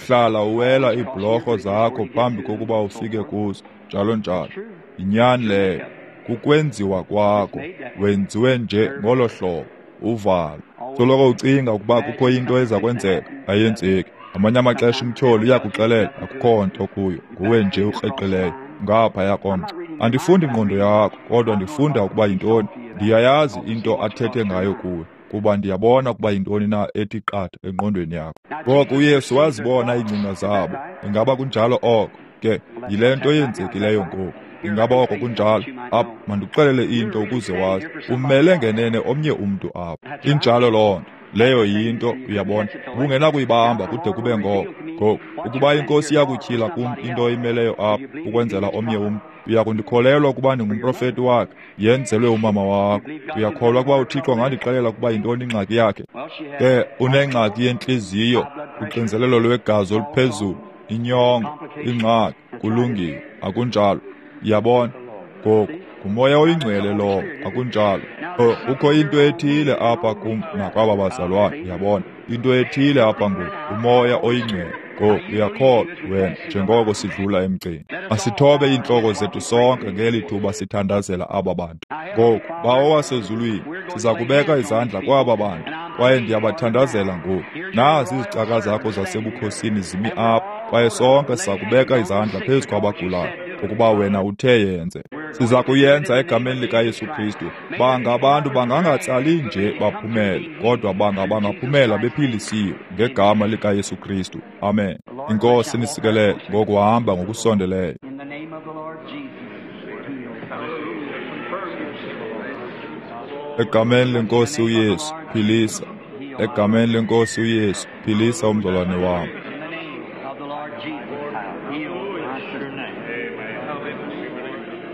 Hlala uwela iibhlorho zakho phambi kokuba ufike kuzo, njalo njalo. Yinyani leyo, kukwenziwa kwakho, wenziwe nje ngolo hlobo, uvalo. Soloko ucinga ukuba kukho into eza kwenzeka, ayenzeki. Ngamanye amaxesha umtyholi uyakuxelela akukho nto kuyo, nguwe nje ukreqileyo ngaphaya komgca. Andifundi ingqondo yakho, kodwa ndifunda ukuba yintoni. Ndiyayazi into athethe ngayo kuwe, kuba ndiyabona ukuba yintoni na ethi qatha engqondweni yakho. Ngoko uYesu wazibona iingcinga zabo. Ingaba kunjalo oko? Ke, yile nto yenzekileyo ngoku. Ingaba oko kunjalo? Apha, mandikuxelele into ukuze wazi. Umele ngenene omnye umntu apha. Injalo loo nto. Leyo yinto, uyabona. Ubungenakuyibamba kude kube ngoko. Ngoku, ukuba inkosi iyakutyhila kum into oyimeleyo apha ukwenzela omnye umntu, uyakundikholelwa ukuba ndingumprofeti wakhe, yenzelwe umama wakho. Uyakholwa ukuba uThixo angandixelela ukuba yintoni ingxaki yakhe? Ke, unengxaki yentliziyo, uxinzelelo lwegazi oluphezulu, inyongo, ingxaki. Kulungile, akunjalo? Uyabona? Ngoku, nguMoya oyiNgcwele lowo, akunjalo? Oh, kukho into ethile apha kum nakwaba bazalwane, uyabona? Into ethile apha ngoku, uMoya oyiNgcwele. Ngoku uyakholwa wena njengoko sidlula emgceni. Masithobe iintloko zethu sonke ngeli thuba sithandazela aba bantu. Ngoku, Bawo wasezulwini, siza kubeka izandla kwaba bantu, kwaye ndiyabathandazela ngoku. Nazi izicaka zakho zasebukhosini zimi apha, kwaye sonke siza kubeka izandla phezu kwabagulayo, ukuba wena uthe yenze. Siza kuyenza egameni likaYesu Kristu. Banga abantu bangangatsali nje baphumele, kodwa banga bangaphumela bephilisiwe ngegama likaYesu Kristu. Amen. Inkosi nisikelele ngokuhamba ngokusondeleyo. Egameni lenkosi uYesu, philisa. Egameni lenkosi uYesu, philisa umzalwane wam.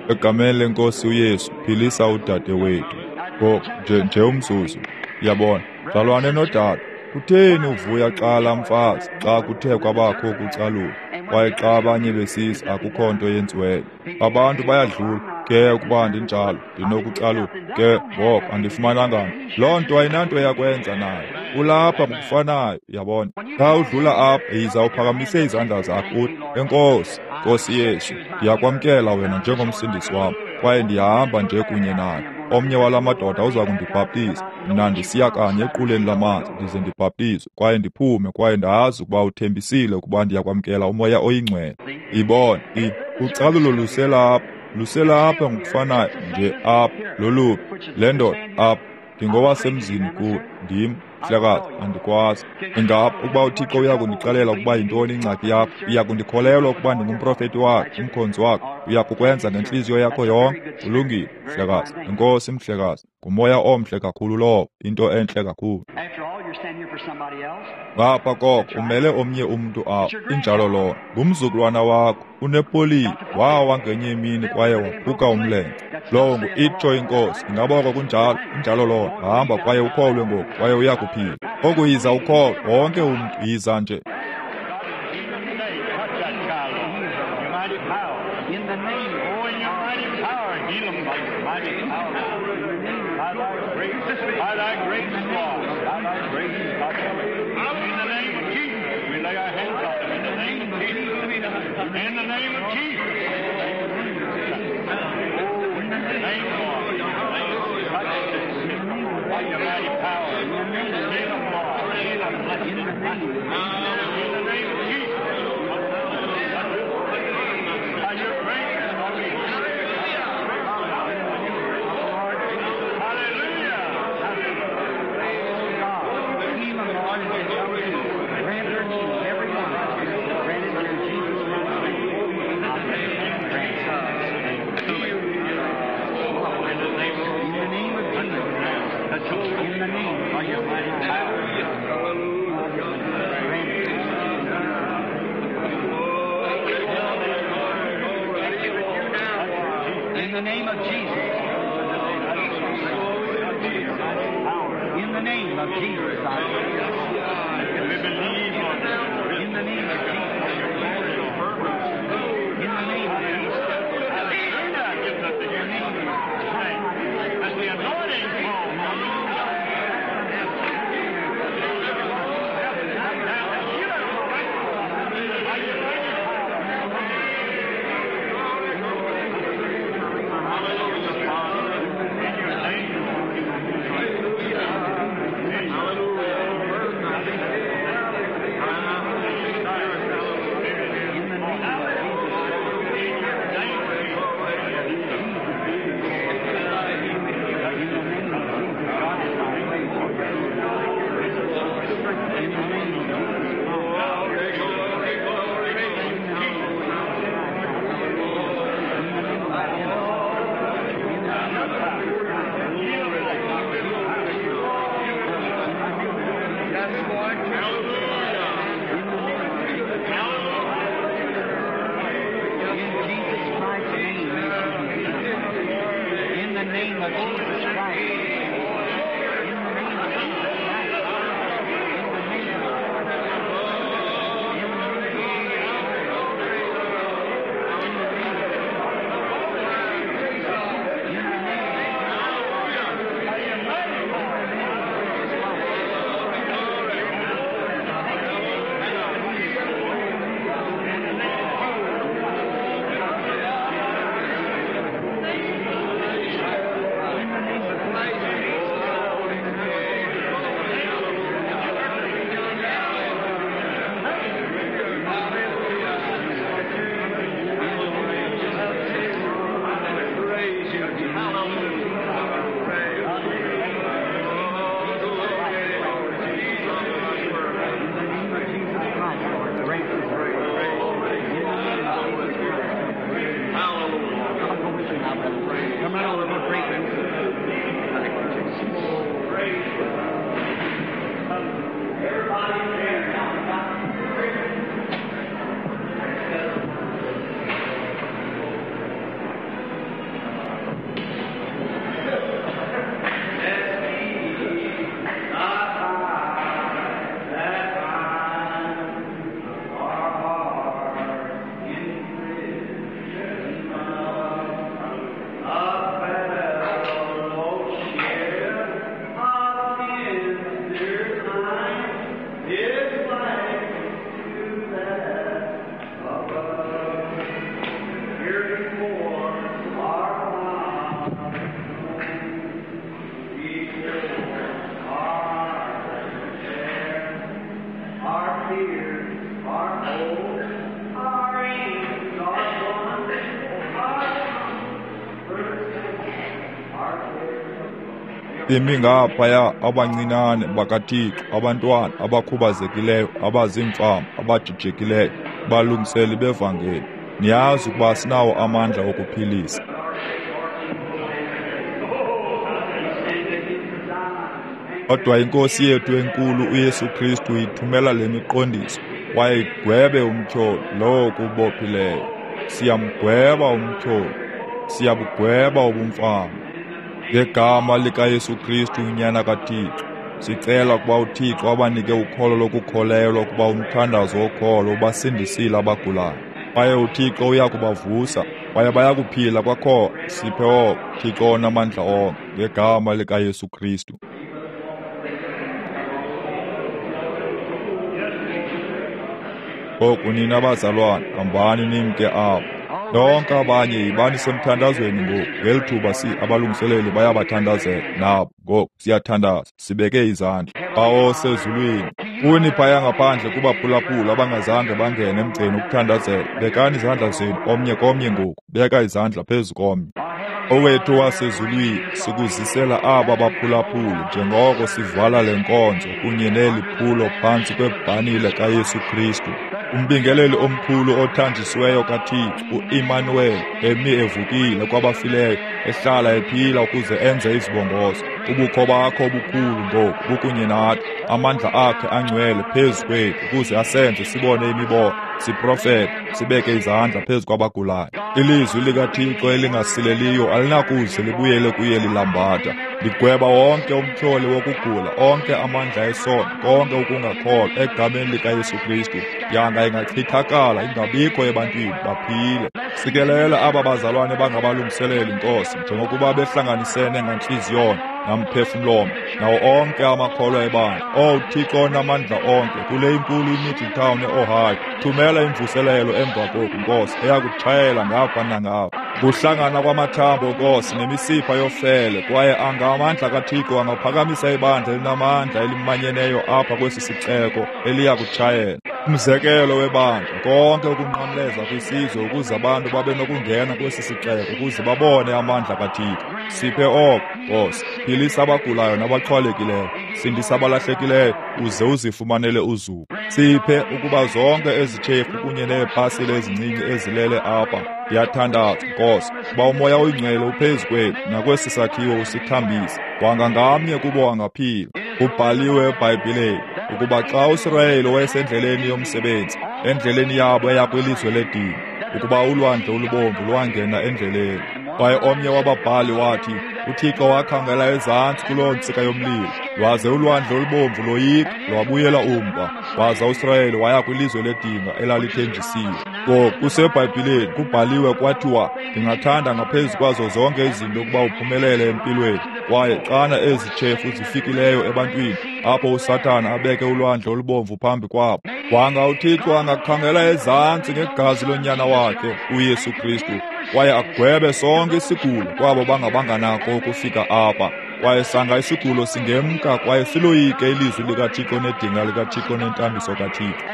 Egameni lenkosi uYesu, philisa udade wethu. Ngoku nje nje umzuzu. Uyabona, mzalwane nodade, kutheni uvuya xa laa mfazi xa kuthe kwabakho ukucalula, kwaye xa abanye besisa akukho nto yenziweyo? Abantu bayadlula. Ke ukuba ndinjalo, ndinokucalula. Ke ngoko andifumananga nto. Loo nto ayinanto yakwenza nayo. Ulapha ngokufanayo, uyabona. Xa udlula apha, yiza uphakamise izandla zakho uthi, Enkosi, Nkosi Yesu, ndiyakwamkela wena njengomsindisi wam, kwaye ndiyahamba nje kunye naye. Omnye wala madoda uza kundibhaptiza. Mna ndisiya kanye equleni lamanzi ndize ndibhaptizwe kwaye ndiphume, kwaye ndazi ukuba uthembisile ukuba ndiyakwamkela uMoya oyiNgcwele. Ibona, i ucalulo luselapha, luselapha ngokufanayo nje apha. Loluphi le ndoda apha? Ndingowasemzini kuwe, ndim, mhlekazi, andikwazi. Ingaba ukuba uThixo uya kundixelela ukuba yintoni ingxaki yakho, uya kundikholelwa ukuba ndingumprofeti wakhe, umkhonzi wakhe, uya kukwenza ngentliziyo yakho yonke? Kulungile, mhlekazi. Enkosi, mhlekazi. Ngumoya omhle kakhulu lowo, into entle kakhulu. Ngapha koko umele omnye umntu apha, injalo lona. Ngumzukulwana wakho, unepoliyo, wawa ngenye imini kwaye waphuka umlenze. Lowo ngu-itsho inkosi. Ingaba oko kunjalo? Injalo lona. Hamba kwaye ukholwe ngoku, kwaye uya kuphila. Oku yiza ukholwe, wonke umntu yiza nje. In the name of Jesus. Oh, in the name of Lord. By your mighty power. Heal them, Lord. Heal them. Bless them. In the name of Jesus. By your grace, Hallelujah. Oh, God. Heal them, Lord, as they come to you. Grant their needs, every one. Grant it in Jesus' name. In the name of Jesus. In the name of your mighty power. Grant it. In the name of Jesus. In the name of Jesus. In the name of Jesus. In the name of Jesus. As the anointing falls. In the name of Jesus Christ's name, may she be healed. In the name of Jesus Christ. In the name of Jesus Christ. In the name of In the name of In the name of Imi ngaphaya abancinane bakaThixo, abantwana abakhubazekileyo, abaziimfama, abajijekileyo, balungiseli bevangeli. Niyazi ukuba sinawo amandla okuphilisa. Kodwa iNkosi yethu enkulu uYesu Kristu ithumela le miqondiso kwaye igwebe umtyholi lowo kubophileyo. Siyamgweba umtyholi, siyabugweba ubumfama. Ngegama likaYesu Kristu uNyana kaThixo, sicela ukuba uThixo abanike ukholo lokukholelwa ukuba umthandazo wokholo ubasindisile abagulayo. Kwaye uThixo uya kubavusa, kwaye bayakuphila kwakhona. Siphe oko, Thixo onamandla onke, ngegama likaYesu Kristu. Ngoku nina bazalwane, hambani nimke apho. Nonke abanye yibani semthandazweni ngoku. Ngeli thuba si abalungiseleli bayabathandazela nabo. Ngoku siyathandaza, sibeke izandla. Bawo osezulwini, kuni phaya ngaphandle kubaphulaphula abangazange bangene emgceni ukuthandazela, bekani izandla zenu omnye komnye ngoku. Beka izandla phezu komnye. Owethu wasezulwini, sikuzisela aba baphulaphuli njengoko sivala le nkonzo kunye neli phulo phantsi kwebhanile kaYesu Kristu, umbingeleli omkhulu othanjisiweyo kaThixo, uImmanuel, emi evukile kwabafileyo, ehlala ephila ukuze enze izibongozo. Ubukho bakho obukhulu ngoku bukunye nathi, amandla akhe angcwele phezu kwethu ukuze asenze sibone imibono, siprofete, sibeke izandla phezu kwabagulayo. Ilizwi likaThixo elingasileliyo alinakuze libuyele kuye lilambatha. Ligweba wonke umtyholi wokugula, onke amandla esono, konke ukungakholwa egameni likaYesu Kristu. Yanga ingachithakala ingabikho ebantwini, baphile. Sikelela aba bazalwane bangabalungiseleli, Nkosi, njengokuba behlanganisene ngantliziyonye namphefumlomnye nawo onke amakholwa ebandla. Owu Thixo onamandla onke, kule inkulu iMiddletown eOhio, thumela imvuselelo emva koku, Nkosi, eyakutshayela ngapha nangapha. Kuhlangana kwamathambo, Nkosi, nemisipha yofele, kwaye anga amandla kaThixo angaphakamisa ibandla elinamandla elimanyeneyo apha kwesi sixeko eliya kutshayela. Umzekelo webandla, konke ukunqamleza kwisizwe ukuze abantu babe nokungena kwesi sixeko ukuze babone amandla kaThixo. Siphe oko, Nkosi. Philisa abagulayo nabaxhwalekileyo, sindisa abalahlekileyo, uze uzifumanele uzuko. Siphe ukuba zonke ezi tshefu kunye neepasile ezincinci ezilele apha. Ndiyathandaza, Nkosi, uba uMoya oyiNgcwele uphezu kwethu nakwesi sakhiwo usithambise. Wanga ngamnye kubo angaphila. Kubhaliwe eBhayibhileni ukuba xa uSirayeli wayesendleleni yomsebenzi, endleleni yabo eya kwilizwe ledini, ukuba ulwandle olubomvu lwangena endleleni. Kwaye omnye wababhali wathi, uThixo wakhangela ezantsi kuloo ntsika yomlilo, lwaze ulwandle olubomvu loyika, lwabuyela umva, waza uSirayeli waya kwilizwe ledinga elalithenjisiwe. Ngoku kuseBhayibhileni kubhaliwe kwathiwa, ndingathanda ngaphezu kwazo zonke izinto ukuba uphumelele empilweni. Kwaye xana ezi tshefu zifikileyo ebantwini, apho uSathana abeke ulwandle olubomvu phambi kwabo, wanga uThixo angakhangela ezantsi ngegazi lonyana wakhe uYesu Kristu, kwaye agwebe sonke isigulo kwabo bangabanganako ukufika apha. Kwaye sanga isigulo singemka kwaye siloyike ilizwi likaThixo nedinga likaThixo nentambiso kaThixo.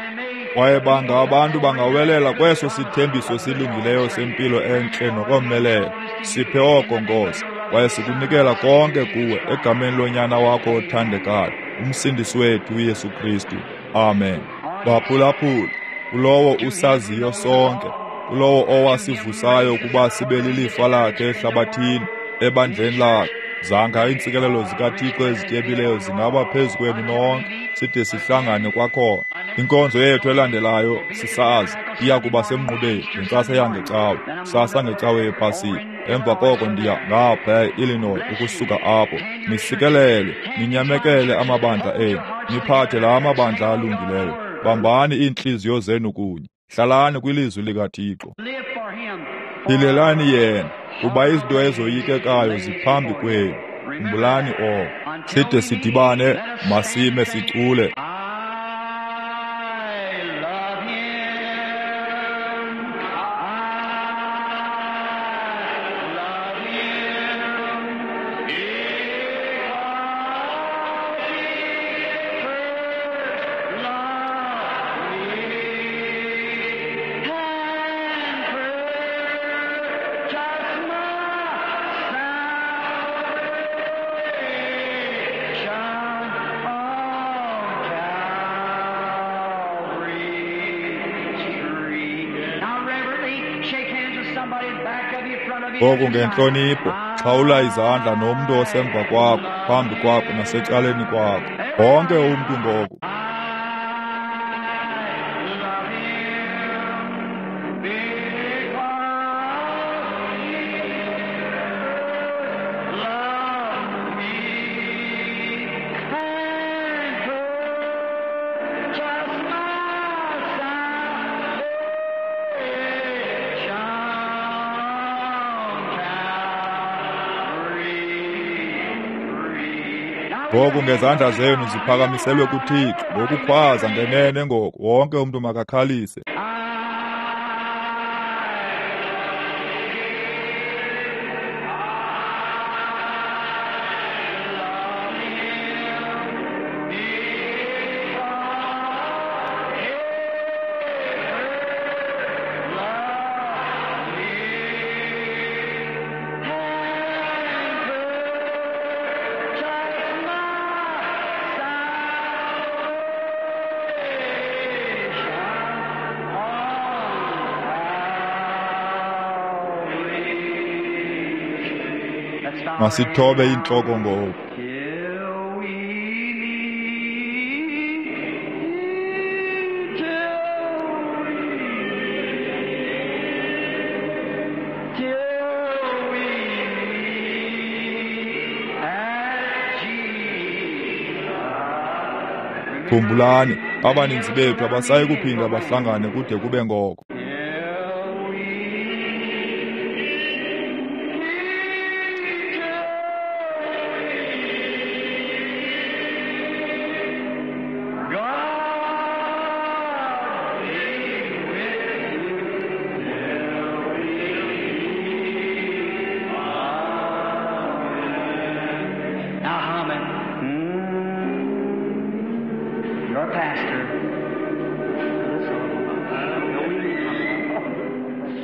Kwaye banga abantu bangawelela kweso sithembiso silungileyo sempilo entle nokomelela. Siphe oko, Nkosi, kwaye sikunikela konke kuwe egameni lonyana wakho othandekayo, uMsindisi wethu uYesu Kristu. Amen. Baphulaphula, kulowo usaziyo sonke, kulowo owasivusayo ukuba sibe lilifa lakhe ehlabathini, ebandleni lakhe. Zanga iintsikelelo zikaThixo ezityebileyo zingaba phezu kwenu nonke, side sihlangane kwakhona. Inkonzo yethu elandelayo sisazi iya kuba semnqubeni ngentsasa yangecawe, kusasa ngecawe yePasika. Emva koko ndiya ngapha e-Illinois ukusuka apho. Nisikelele, ninyamekele amabandla enu, niphathe la mabandla alungileyo. Bambani iintliziyo zenu kunye, hlalani kwilizwi likaThixo. Philelani yena, kuba izinto ezoyikekayo ziphambi kwenu. Khumbulani oko. Side sidibane, masime sicule. Just my salvation. Ngoku ngentlonipho, xhawula izandla nomntu osemva kwakho, phambi kwakho nasecaleni kwakho. Wonke umntu ngoku. Ngoku ngezandla zenu ziphakamiselwe kuThixo ngokukhwaza ngenene ngoku, wonke umntu makakhalise. Masithobe intloko ngoku. Khumbulani, abaninzi bethu abasayi kuphinda bahlangane kude kube ngoko.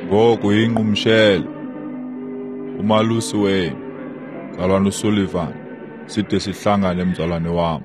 Ngoku inqumshele umalusi wenu, Mzalwane uSullivan, side sihlangane mzalwane wam.